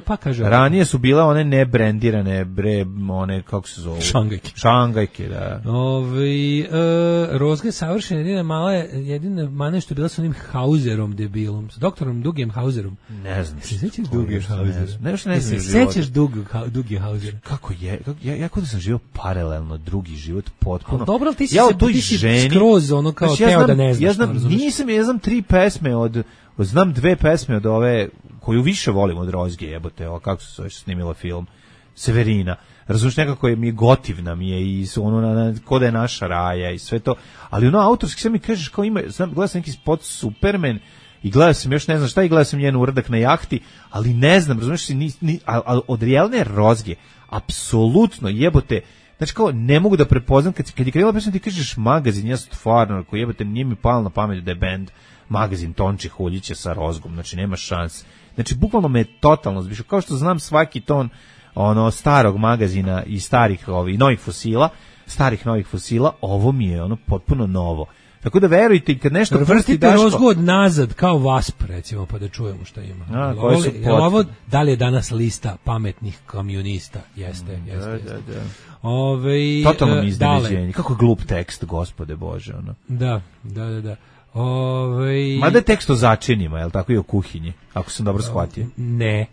Pa kaže... Ranije su bile one nebrendirane, one, kako se zove? Šangajke, da. Rozga je savršena, jedina mane što je bila s onim Hauserom debilom, s doktorom Dugijem Hauserom. Ne znam. Se sećaš Dugije Hausera? Ne znam se sećaš Dugije Hausera? Kako je? Ja kod da sam živio paralelno drugi život potpuno. Dobro, ali ti si skroz ono kao teo da ne znaš. Ja znam 3 pesme znam 2 pesme od ove koju više volim od Rozge, jebote, kako se snimila film Severina. Razumiješ, nekako mi je gotivna mi je i ono ko da je naša raja i sve to, ali ono autorski sve mi kažeš kao ima, gledao sam neki spot Superman i gledao sam još ne znam šta i gledao sam njen uradak na jahti, ali ne znam, razumiješ, ali od realne Rozge apsolutno jebote. Znači kao ne mogu da prepoznam kad je krenula pesma ti kažeš magazin, ja stvarno ako jebote nije mi palo na pamet da je bend magazin Tonči Huljića sa Rozgom, znači nema šanse. Znači bukvalno me totalno zbišao, kao što znam svaki ton ono starog magazina i starih novih fosila, ovo mi je ono potpuno novo. Tako da verujte, kad nešto vrstite Rozgu od nazad kao Wasp, recimo, pa da čujemo šta ima. Ovo, da li je danas lista pametnih kamionista? Jeste. Totalno mi iznenađenje. Kako je glup tekst, gospode Bože. Ono. Da. Mada je tekst o začinima, je li tako, i o kuhinji, ako sam dobro shvatio? Ne.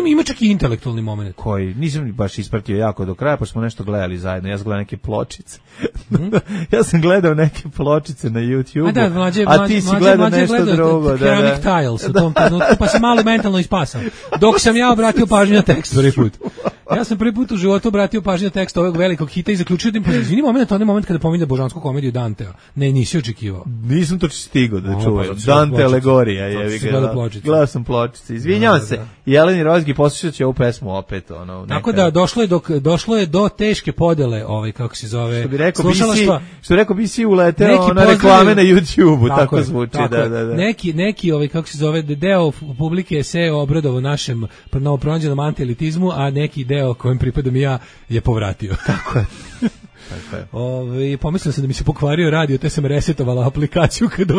Ima čak i intelektualni moment. Koji, nisam baš ispratio jako do kraja, pa smo nešto gledali zajedno. Ja sam gledao neke pločice. Ja sam gledao neke pločice na YouTube-u, a ti si gledao nešto drugo. Ceramic Tiles u tom trenutku, pa sam malo mentalno ispasao. Dok sam ja obratio pažnju na tekst prvi put. Ja sam prvi put u životu obratio pažnju na tekst ovog velikog hita i zaključio da im izvini onaj moment kada pominje božansku komediju Dantea. Ne, nisi očekivao. Nisam to stigao da čujem. Dante alegorija, jevi ga. Gledao sam pločice. Izvinjavam se. Jeleni Rozgi poslušat će ovu pesmu opet. Tako da došlo je do teške podele, kako se zove, što bi rekao BC uleteo na reklame na YouTube-u, tako zvuči. Neki kako se zove, deo publike se obradovao našem novopronađenom antielitizmu, a neki deo kojem pripadam ja je povratio. Tako je. Pomislio sam da mi se pokvario radio, te sam resetovala aplikaciju kada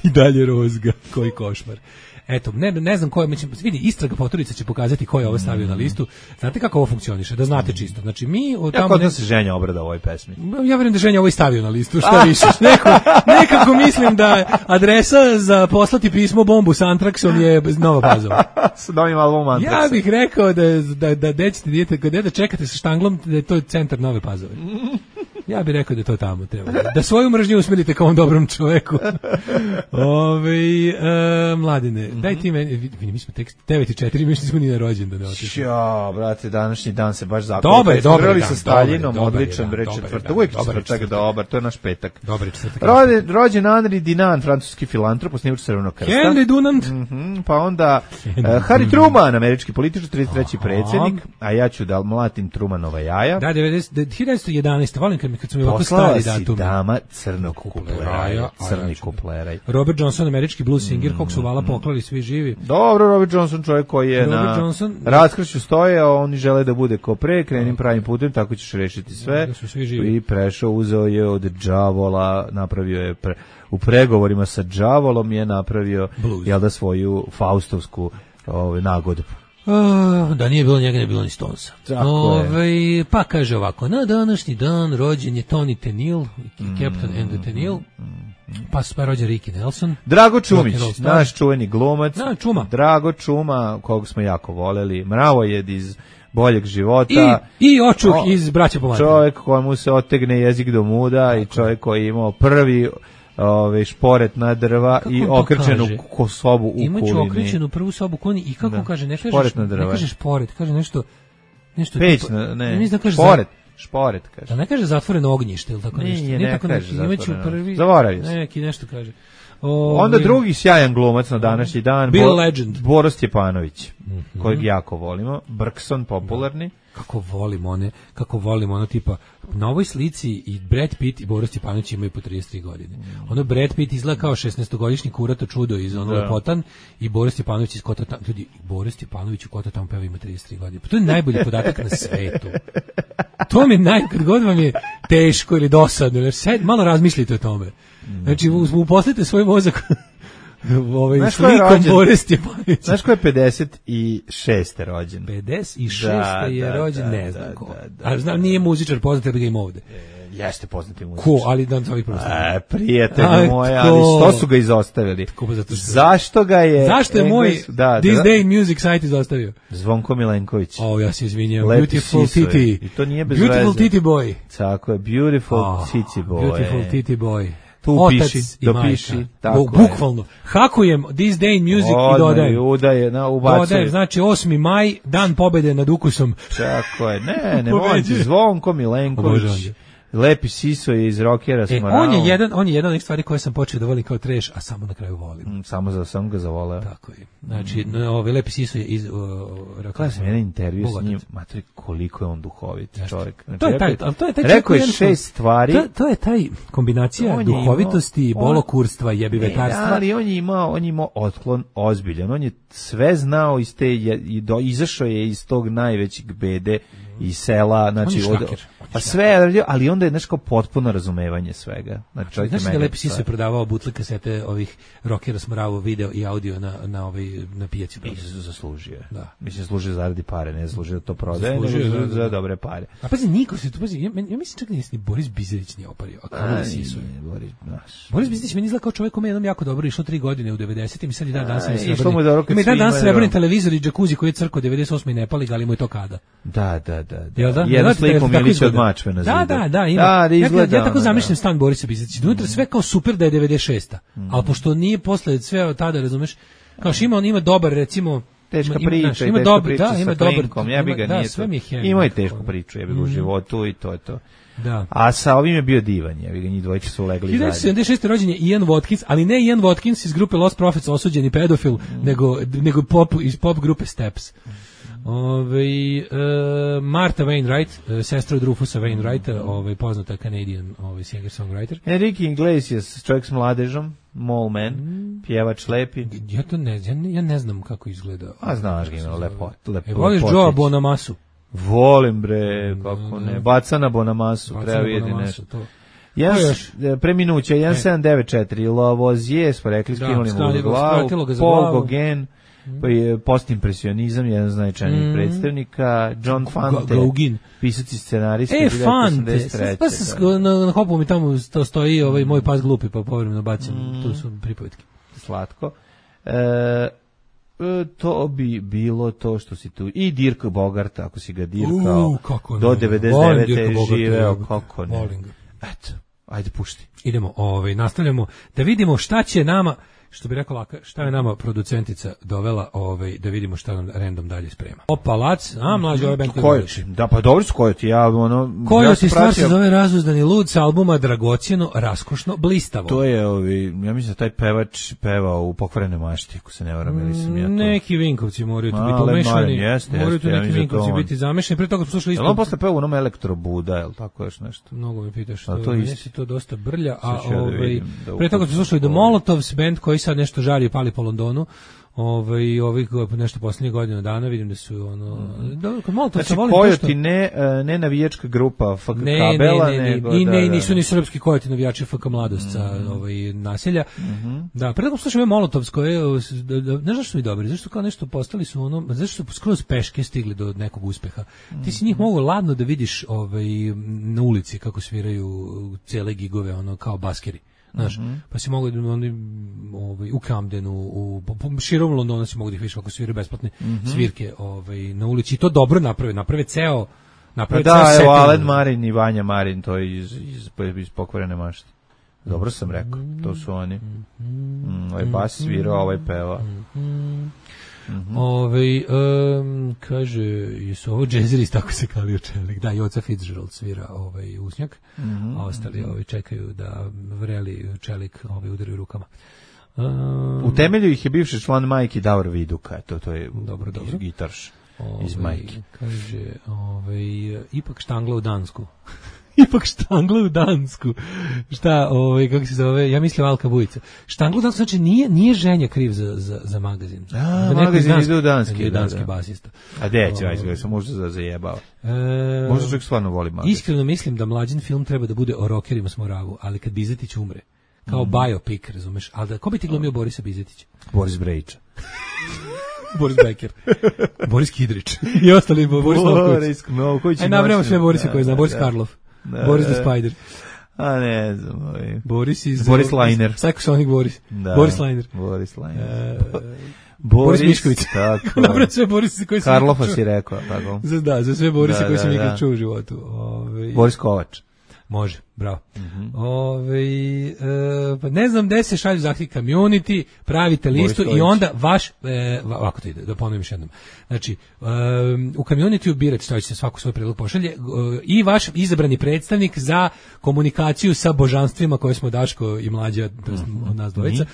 i dalje Rozga. Koji košmar. Eto, ne znam ko je, vidi, istraga Poturica će pokazati ko je ovo stavio na listu. Znate kako ovo funkcioniše, da znate čisto. Znači mi od tamo da se Ženja obrada ovoj pesmi. Ja vjerujem da Ženja ovo i stavio na listu, šta više. Nekako mislim da adresa za poslati pismo bombu s Antraksom je Nova Pazova. S novim albumom Antraksa. Ja bih rekao da dećete dijete, kad dete čekate sa štanglom, da je to centar Nove Pazove. Ja bih rekao da to tamo treba. Da svoju mržnju usmjerite kao on dobrom čoveku. Mladine, daj ti meni, mi smo tek 9:04, mi nismo ni na rođendan da otišli. Ja, brate, današnji dan se baš zaklopio. Dobar sa Staljinom, odličan, bre, četvrtak. Uvijek četvrtak dobar, to je naš petak. Dobar četvrtak. Rođen Henri Dunant, francuski filantrop, osnivač Crvenog krsta. Henri Dunant. Pa onda Harry Truman, američki političar, 33. predsjednik, a ja ću da mlatim Trumanova jaja. Da, 1911. Volim kad su mi ovako stari datumi. Poslala si dama crnog kupleraj, crni kupleraj. Robert Johnson, američki blues singer, kog su vala poklali svi živi. Dobro, Robert Johnson, čovjek koji je na raskršću stoje, a oni žele da bude ko pre, krenim pravim putem, tako ćeš rešiti sve. I prešao, uzeo je od đavola, napravio je u pregovorima sa đavolom je napravio svoju faustovsku nagodbu. Da nije bilo njega, ne bilo ni Stonesa. Pa kaže ovako, na današnji dan rođen je Tony Tenniel, Captain and the Tenniel, pa rođen Ricky Nelson. Drago Čumić, naš čuveni glumac. Drago Čuma, kog smo jako voleli, mravojed iz Boljeg života. I očuh iz Braća po materiju. Čovjek kojemu se otegne jezik do muda i čovjek koji je imao prvi šporet na drva i okrčenu sobu u kulini. Imaću okrčenu prvu sobu u kulini i kako kaže, ne kaže šporet, kaže nešto peć, šporet kaže. Da ne kaže zatvoreno ognjište ili tako nešto. Ne kaže zatvoreno. Zaboravio se. Neki nešto kaže. Onda drugi sjajan glumac na današnji dan, Bill Legend. Boro Stjepanović, kojeg jako volimo, Brkson popularni. kako volim ono tipa na ovoj slici i Brad Pitt i Boris Stepanović imaju po 33 godine. Ono Brad Pitt izgleda kao 16-godišnji kurato čudo iz ono Lepotan i Boris Stepanović iz Kota Tamo. Ljudi, Boris Stepanović u Kota Tamo peva ima 33 godine. Pa to je najbolji podatak na svetu. To mi kad god vam je teško ili dosadno, jer malo razmislite o tome. Znači, uposlite svoj mozak slikom Boris Stepanović. Znaš ko je 56. rođen? 56. je rođen, ne znam ko. Ali znam, nije muzičar, poznat, ga ima ovde. Jeste poznati muzičar. Ko, ali dan ovih prosto. Prijatelj moje, ali što su ga izostavili? Zašto ga je... Zašto je moj This Day Music site izostavio? Zvonko Milenković. Ja se izvinjam. Beautiful Titi. I to nije bez veze. Beautiful Titi Boy. Tako je, Beautiful Titi Boy. Beautiful Titi Boy. Tu piši, dopiši. Bukvalno. Hakujem This Day Music i dodajem. Dodajem, znači 8. maj, dan pobede nad ukusom. Tako je. Ne molim ti, Zvonko Milenković. Lepi Siso je iz Rockera Smarao. On je jedan od onih stvari koje sam počeo da volim kao trash, a samo na kraju volim. Sam ga zavoleo. Tako je. Znači, Lepi Siso je iz Rockera. Kada sam jedan intervju s njim, matri, koliko je on duhovit čovjek. Znači, to je taj rekao je 6 stvari. To je taj kombinacija duhovitosti, bolokurstva i jebivetarstva. Ali on je imao otklon ozbiljan. On je sve znao iz te, izašao je iz tog najvećeg bede iz sela, znači pa sve, ali onda je nešto potpuno razumevanje svega. Znači da Lepi Siso je prodavao butle kasete ovih Rockera Smarao video i audio na pijaci. Zaslužio. Da. Mislim zaslužio zaradi pare, ne zaslužio to prodaje, nego za dobre pare. A pazi, niko se tu pazi, ja mislim čak ni Boris Bizerić nije opario, a kao da Siso je. Boris Bizerić meni izgleda kao čovjek kome jednom jako dobro išlo 3 godine u 90-im i sad i dan danas srebrni televizor i džakuzi koji je crko 98 i ne pali ga, ali mu je to kada. Da. Jedna sliku Milića od Mačve na zidu. Da, ima. Ja tako zamišljam stan Borisa Bizetića. Unutra sve kao super da je 96. Ali pošto nije posle sve od tada, razumeš, kao što ima dobar, recimo, teška priča sa Flinkom, ja bi ga nije to. Imao je tešku priču, ja bi ga u životu i to je to. Da. A sa ovim je bio divan, ja bi ga njih dvojice su legli zajedno. 1976. rođen je Ian Watkins, ali ne Ian Watkins iz grupe Lost Prophets, osuđeni pedofil, nego iz pop grupe Steps. Martha Wainwright, sestra od Rufusa Wainwrighta, poznata Canadian singer-songwriter. Enrique Iglesias, čovjek s mladežom, Mole Man, pjevač lepi. Ja ne znam kako izgleda. A znaš ga, ima lepo. Voliš Joe Bonamasu? Volim bre, kako ne. Bacana Bonamasu, treba vidjeti nešto. Preminuće, 1794, Lavoisier, smo rekli, skinuli mu u glavu, Paul Gauguin, postimpresionizam, jedan značajnih predstavnika, John Fante, pisac i scenarista, 1983. Pa na hopu mi tamo to stoji moj pas glupi, pa povremeno bacim, tu su pripovetke. Slatko. To bi bilo to što si tu. I Dirk Bogart, ako si ga dirkao, do 99. živeo, kako ne. Eto, ajde pušti. Idemo, nastavljamo da vidimo šta će nama, što bi rekao Laka, šta je nama producentica dovela, da vidimo šta nam random dalje sprema. Opalac, mlađi ovaj band koji voliš. Da, pa dobro su Kojoti, Kojoti stvar se zove Razuzdani lud sa albuma Dragocjeno, raskošno, blistavo. To je, ja mislim da taj pevač pevao u Pokvarenoj mašti, ako se ne varam, ili sam ja to. Neki Vinkovci moraju tu biti umešani, moraju tu neki Vinkovci biti zamešani, pre toga smo slušali isto. On posle peva u onom Elektrobuda, je li tako još nešto? Mnogo mi pitaš, meni se to dosta brlja, a pre toga smo slušali The Molotovs, band koji sad nešto žari i pali po Londonu. Ovih nešto posljednjih godina dana vidim da su znači Kojoti ne navijačka grupa FK Kabela, nisu ni srpski Kojoti navijači FK Mladost sa naselja. Da, pre toga slušam Molotovs koje, ne znaš što su mi dobri, zašto kao nešto postali su zašto su skroz peške stigli do nekog uspeha. Ti si njih mogu ladno da vidiš na ulici kako sviraju cijele gigove, kao baskeri. Znaš, pa si mogu u Camdenu, širom Londona si mogu da ih viš ako sviraju besplatne svirke na ulici. I to dobro naprave ceo evo Alen Marin i Vanja Marin, to je iz Pokvarene mašte. Dobro sam rekao, to su oni. Ovaj bas svirao, ovaj peva. Kaže, jesu ovo džezeri, tako se kalio čelik. Da, Joca Fitzgerald svira usnjak, a ostali čekaju da vreli čelik udaraju rukama. U temelju ih je bivši član Majki Davor Viduka, to je dobro. Gitarš. iz majke. Kaže, ipak štangla u Dansku. Ipak štangla u Dansku. Šta, kako se zove? Ja mislim Alka Bujica. Štangla u Dansku, znači nije ženja kriv za magazin. Magazin ide u Danski. Danski basista. A gde će, sam možda zajebao. Možda čovjek stvarno voli magazin. Iskreno mislim da mlađin film treba da bude o rokerima s Moravu, ali kad Bizetić umre, kao biopic, razumeš? Ali ko bi ti glumio Borisa Bizetića? Boris Brejića. Boris Becker, Boris Kidrić i ostali Boris Lovković. Aj nabrajamo sve Borise koje zna, Boris Karloff, Boris the Spider. A ne znam, Boris Liner. Psychosonic Boris. Boris Liner. Boris Mišković. Tako. Nabrajamo sve Borise koji su... Karlofa si rekao, tako. Za sve Borise koji sam ikad čuo u životu. Boris Kovač. Može, bravo. Pa ne znam gde se šalju zahtjevi community, pravite listu i onda vaš, ovako to ide, da ponovim još jednom. Znači, u community birate, stavite se svako svoj predlog pošalje, i vaš izabrani predstavnik za komunikaciju sa božanstvima koje smo Daško i Mlađa, od nas dvojica.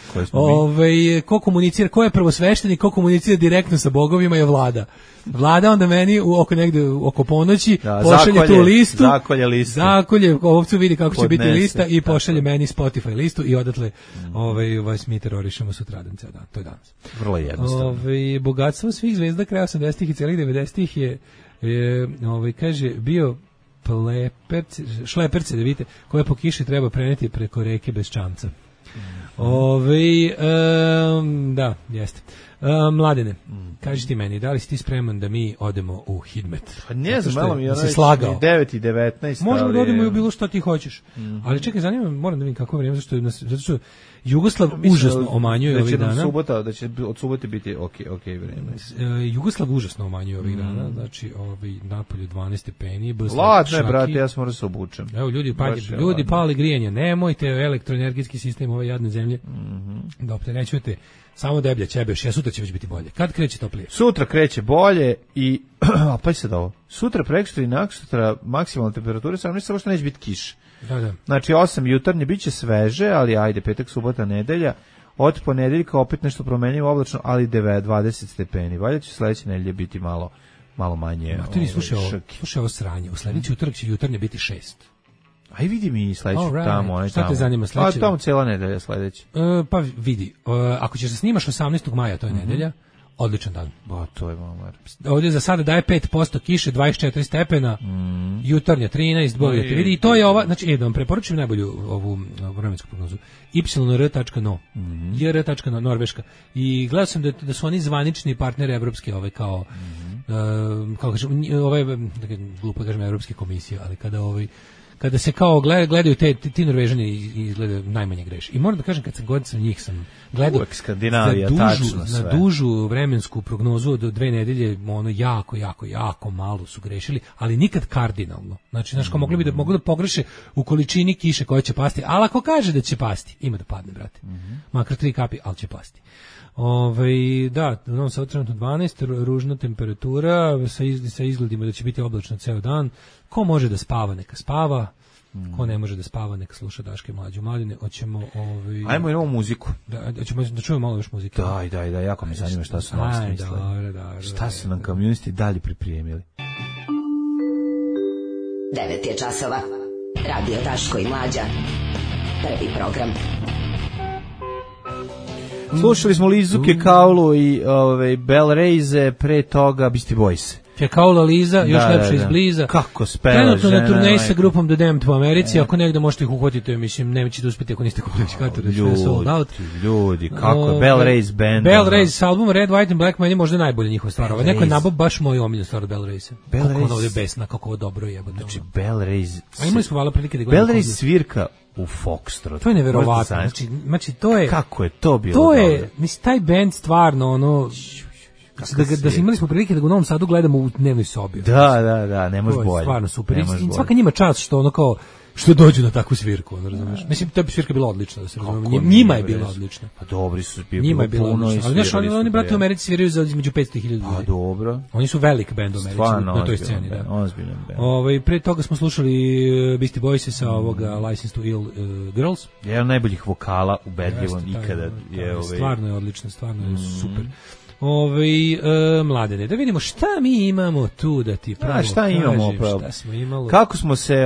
Ko komunicira, ko je prvosveštenik, ko komunicira direktno sa bogovima je Vlada. Vlada onda meni oko ponoći pošalje tu listu. Zakolje, ovcu vidi kako će biti lista i pošalje meni Spotify listu i odatle vas mi terorišemo sutradan ceo dan. To je danas. Vrlo jednostavno. Bogatstvo svih zvezda kraja 80-ih i celih 90-ih je kaže, bio šleperce, da vidite, koje po kiši treba preneti preko reke bez čamca. Da, jeste. Mladene, kaži ti meni, da li si ti spreman da mi odemo u Hidmet? Pa ne znam, malo mi je 9 i 19. Možemo da odemo i u bilo što ti hoćeš. Ali čekaj, zanima me, moram da vidim kako je vrijeme, zato što Jugoslav užasno omanjuje ovih dana. Da će od subote biti ok vrijeme. Jugoslav užasno omanjuje ovih dana, znači napolju 12 stepeni. Ladne, brate, ja sam morao se obučem. Evo, ljudi pali grijanje, nemojte elektroenergetski sistem ove jadne zemlje da opterećujete. Samo deblja ćebe, sutra će već biti bolje. Kad kreće toplije? Sutra kreće bolje i pa sad ovo. Sutra, prekosutra i naksutra maksimalna temperatura, samo što neće biti kiš. Da. Znači 8 jutarnje biće sveže, ali ajde, petak, subota, nedelja. Od ponedeljka opet nešto promenljivo oblačno, ali 20 stepeni. Valjda će sledeće nedelje biti malo manje. Slušaj ovo sranje. U sledeći utorak će jutarnje biti 6. Aj vidi mi sledeću tamo. Šta te zanima sledeće? Tamo cijela nedelja sledeće. Pa vidi, ako ćeš da snimaš 18. maja, to je nedelja, odličan dan. To je mamar. Ovdje za sada daje 5% kiše, 24 stepena, jutarnja 13, bolje te vidi. I to je ova, znači, da vam preporučujem najbolju ovu vremensku prognozu. yr.no, yr.no, Norveška. I gledao sam da su oni zvanični partneri evropske, kao kažem, glupo kažem evropske komisije, ali kada se kao gledaju ti Norvežani izgledaju najmanje greši. I moram da kažem, kad sam god njih sam gledao na dužu vremensku prognozu od 2 nedelje, jako malo su grešili, ali nikad kardinalno. Znači, mogu da pogreše u količini kiše koja će pasti, ali ako kaže da će pasti, ima da padne, brate. Makar 3 kapi, ali će pasti. Da, u Novom Sadu trenutno 12, ružna temperatura, sa izgledima da će biti oblačno ceo dan. Ko može da spava, neka spava. Ko ne može da spava, neka sluša Daške Mlađu. Mladine, hoćemo... Ajmo i novu muziku. Hoćemo da čujemo malo još muzike. Daj, jako mi zanima šta su novi smislili. Šta su nam komunisti dalje pripremili. 9 je časova. Radio Daško i Mlađa. Prvi program. Slušali smo Lizu Kekaulu i Bell Reyze, pre toga Beastie Boys. Kekaula Liza, još lepše izbliza. Kako speva trenutno na turneji sa grupom The Damned u Americi, ako negde možete ih uhvatiti, mislim, nećete uspjeti ako niste kupili kartu, da ćete sold out. Ljudi, kako Bell Reyze band. Bell Reyze s albumom Red, White and Black meni je možda najbolje njihova stvar. Neko je nabao baš moju omiljenu stvar od Bell Reyze. Kako ono ovdje besna, kako ovo dobro je. Znači, Bell Reyze... A imali smo vala prilike da gledamo. Bell Reyze svirka u Foxtrot. To je neverovatno. Znači, to je... Kako je to bilo dobro? To je, mislim, taj band stvarno, da imali smo prilike da ga u Novom Sadu gledamo u dnevnoj sobi. Da, ne može bolje. Stvarno super. I svaka njima čast što dođu na takvu svirku, razumeš? Mislim, ta svirka je bila odlična, da se razumemo. Njima je bila odlična. Pa dobri su, njima je bila odlična. Ali oni brate u Americi sviraju za između 500 i 1000 ljudi. Pa dobro. Oni su velik bend u Americi na toj sceni, da. Ozbiljan bend. Pre toga smo slušali Beastie Boys sa ovoga License to Ill Girls. Jedan od najboljih vokala ubedljivo ikada je stvarno je odlično, stvarno je super. Mladene, da vidimo šta mi imamo tu da ti pravo šta imamo, šta smo imali. Kako smo se,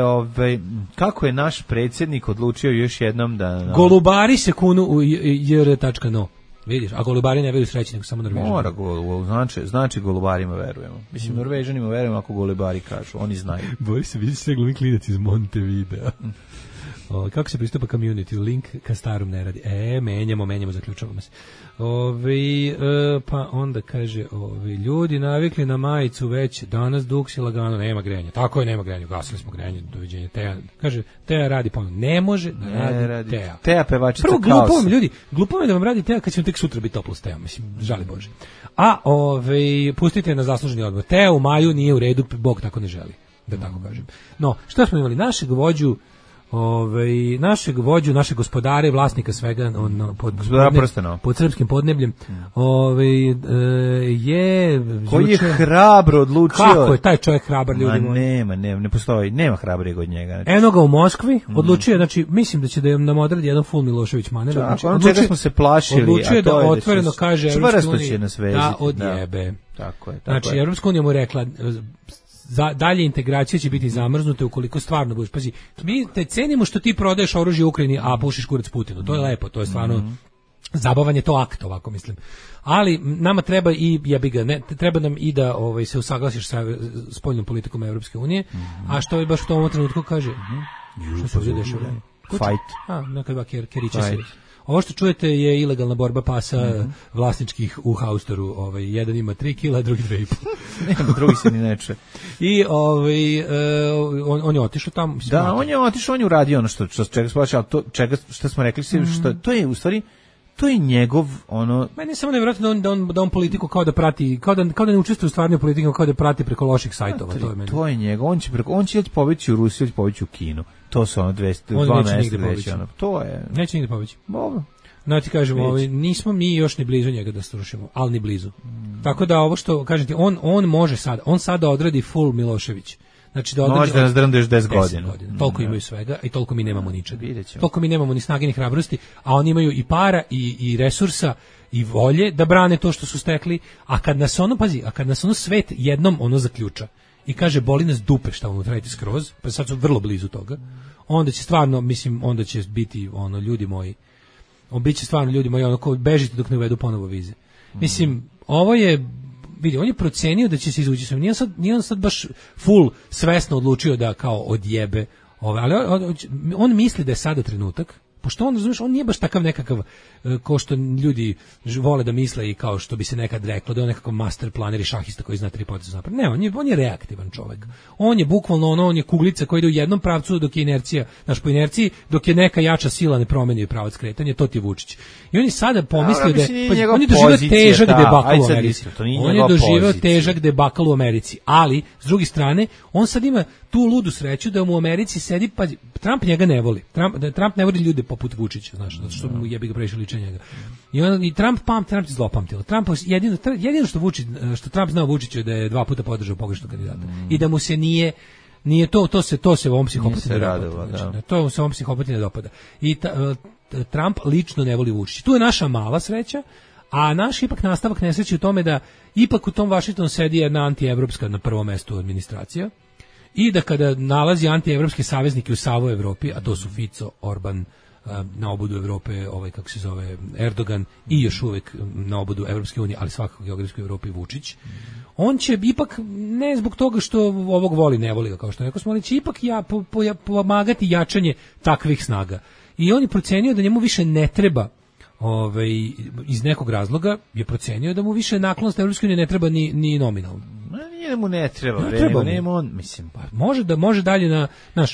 kako je naš predsjednik odlučio još jednom da... Golubari se kunu u jr.no. Vidiš, a golubari ne veruju sreći, nego samo Norvežani. Mora, znači golubarima verujemo. Mislim, Norvežanima verujemo ako golubari kažu, oni znaju. Boris se vidi sve glumi klinac iz Montevidea. Kako se pristupa community? Link ka starom ne radi. Menjamo, zaključavamo se. Pa onda kaže, ljudi navikli na majicu već, danas duks i lagano, nema grejanja. Tako je, nema grejanja, gasili smo grejanje, doviđenja. Teja radi ponovno. Ne može da radi Teja. Teja pevačica Prvo, kaosa. glupo je da vam radi Teja kad će vam tek sutra biti toplo s Tejom, mislim, žali Bože. A, pustite na zasluženi odmor. Teja u maju nije u redu, Bog tako ne želi, da tako kažem. No, šta smo imali? Našeg vođu, naše gospodare, vlasnika svega pod srpskim podnebljem, koji je hrabro odlučio. Kako je taj čovjek hrabar, ljudi moji? Ne postoji, nema hrabrije od njega. Znači. Eno ga u Moskvi, odlučio, znači, mislim da će da nam odradi jedan full Milošević maner. Znači, čega smo se plašili, odlučio da otvoreno kaže Evropska unija da odjebe. Tako je. Znači, Evropska unija mu rekla, dalje integracija će biti zamrznuta ukoliko stvarno budeš. Pazi, mi te cenimo što ti prodaješ oružje Ukrajini, a pušiš kurac Putinu. To je lepo, to je stvarno zabavan je to akt, ovako mislim. Ali nama treba i treba nam i da se usaglasiš sa spoljnom politikom Evropske unije, a što je baš u tom trenutku kaže? Što se ovdje dešava? Fight. Nekada keriče se. Ovo što čujete je ilegalna borba pasa vlasničkih u Haustoru. Jedan ima 3 kila, drugi 2,5. Nema, drugi se ni neče. I on je otišao tamo. Da, on je otišao, on je uradio ono čega smo plaćali, što smo rekli, to je u stvari, to je njegov ono. Meni je samo nevjerojatno da on politiku kao da prati, kao da ne učestvuje u stvarnoj politici, kao da prati preko loših sajtova. To je njegov. On će pobeći u Rusiju, pobeći u Kinu. To su ono 202 mjesta već. To je. Neće nigde pobeći. Dobro. Znači kažemo, nismo mi još ni blizu njega da srušimo, ali ni blizu. Tako da ovo što kažete, on može sad, on sada odradi full Milošević. Znači da može da nas drndeš 10 godina. Toliko imaju svega i toliko mi nemamo ničega. Toliko mi nemamo ni snage ni hrabrosti, a oni imaju i para i resursa i volje da brane to što su stekli, a kad nas ono svet jednom ono zaključa i kaže boli nas dupe šta unutra radite skroz, pa sad su vrlo blizu toga, onda će stvarno, mislim, onda će biti ono, ljudi moji, biće stvarno ljudi moji, ono, ko bežite dok ne uvedu ponovo vize. Mislim, ovo je, vidi, on je procenio da će se izvući sve. Nije on sad baš full svesno odlučio da kao odjebe ove, ali on misli da je sada trenutak, pošto on, razumiješ, on nije baš takav nekakav ko što ljudi vole da misle i kao što bi se nekad reklo da je on nekakav master planer i šahista koji zna 3 poteza napred. Ne, on je reaktivan čovjek. On je bukvalno on je kuglica koja ide u jednom pravcu dok je inercija, po inerciji, dok je neka jača sila ne promeni pravac kretanja, to ti je Vučić. I on je sada pomislio on je doživio težak debakl u Americi. On je doživio težak debakl u Americi, ali s druge strane, on sad ima tu ludu sreću da mu u Americi sedi, pa Trump njega ne voli. Trump ne voli ljude poput Vučića, znaš, zato što mu jebi ga previše liče njega. I Trump je zlopamtilo. Jedino što Trump zna o Vučiću je da je 2 puta podržao pogrešnog kandidata. I da mu se nije to se ovom psihopati ne dopada. Znači, to se ovom psihopati ne dopada. I Trump lično ne voli Vučića. Tu je naša mala sreća, a naš ipak nastavak nesreće u tome da ipak u tom Vašingtonu sedi jedna antievropska na prvom mestu administracija. I da kada nalazi antievropske saveznike u savoj Evropi, a to su Fico, Orban, na obodu Evrope, kako se zove, Erdogan i još uvek na obodu Evropske unije, ali svakako geografskoj Evropi Vučić, on će ipak, ne zbog toga što ovog voli, ne voli ga, kao što rekao smo, ali će ipak pomagati jačanje takvih snaga. I on je procenio da njemu više ne treba, iz nekog razloga je procenio da mu više naklonost Evropske unije ne treba ni nominalno. Njemu ne treba, on, mislim. Može dalje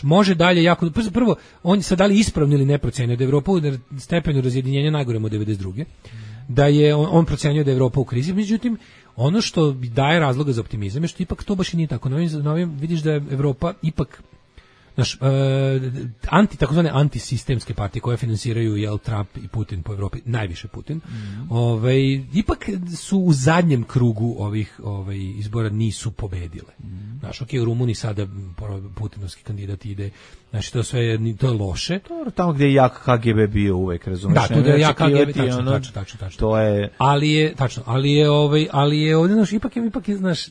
može dalje jako, prvo, on sad da li ispravno ili ne procenio da Evropa u stepenu razjedinjenja najgorem od 92. Da je on procenio da je Evropa u krizi, međutim, ono što daje razloga za optimizam je što ipak to baš i nije tako. Novim vidiš da je Evropa ipak Naš takozvane antisistemske partije koje finansiraju Trump i Putin po Evropi, najviše Putin. Ipak su u zadnjem krugu ovih izbora nisu pobedile. Znaš, u Rumuniji sada putinovski kandidat ide. Znači, to je loše. Tamo gdje je jak KGB bio uvek, razumiješ? Da, tu da je jak KGB, tačno. To je... Ali je ovdje, znaš, ipak je, znaš,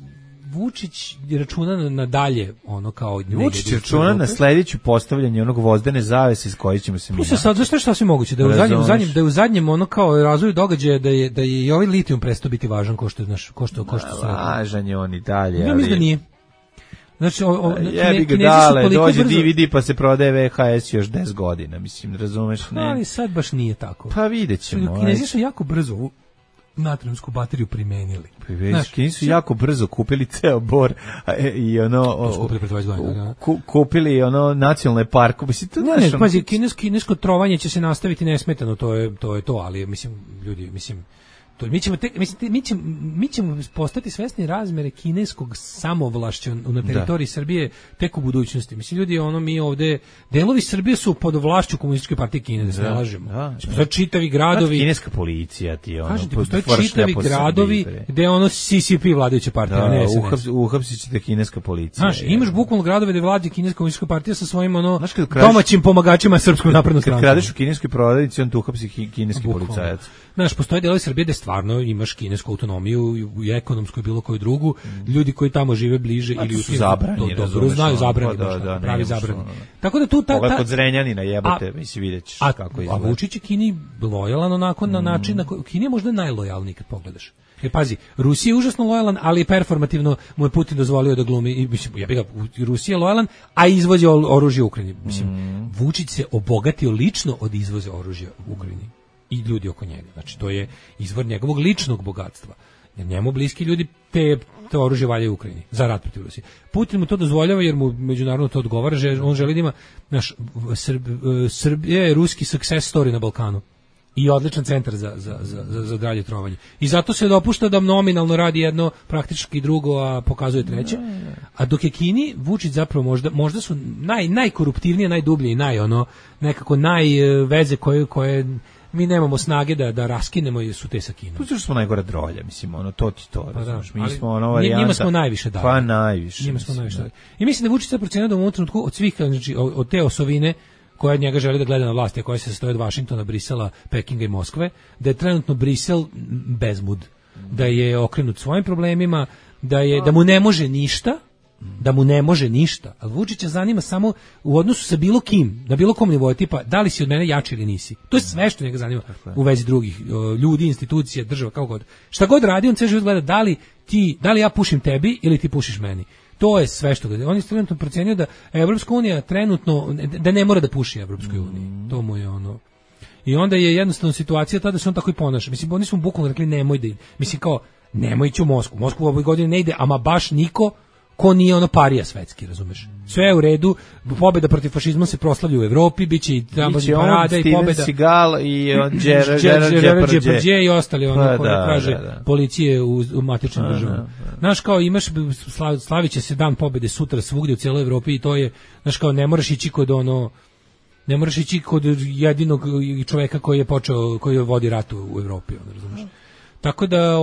Vučić računa na dalje, ono kao... Vučić računa na sledeću postavljanje onog vozdene zavese s koji ćemo se mi... Sad, zašto je sasvim moguće? Da je u zadnjem ono kao razvoju događaja da je i ovaj litijum prestao biti važan ko što su... Važan je on i dalje, ja mislim da nije. Znači, jebi ga dale, dođe DVD pa se prodaje VHS još 10 godina, mislim, razumeš? Ne? Ali sad baš nije tako. Pa vidjet ćemo. Kinezi su jako brzo ovu natriumsku bateriju primenili. Kinezi su jako brzo kupili ceo Bor i kupili nacionalne parku. Pazi, kinesko trovanje će se nastaviti nesmetano, to je to, ali ljudi, mi ćemo postati svesni razmere kineskog samovlašća na teritoriji Srbije tek u budućnosti. Mislim, ljudi, mi ovde, delovi Srbije su pod vlašću komunističke partije Kine, da se ne lažemo. Postoje čitavi gradovi... Kineska policija ti postoje čitavi gradovi gde CCP vladajuća partija, ne SNS. Uhapsit ćete kineska policija. Znaš, imaš bukvalno gradove gde vlada kineska komunistička partija sa svojim domaćim pomagačima srpskom naprednom strankom. Kad kradeš u kineskoj prodavnici, on te uhapsi kineski policajac. Znaš, postoje delovi Srbije gde stvarno imaš kinesku autonomiju i ekonomsku i bilo koju drugu, ljudi koji tamo žive bliže ili su zabrani, dobro znaju zabrani, pravi zabrani. Tako da tu kod Zrenjanina jebote, mislim, videćeš kako izgleda. A Vučić je Kini lojalan onako na način na koji Kina je možda najlojalniji kad pogledaš. Jer pazi, Rusija je užasno lojalan, ali performativno mu je Putin dozvolio da glumi, i mislim, Rusija je lojalan, a izvozi oružje u Ukrajini. Mislim, Vučić se obogatio lično od izvoza oružja u Ukrajini i ljudi oko njega. Znači, to je izvor njegovog ličnog bogatstva. Jer njemu bliski ljudi te oružje valjaju u Ukrajini za rat protiv Rusije. Putin mu to dozvoljava jer mu međunarodno to odgovara, on želi da ima, Srbija je ruski success story na Balkanu i odličan centar za dalje trovanje. I zato se dopušta da nominalno radi jedno, praktički drugo, a pokazuje treće. A dok je Kini, Vučić zapravo možda su najkoruptivnije, najdublje i nekako najveze koje mi nemamo snage da raskinemo su te sa Kinom. Tu smo najgore drolja, mislim, to ti to. Pa da, mi smo varijanta. Njima smo najviše dali. Pa najviše. Njima smo najviše dali. I mislim da Vučić sad procenio da u ovom trenutku od svih, znači od te osovine koja njega želi da gleda na vlasti, a koja se sastoji od Vašingtona, Brisela, Pekinga i Moskve, da je trenutno Brisel bezmud, da je okrenut svojim problemima, da mu ne može ništa, ali Vučića zanima samo u odnosu sa bilo kim, na bilo kom nivou, tipa da li si od mene jači ili nisi. To je sve što njega zanima u vezi drugih ljudi, institucija, država, kako god. Šta god radi, on sve život gleda da li ja pušim tebi ili ti pušiš meni. To je sve što gleda. On je trenutno procenio da Evropska unija trenutno, da ne mora da puši Evropskoj uniji. To mu je I onda je jednostavno situacija tada da se on tako i ponaša. Mislim, oni su mu bukvalno rekli nemoj da ide. Mislim, kao, nemoj ići u Moskvu. Moskvu u ovoj godini ne ide, ama baš niko ko nije parija svetski, razumeš? Sve je u redu, pobjeda protiv fašizma se proslavlja u Evropi, biće i parada i pobjeda. Steven Seagal i Gerard Depardieu i ostali, koji kaže policije u matičnim državama. Znaš, kao imaš, slavit će se dan pobjede sutra svugdje u cijeloj Evropi i to je, znaš, kao ne moraš ići kod jedinog čoveka koji vodi rat u Evropi, razumeš? Tako da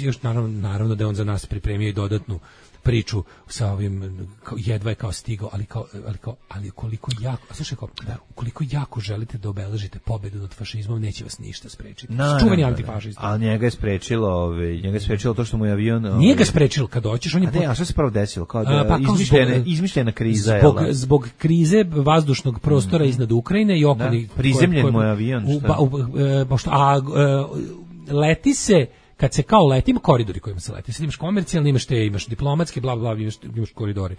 još naravno da je on za nas pripremio i dodatnu priču sa ovim, jedva je kao stigao, ali koliko jako, a slušaj, koliko jako želite da obeležite pobedu nad fašizmom, neće vas ništa sprečiti. Čuveni antifašist. Ali njega je sprečilo to što mu je avion... Nije ga sprečilo, kad doćeš, on je... A što se pravo desilo? Izmišljena kriza. Zbog krize vazdušnog prostora iznad Ukrajine i okolnih... Prizemljen mu je avion, leti se, kad se kao leti, ima koridori kojima se leti. Sad imaš komercijalni, imaš diplomatski, bla, bla, imaš koridori.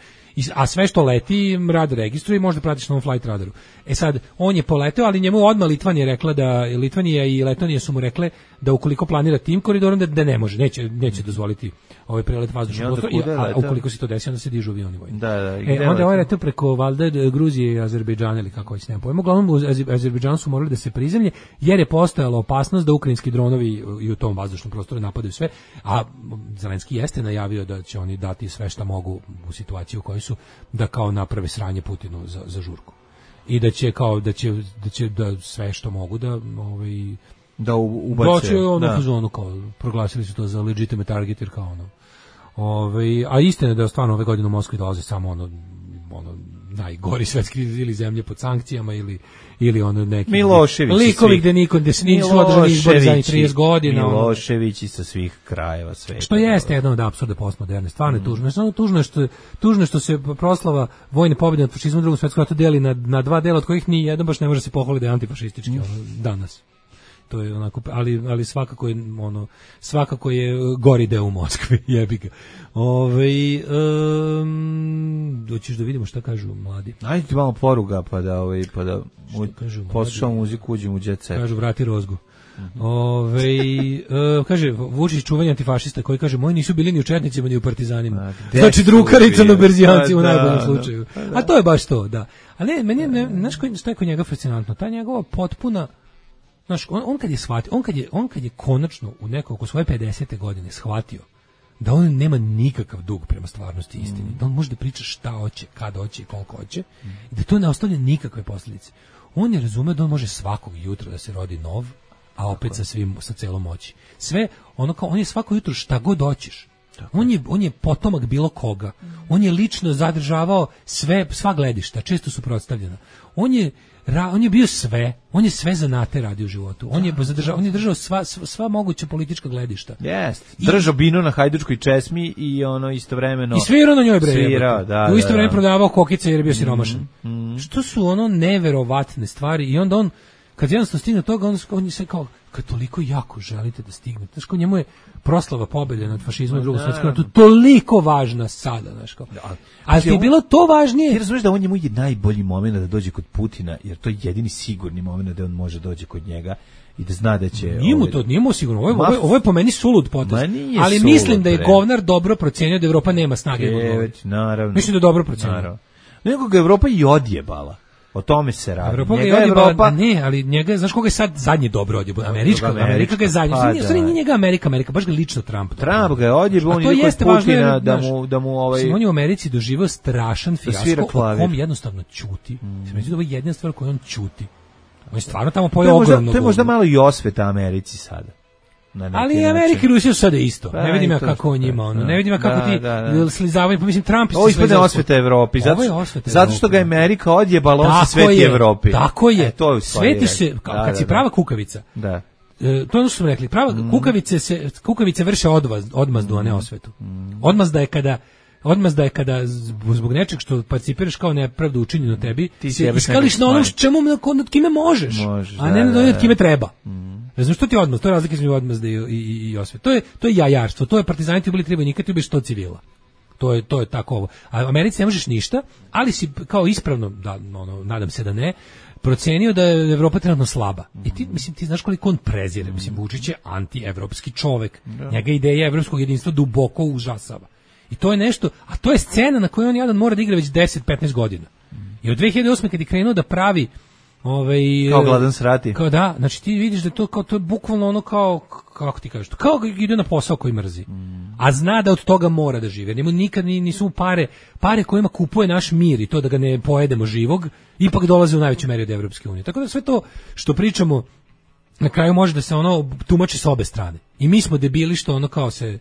A sve što leti, radar registruje i možda pratiš na ovom flight radaru. Sad, on je poleteo, ali njemu odmah Litvanija rekla Litvanija i Letonija su mu rekle da ukoliko planira tim koridorom, da ne može, neće dozvoliti ovaj prelet vazdušnog prostora, a ukoliko se to desi, onda se dižu avioni vojni. Onda je ovaj leteo preko valjda Gruzije i Azerbejdžana, ili kako već nemam pojma. Uglavnom u Azerbejdžanu su morali da se prizemlje, jer je postojala opasnost da ukrajinski dronovi i u tom vazdušnom prostoru prostore, napadaju sve, a Zelenski jeste najavio da će oni dati sve šta mogu u situaciji u kojoj su, da kao naprave sranje Putinu za žurku. I da će kao da sve što mogu da ubace. Doći u zonu, kao proglasili su to za legitimate target, jer kao a istina je da stvarno ove godine u Moskvi dolaze samo ono najgori svetski ili zemlje pod sankcijama ili ono neki likovi gde se nisu održani izbori za 30 godina. Miloševići sa svih krajeva sveta. Što jeste jedno od apsurda postmoderne. Stvarno je tužno. Samo tužno što se proslava vojne pobjede nad fašizmom u Drugom svetskom ratu deli na dva dela, od kojih ni jedan baš ne može se pohvaliti da je antifašistički danas. To je onako, ali svakako je gori deo u Moskvi, jebi ga. Doćiš da vidimo šta kažu mladi. Ajde ti malo poruga pa da poslušamo muziku, uđemo u jet set. Kažu vrati rozgu. Kaže Vučić čuvanje antifašista koji kaže moji nisu bili ni u četnicima ni u partizanima. Znači drukarica na berzijanci u najboljem slučaju. A to je baš to, da. A ne, meni je, znaš šta je kod njega fascinantno? Ta njegova potpuna, znaš, on kad je shvatio, on kad je konačno u oko svoje 50. godine shvatio da on nema nikakav dug prema stvarnosti i istini, da on može da priča šta hoće, kad hoće i koliko hoće, i da to ne ostavlja nikakve posljedice. On je razumeo da on može svakog jutra da se rodi nov, a opet sa celom moći. Sve, on je svako jutro šta god hoćeš. On je potomak bilo koga. On je lično zadržavao sva gledišta, često suprotstavljena. On je bio sve, on je sve zanate radio u životu. On je držao sva moguća politička gledišta. Jest. Držao binu na hajdučkoj česmi i istovremeno i svirao na njoj bre. U isto vreme prodavao kokice jer je bio siromašan. Što su neverovatne stvari i onda on kad jednostavno stigne toga, on je sve kao, kad toliko jako želite da stignete, znaš, kao njemu je proslava pobjede nad fašizmom i Drugom svetskom ratu toliko važna sada, znaš, kao. Ali ti je bilo to važnije. Ti razumiješ da on njemu je najbolji moment da dođe kod Putina, jer to je jedini sigurni moment da on može doći kod njega i da zna da će... Nije mu sigurno, ovo je po meni sulud potez, ali mislim da je govnar dobro procenio da Evropa nema snage. Naravno. Mislim da je dobro procenio. Nego ga Evropa i odjebala. O tome se radi. Evropa ne, ali njega, znaš koga je sad zadnji dobro odjebala? Amerika ga je zadnji. Nije njega Amerika, baš ga lično Trump. Trump ga je odjebao, on je kod Putina da mu on je u Americi doživao strašan fijasko, on jednostavno ćuti. Mislim da ovo je jedina stvar koju on ćuti. On je stvarno tamo pojeo ogromno. To je možda malo i osveta Americi sada. Ali Amerika i Rusija su sada isto. Ne vidim ja kako on njima, ne vidim ja kako ti slizavaju, pa mislim Trump ovo ispadne osveta Evropi, zato što ga Amerika odjebala, on se sveti Evropi. Tako je, svetiš se, kad si prava kukavica. Da. To je ono što smo rekli, prava kukavice vrše odmazdu, a ne osvetu. Odmazda je kada zbog nečeg što participiraš kao nepravdu učinjeno tebi, ti iskališ na onom nad kime možeš, a ne nad kime treba. Razumiješ, što ti odmaz? To je razlika između odmazda i osvete. To je jajarstvo, to je partizani ti bili treba nikad ti ubiš 100 civila. To je tako ovo. A u Americi ne možeš ništa, ali si kao ispravno, nadam se da ne, procenio da je Evropa trenutno slaba. I ti znaš koliko on prezire. Mislim, Vučić je anti-evropski čovek. Njega ideja evropskog jedinstva duboko užasava. I to je nešto, a to je scena na kojoj on jadan mora da igra već 10-15 godina. I od 2008. kad je krenuo da pravi kao gladan srati. Kao da, znači ti vidiš da to je bukvalno ono kao, kako ti kažeš, kao ide na posao koji mrzi. A zna da od toga mora da živi. Njemu nikad nisu pare kojima kupuje naš mir i to da ga ne pojedemo živog, ipak dolaze u najvećoj meri od Evropske unije. Tako da sve to što pričamo na kraju može da se tumači s obe strane. I mi smo debili što kao se,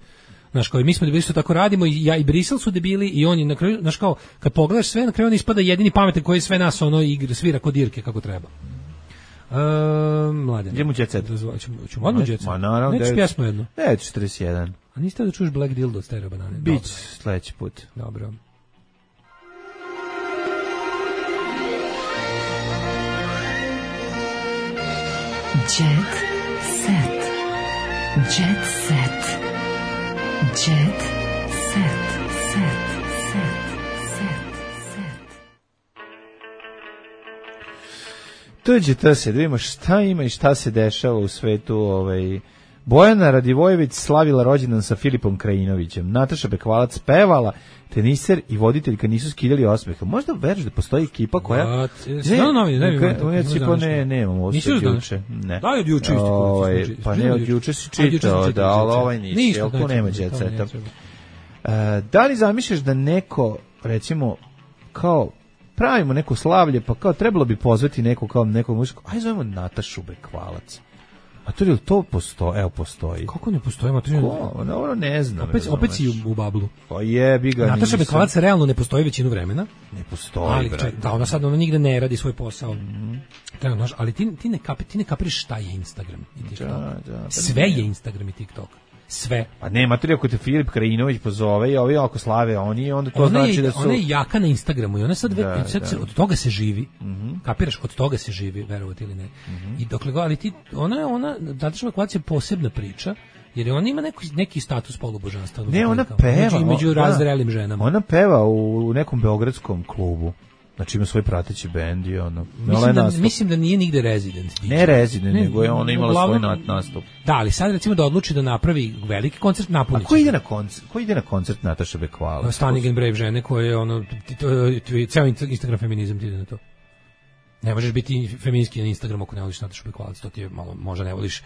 znaš, kao i mi smo debili što tako radimo, i ja i Brisel su debili i oni na kraju, znaš, kao kad pogledaš sve, na kraju on ispada jedini pametan koji sve nas igra, svira kod dirke kako treba. Mladen. Idemo u jet set. Ćemo odmah u jet set. Neću pjesmu jednu. 9:41. A niste da čuš Black Dildo od Stereo Banane? Bić sledeći put. Dobro. Jet set. Jet set. Jet set. Tuđe to se, da vidimo šta ima i šta se dešava u svetu Bojana Radivojević slavila rođendan sa Filipom Krajinovićem. Nataša Bekvalac pevala, teniser i voditeljka nisu skidali osmeha. Možda veriš da postoji ekipa koja... Nemamo ovo sve juče. Da je od juče isto. Pa ne, od juče si čitao, da, ali ovaj nisi, jel tu nema djeceta. Da li zamišljaš da neko, recimo, kao pravimo neko slavlje, pa kao trebalo bi pozvati neko kao nekog muziku, aj zovemo Natašu Bekvalac. A to je li to postoji? Evo, postoji. Kako ne postoji? Ono ne znam. Opet si u bablu. Pa jebi ga. Nataša Bekvalac realno ne postoji većinu vremena. Ne postoji, ali, da, ona sad nigde ne radi svoj posao. Ali ti ne kapiraš šta je Instagram i TikTok. Sve je Instagram i TikTok. Sve. Pa ne, materija ako te Filip Krajinović pozove i ovi ako slave oni, onda to znači da su... Ona je jaka na Instagramu i ona sad od toga se živi. Kapiraš, od toga se živi, verovati ili ne. I dokle ali ti, ona Nataša Bekvalac je posebna priča, jer ona ima neki status polubožanstva. Ne, ona peva. Među razrelim ženama. Ona peva u nekom beogradskom klubu. Znači ima svoj prateći bend i ono... Mislim da nije nigde rezident. Ne rezident, nego je ona imala svoj nastup. Da, ali sad recimo da odluči da napravi veliki koncert, napunit. A ko ide na koncert Nataše Bekvalac? Stunning and Brave žene koje je ono... Ceo Instagram feminizam ti ide na to. Ne možeš biti feminijski na Instagramu ako ne voliš Natašu Bekvalac, to ti je malo, možda ne voliš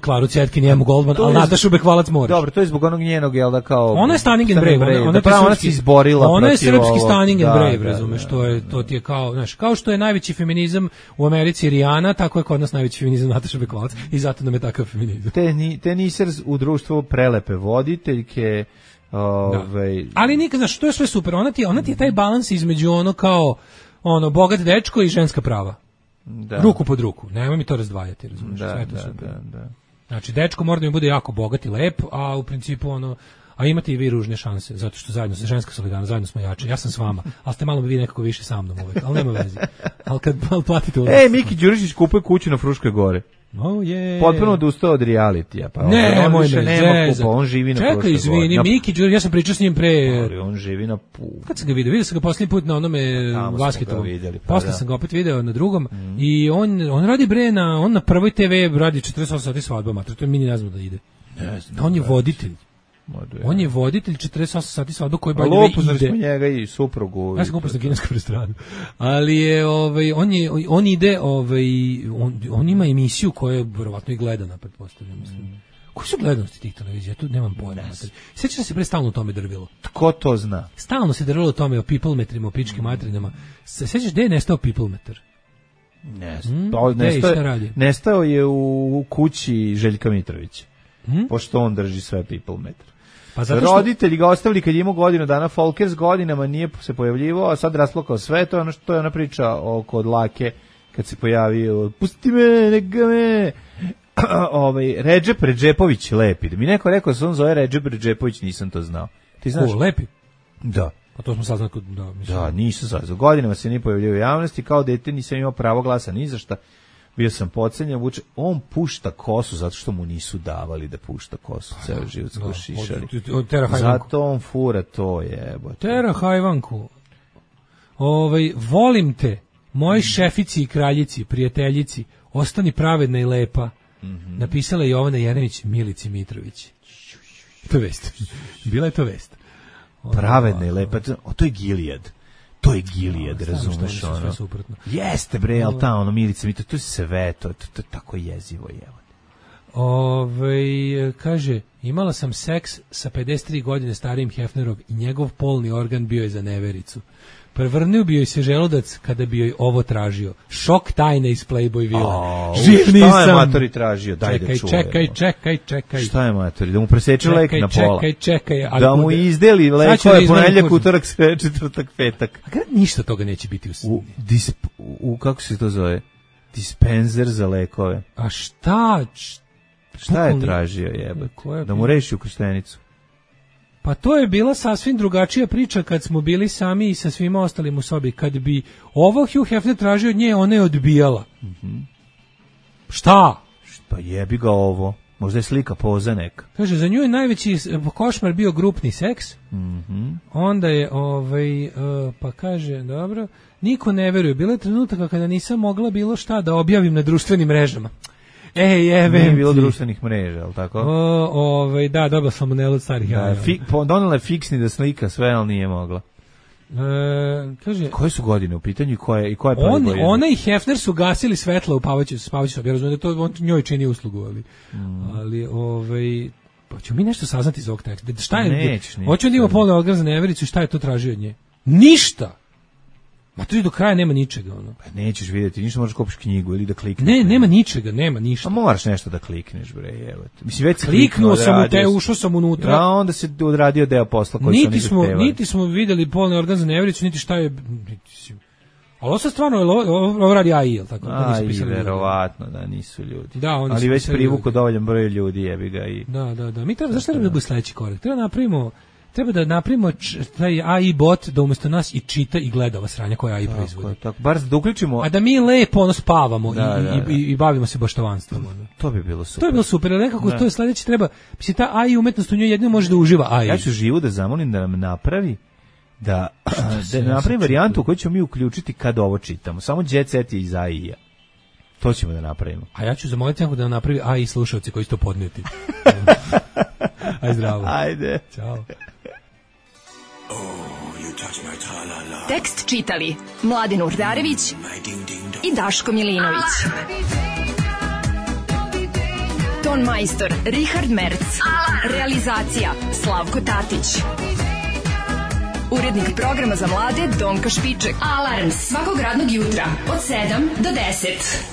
Klaru Cetkin i Emu Goldman, ali Natašu Bekvalac moraš. Dobro, to je zbog onog njenog, jel da kao... Ona je Stunning and Brave, ona se izborila. Ona je srpski Stunning and Brave, razumeš, to ti je kao, znaš, kao što je najveći feminizam u Americi Rijana, tako je kod nas najveći feminizam Nataša Bekvalac i zato nam je takav feminizam. Teniser u društvu prelepe voditeljke, ali nikad, znaš, to je sve super, ona ti je taj balans između ono kao bogat dečko i ženska prava. Da. Ruku pod ruku, nemoj mi to razdvajati, razumiješ, sve to super. Da. Znači, dečko mora da mi bude jako bogat i lep, a u principu a imate i vi ružne šanse, zato što zajedno se ženska solidarnost, zajedno smo jači, ja sam s vama, ali ste malo vi nekako više sa mnom uvek, ali nema veze. Ali kad platite ulaz... Miki Đurišić kupuje kuću na Fruškoj gori. Potpuno odustao od realitija. Pa on živi na Fruškoj gori. Čekaj, izvini, Miki Đurišić, ja sam pričao s njim pre... Ali on živi na Kad sam ga vidio sam ga posljednji put na onome basketovom. Posle sam ga opet video na drugom i on radi on na prvoj TV radi 48 sati svadba, mater, to je mini nazva da ide. On je voditelj. On je voditelj 48 sati svadba koji ide. Upoznali smo njega i suprugu. Ja sam ga upoznao na kineskom restoranu. Ali je, on ide, on ima emisiju koja je verovatno i gledana, pretpostavljam, mislim. Koji su gledanosti tih televizija? Tu nemam pojma. Sećam se pre stalno o tome drvilo. Tko to zna? Stalno se drvilo o tome, o people metrima, o pičkim materinama. Sećaš gde je nestao people metar? Nestao je u kući Željka Mitrovića. Pošto on drži sve people metar. Roditelji ga ostavili kad je imao godinu dana, Folkers godinama nije se pojavljivao, a sad rasplakao sve, to je ona priča oko Dlake, kad se pojavio, pusti me, neka me... Redžep Redžepović lepi. Mi neko rekao da se on zove Redžep Redžepović, nisam to znao. Ti znaš? Lepi? Da. A to smo saznali kod... Da, nisam saznao. Godinama se nije pojavljivao u javnosti, kao dete nisam imao pravo glasa ni za šta. Bio sam podcenjen, on pušta kosu zato što mu nisu davali da pušta kosu, ceo život smo šišali. Zato on fura to jebote. Tera hajvanku. Volim te, moji šefici i kraljici, prijateljici, ostani pravedna i lepa. Napisala je Jovana Jeremić Milici Mitrović. To je vest. Bila je to vest. Pravedna i lepa, to je Gilijad. To je Gilijad, razumeš ono. Jeste bre, ali ta Milica Mitrović, to je sve, to je tako jezivo jevo. Kaže, imala sam seks sa 53 godine starijim Hefnerom i njegov polni organ bio je za nevericu. Prevrnuo bi joj se želudac kada bi joj ovo tražio. Šok tajne iz Playboy vile. Živ nisam. Šta je matori tražio? Daj da čujem. Čekaj. Šta je matori? Da mu preseče lek na pola. Čekaj. Da mu izdeli lekove ponedjeljak, utorak, četvrtak, petak. A kada ništa toga neće biti u kako se to zove? Dispenzer za lekove. A šta? Šta je tražio jebate? Da mu reši ukrštenicu. Pa to je bila sasvim drugačija priča kad smo bili sami i sa svima ostalim u sobi. Kad bi ovo Hugh Hefner tražio od nje, ona je odbijala. Šta? Pa jebi ga ovo. Možda je slika poza neka. Kaže, za nju je najveći košmar bio grupni seks. Onda je, pa kaže, dobro, niko ne veruje. Bilo je trenutaka kada nisam mogla bilo šta da objavim na društvenim mrežama. Nije bilo društvenih mreža, al tako? Da, dobila sam salmonelu od starih jaja. Donela je fiksni da slika sve, ali nije mogla. Kaže, koje su godine u pitanju i koja je prva godina? Ona i Hefner su gasili svetla u Pavaću sobi. Ja razumijem da to on njoj čini uslugu, ali pa ćemo mi nešto saznati iz ovog teksta. Šta je? Hoćemo da ima polni organ za nevericu, šta je to tražio od nje? Ništa! Ma to do kraja nema ničega, ono. Pa nećeš vidjeti, ništa, možeš kupiš knjigu ili da klikneš. Nema ničega, nema ništa. A moraš nešto da klikneš, bre, evo. Mislim, već kliknuo sam u te, ušao sam unutra. A onda se odradio deo posla koji su oni zahtevali. Niti smo videli polni organ za nevericu, niti šta je... Ali ovo sad stvarno, ovo radi AI, jel tako? AI, verovatno, da, nisu ljudi. Da, ali već privuku dovoljan broj ljudi, jebi ga i... Da. Mi treba, zašto treba da bude sledeći korak? Treba da napravimo taj AI bot da umjesto nas i čita i gleda ova sranja koja AI proizvodi. Tako, bar da uključimo... A da mi lepo spavamo i bavimo se baštovanstvom. To bi bilo super. To bi bilo super, ali nekako to je sledeći treba... Mislim, ta AI umetnost u njoj jedino može da uživa AI. Ja ću Živu da zamolim da nam napravi da napravi varijantu koju ćemo mi uključiti kad ovo čitamo. Samo Jet Set je iz AI-a. To ćemo da napravimo. A ja ću zamoliti da nam napravi AI slušalci koji će to podnijeti. Aj zdravo. Ajde. Ćao. Tekst čitali Mladen Urdarević i Daško Milinović. Ton majstor Richard Merc. Realizacija Slavko Tatić. Urednik programa za mlade Donka Špiček. Alarms svakog radnog jutra od 7 do 10.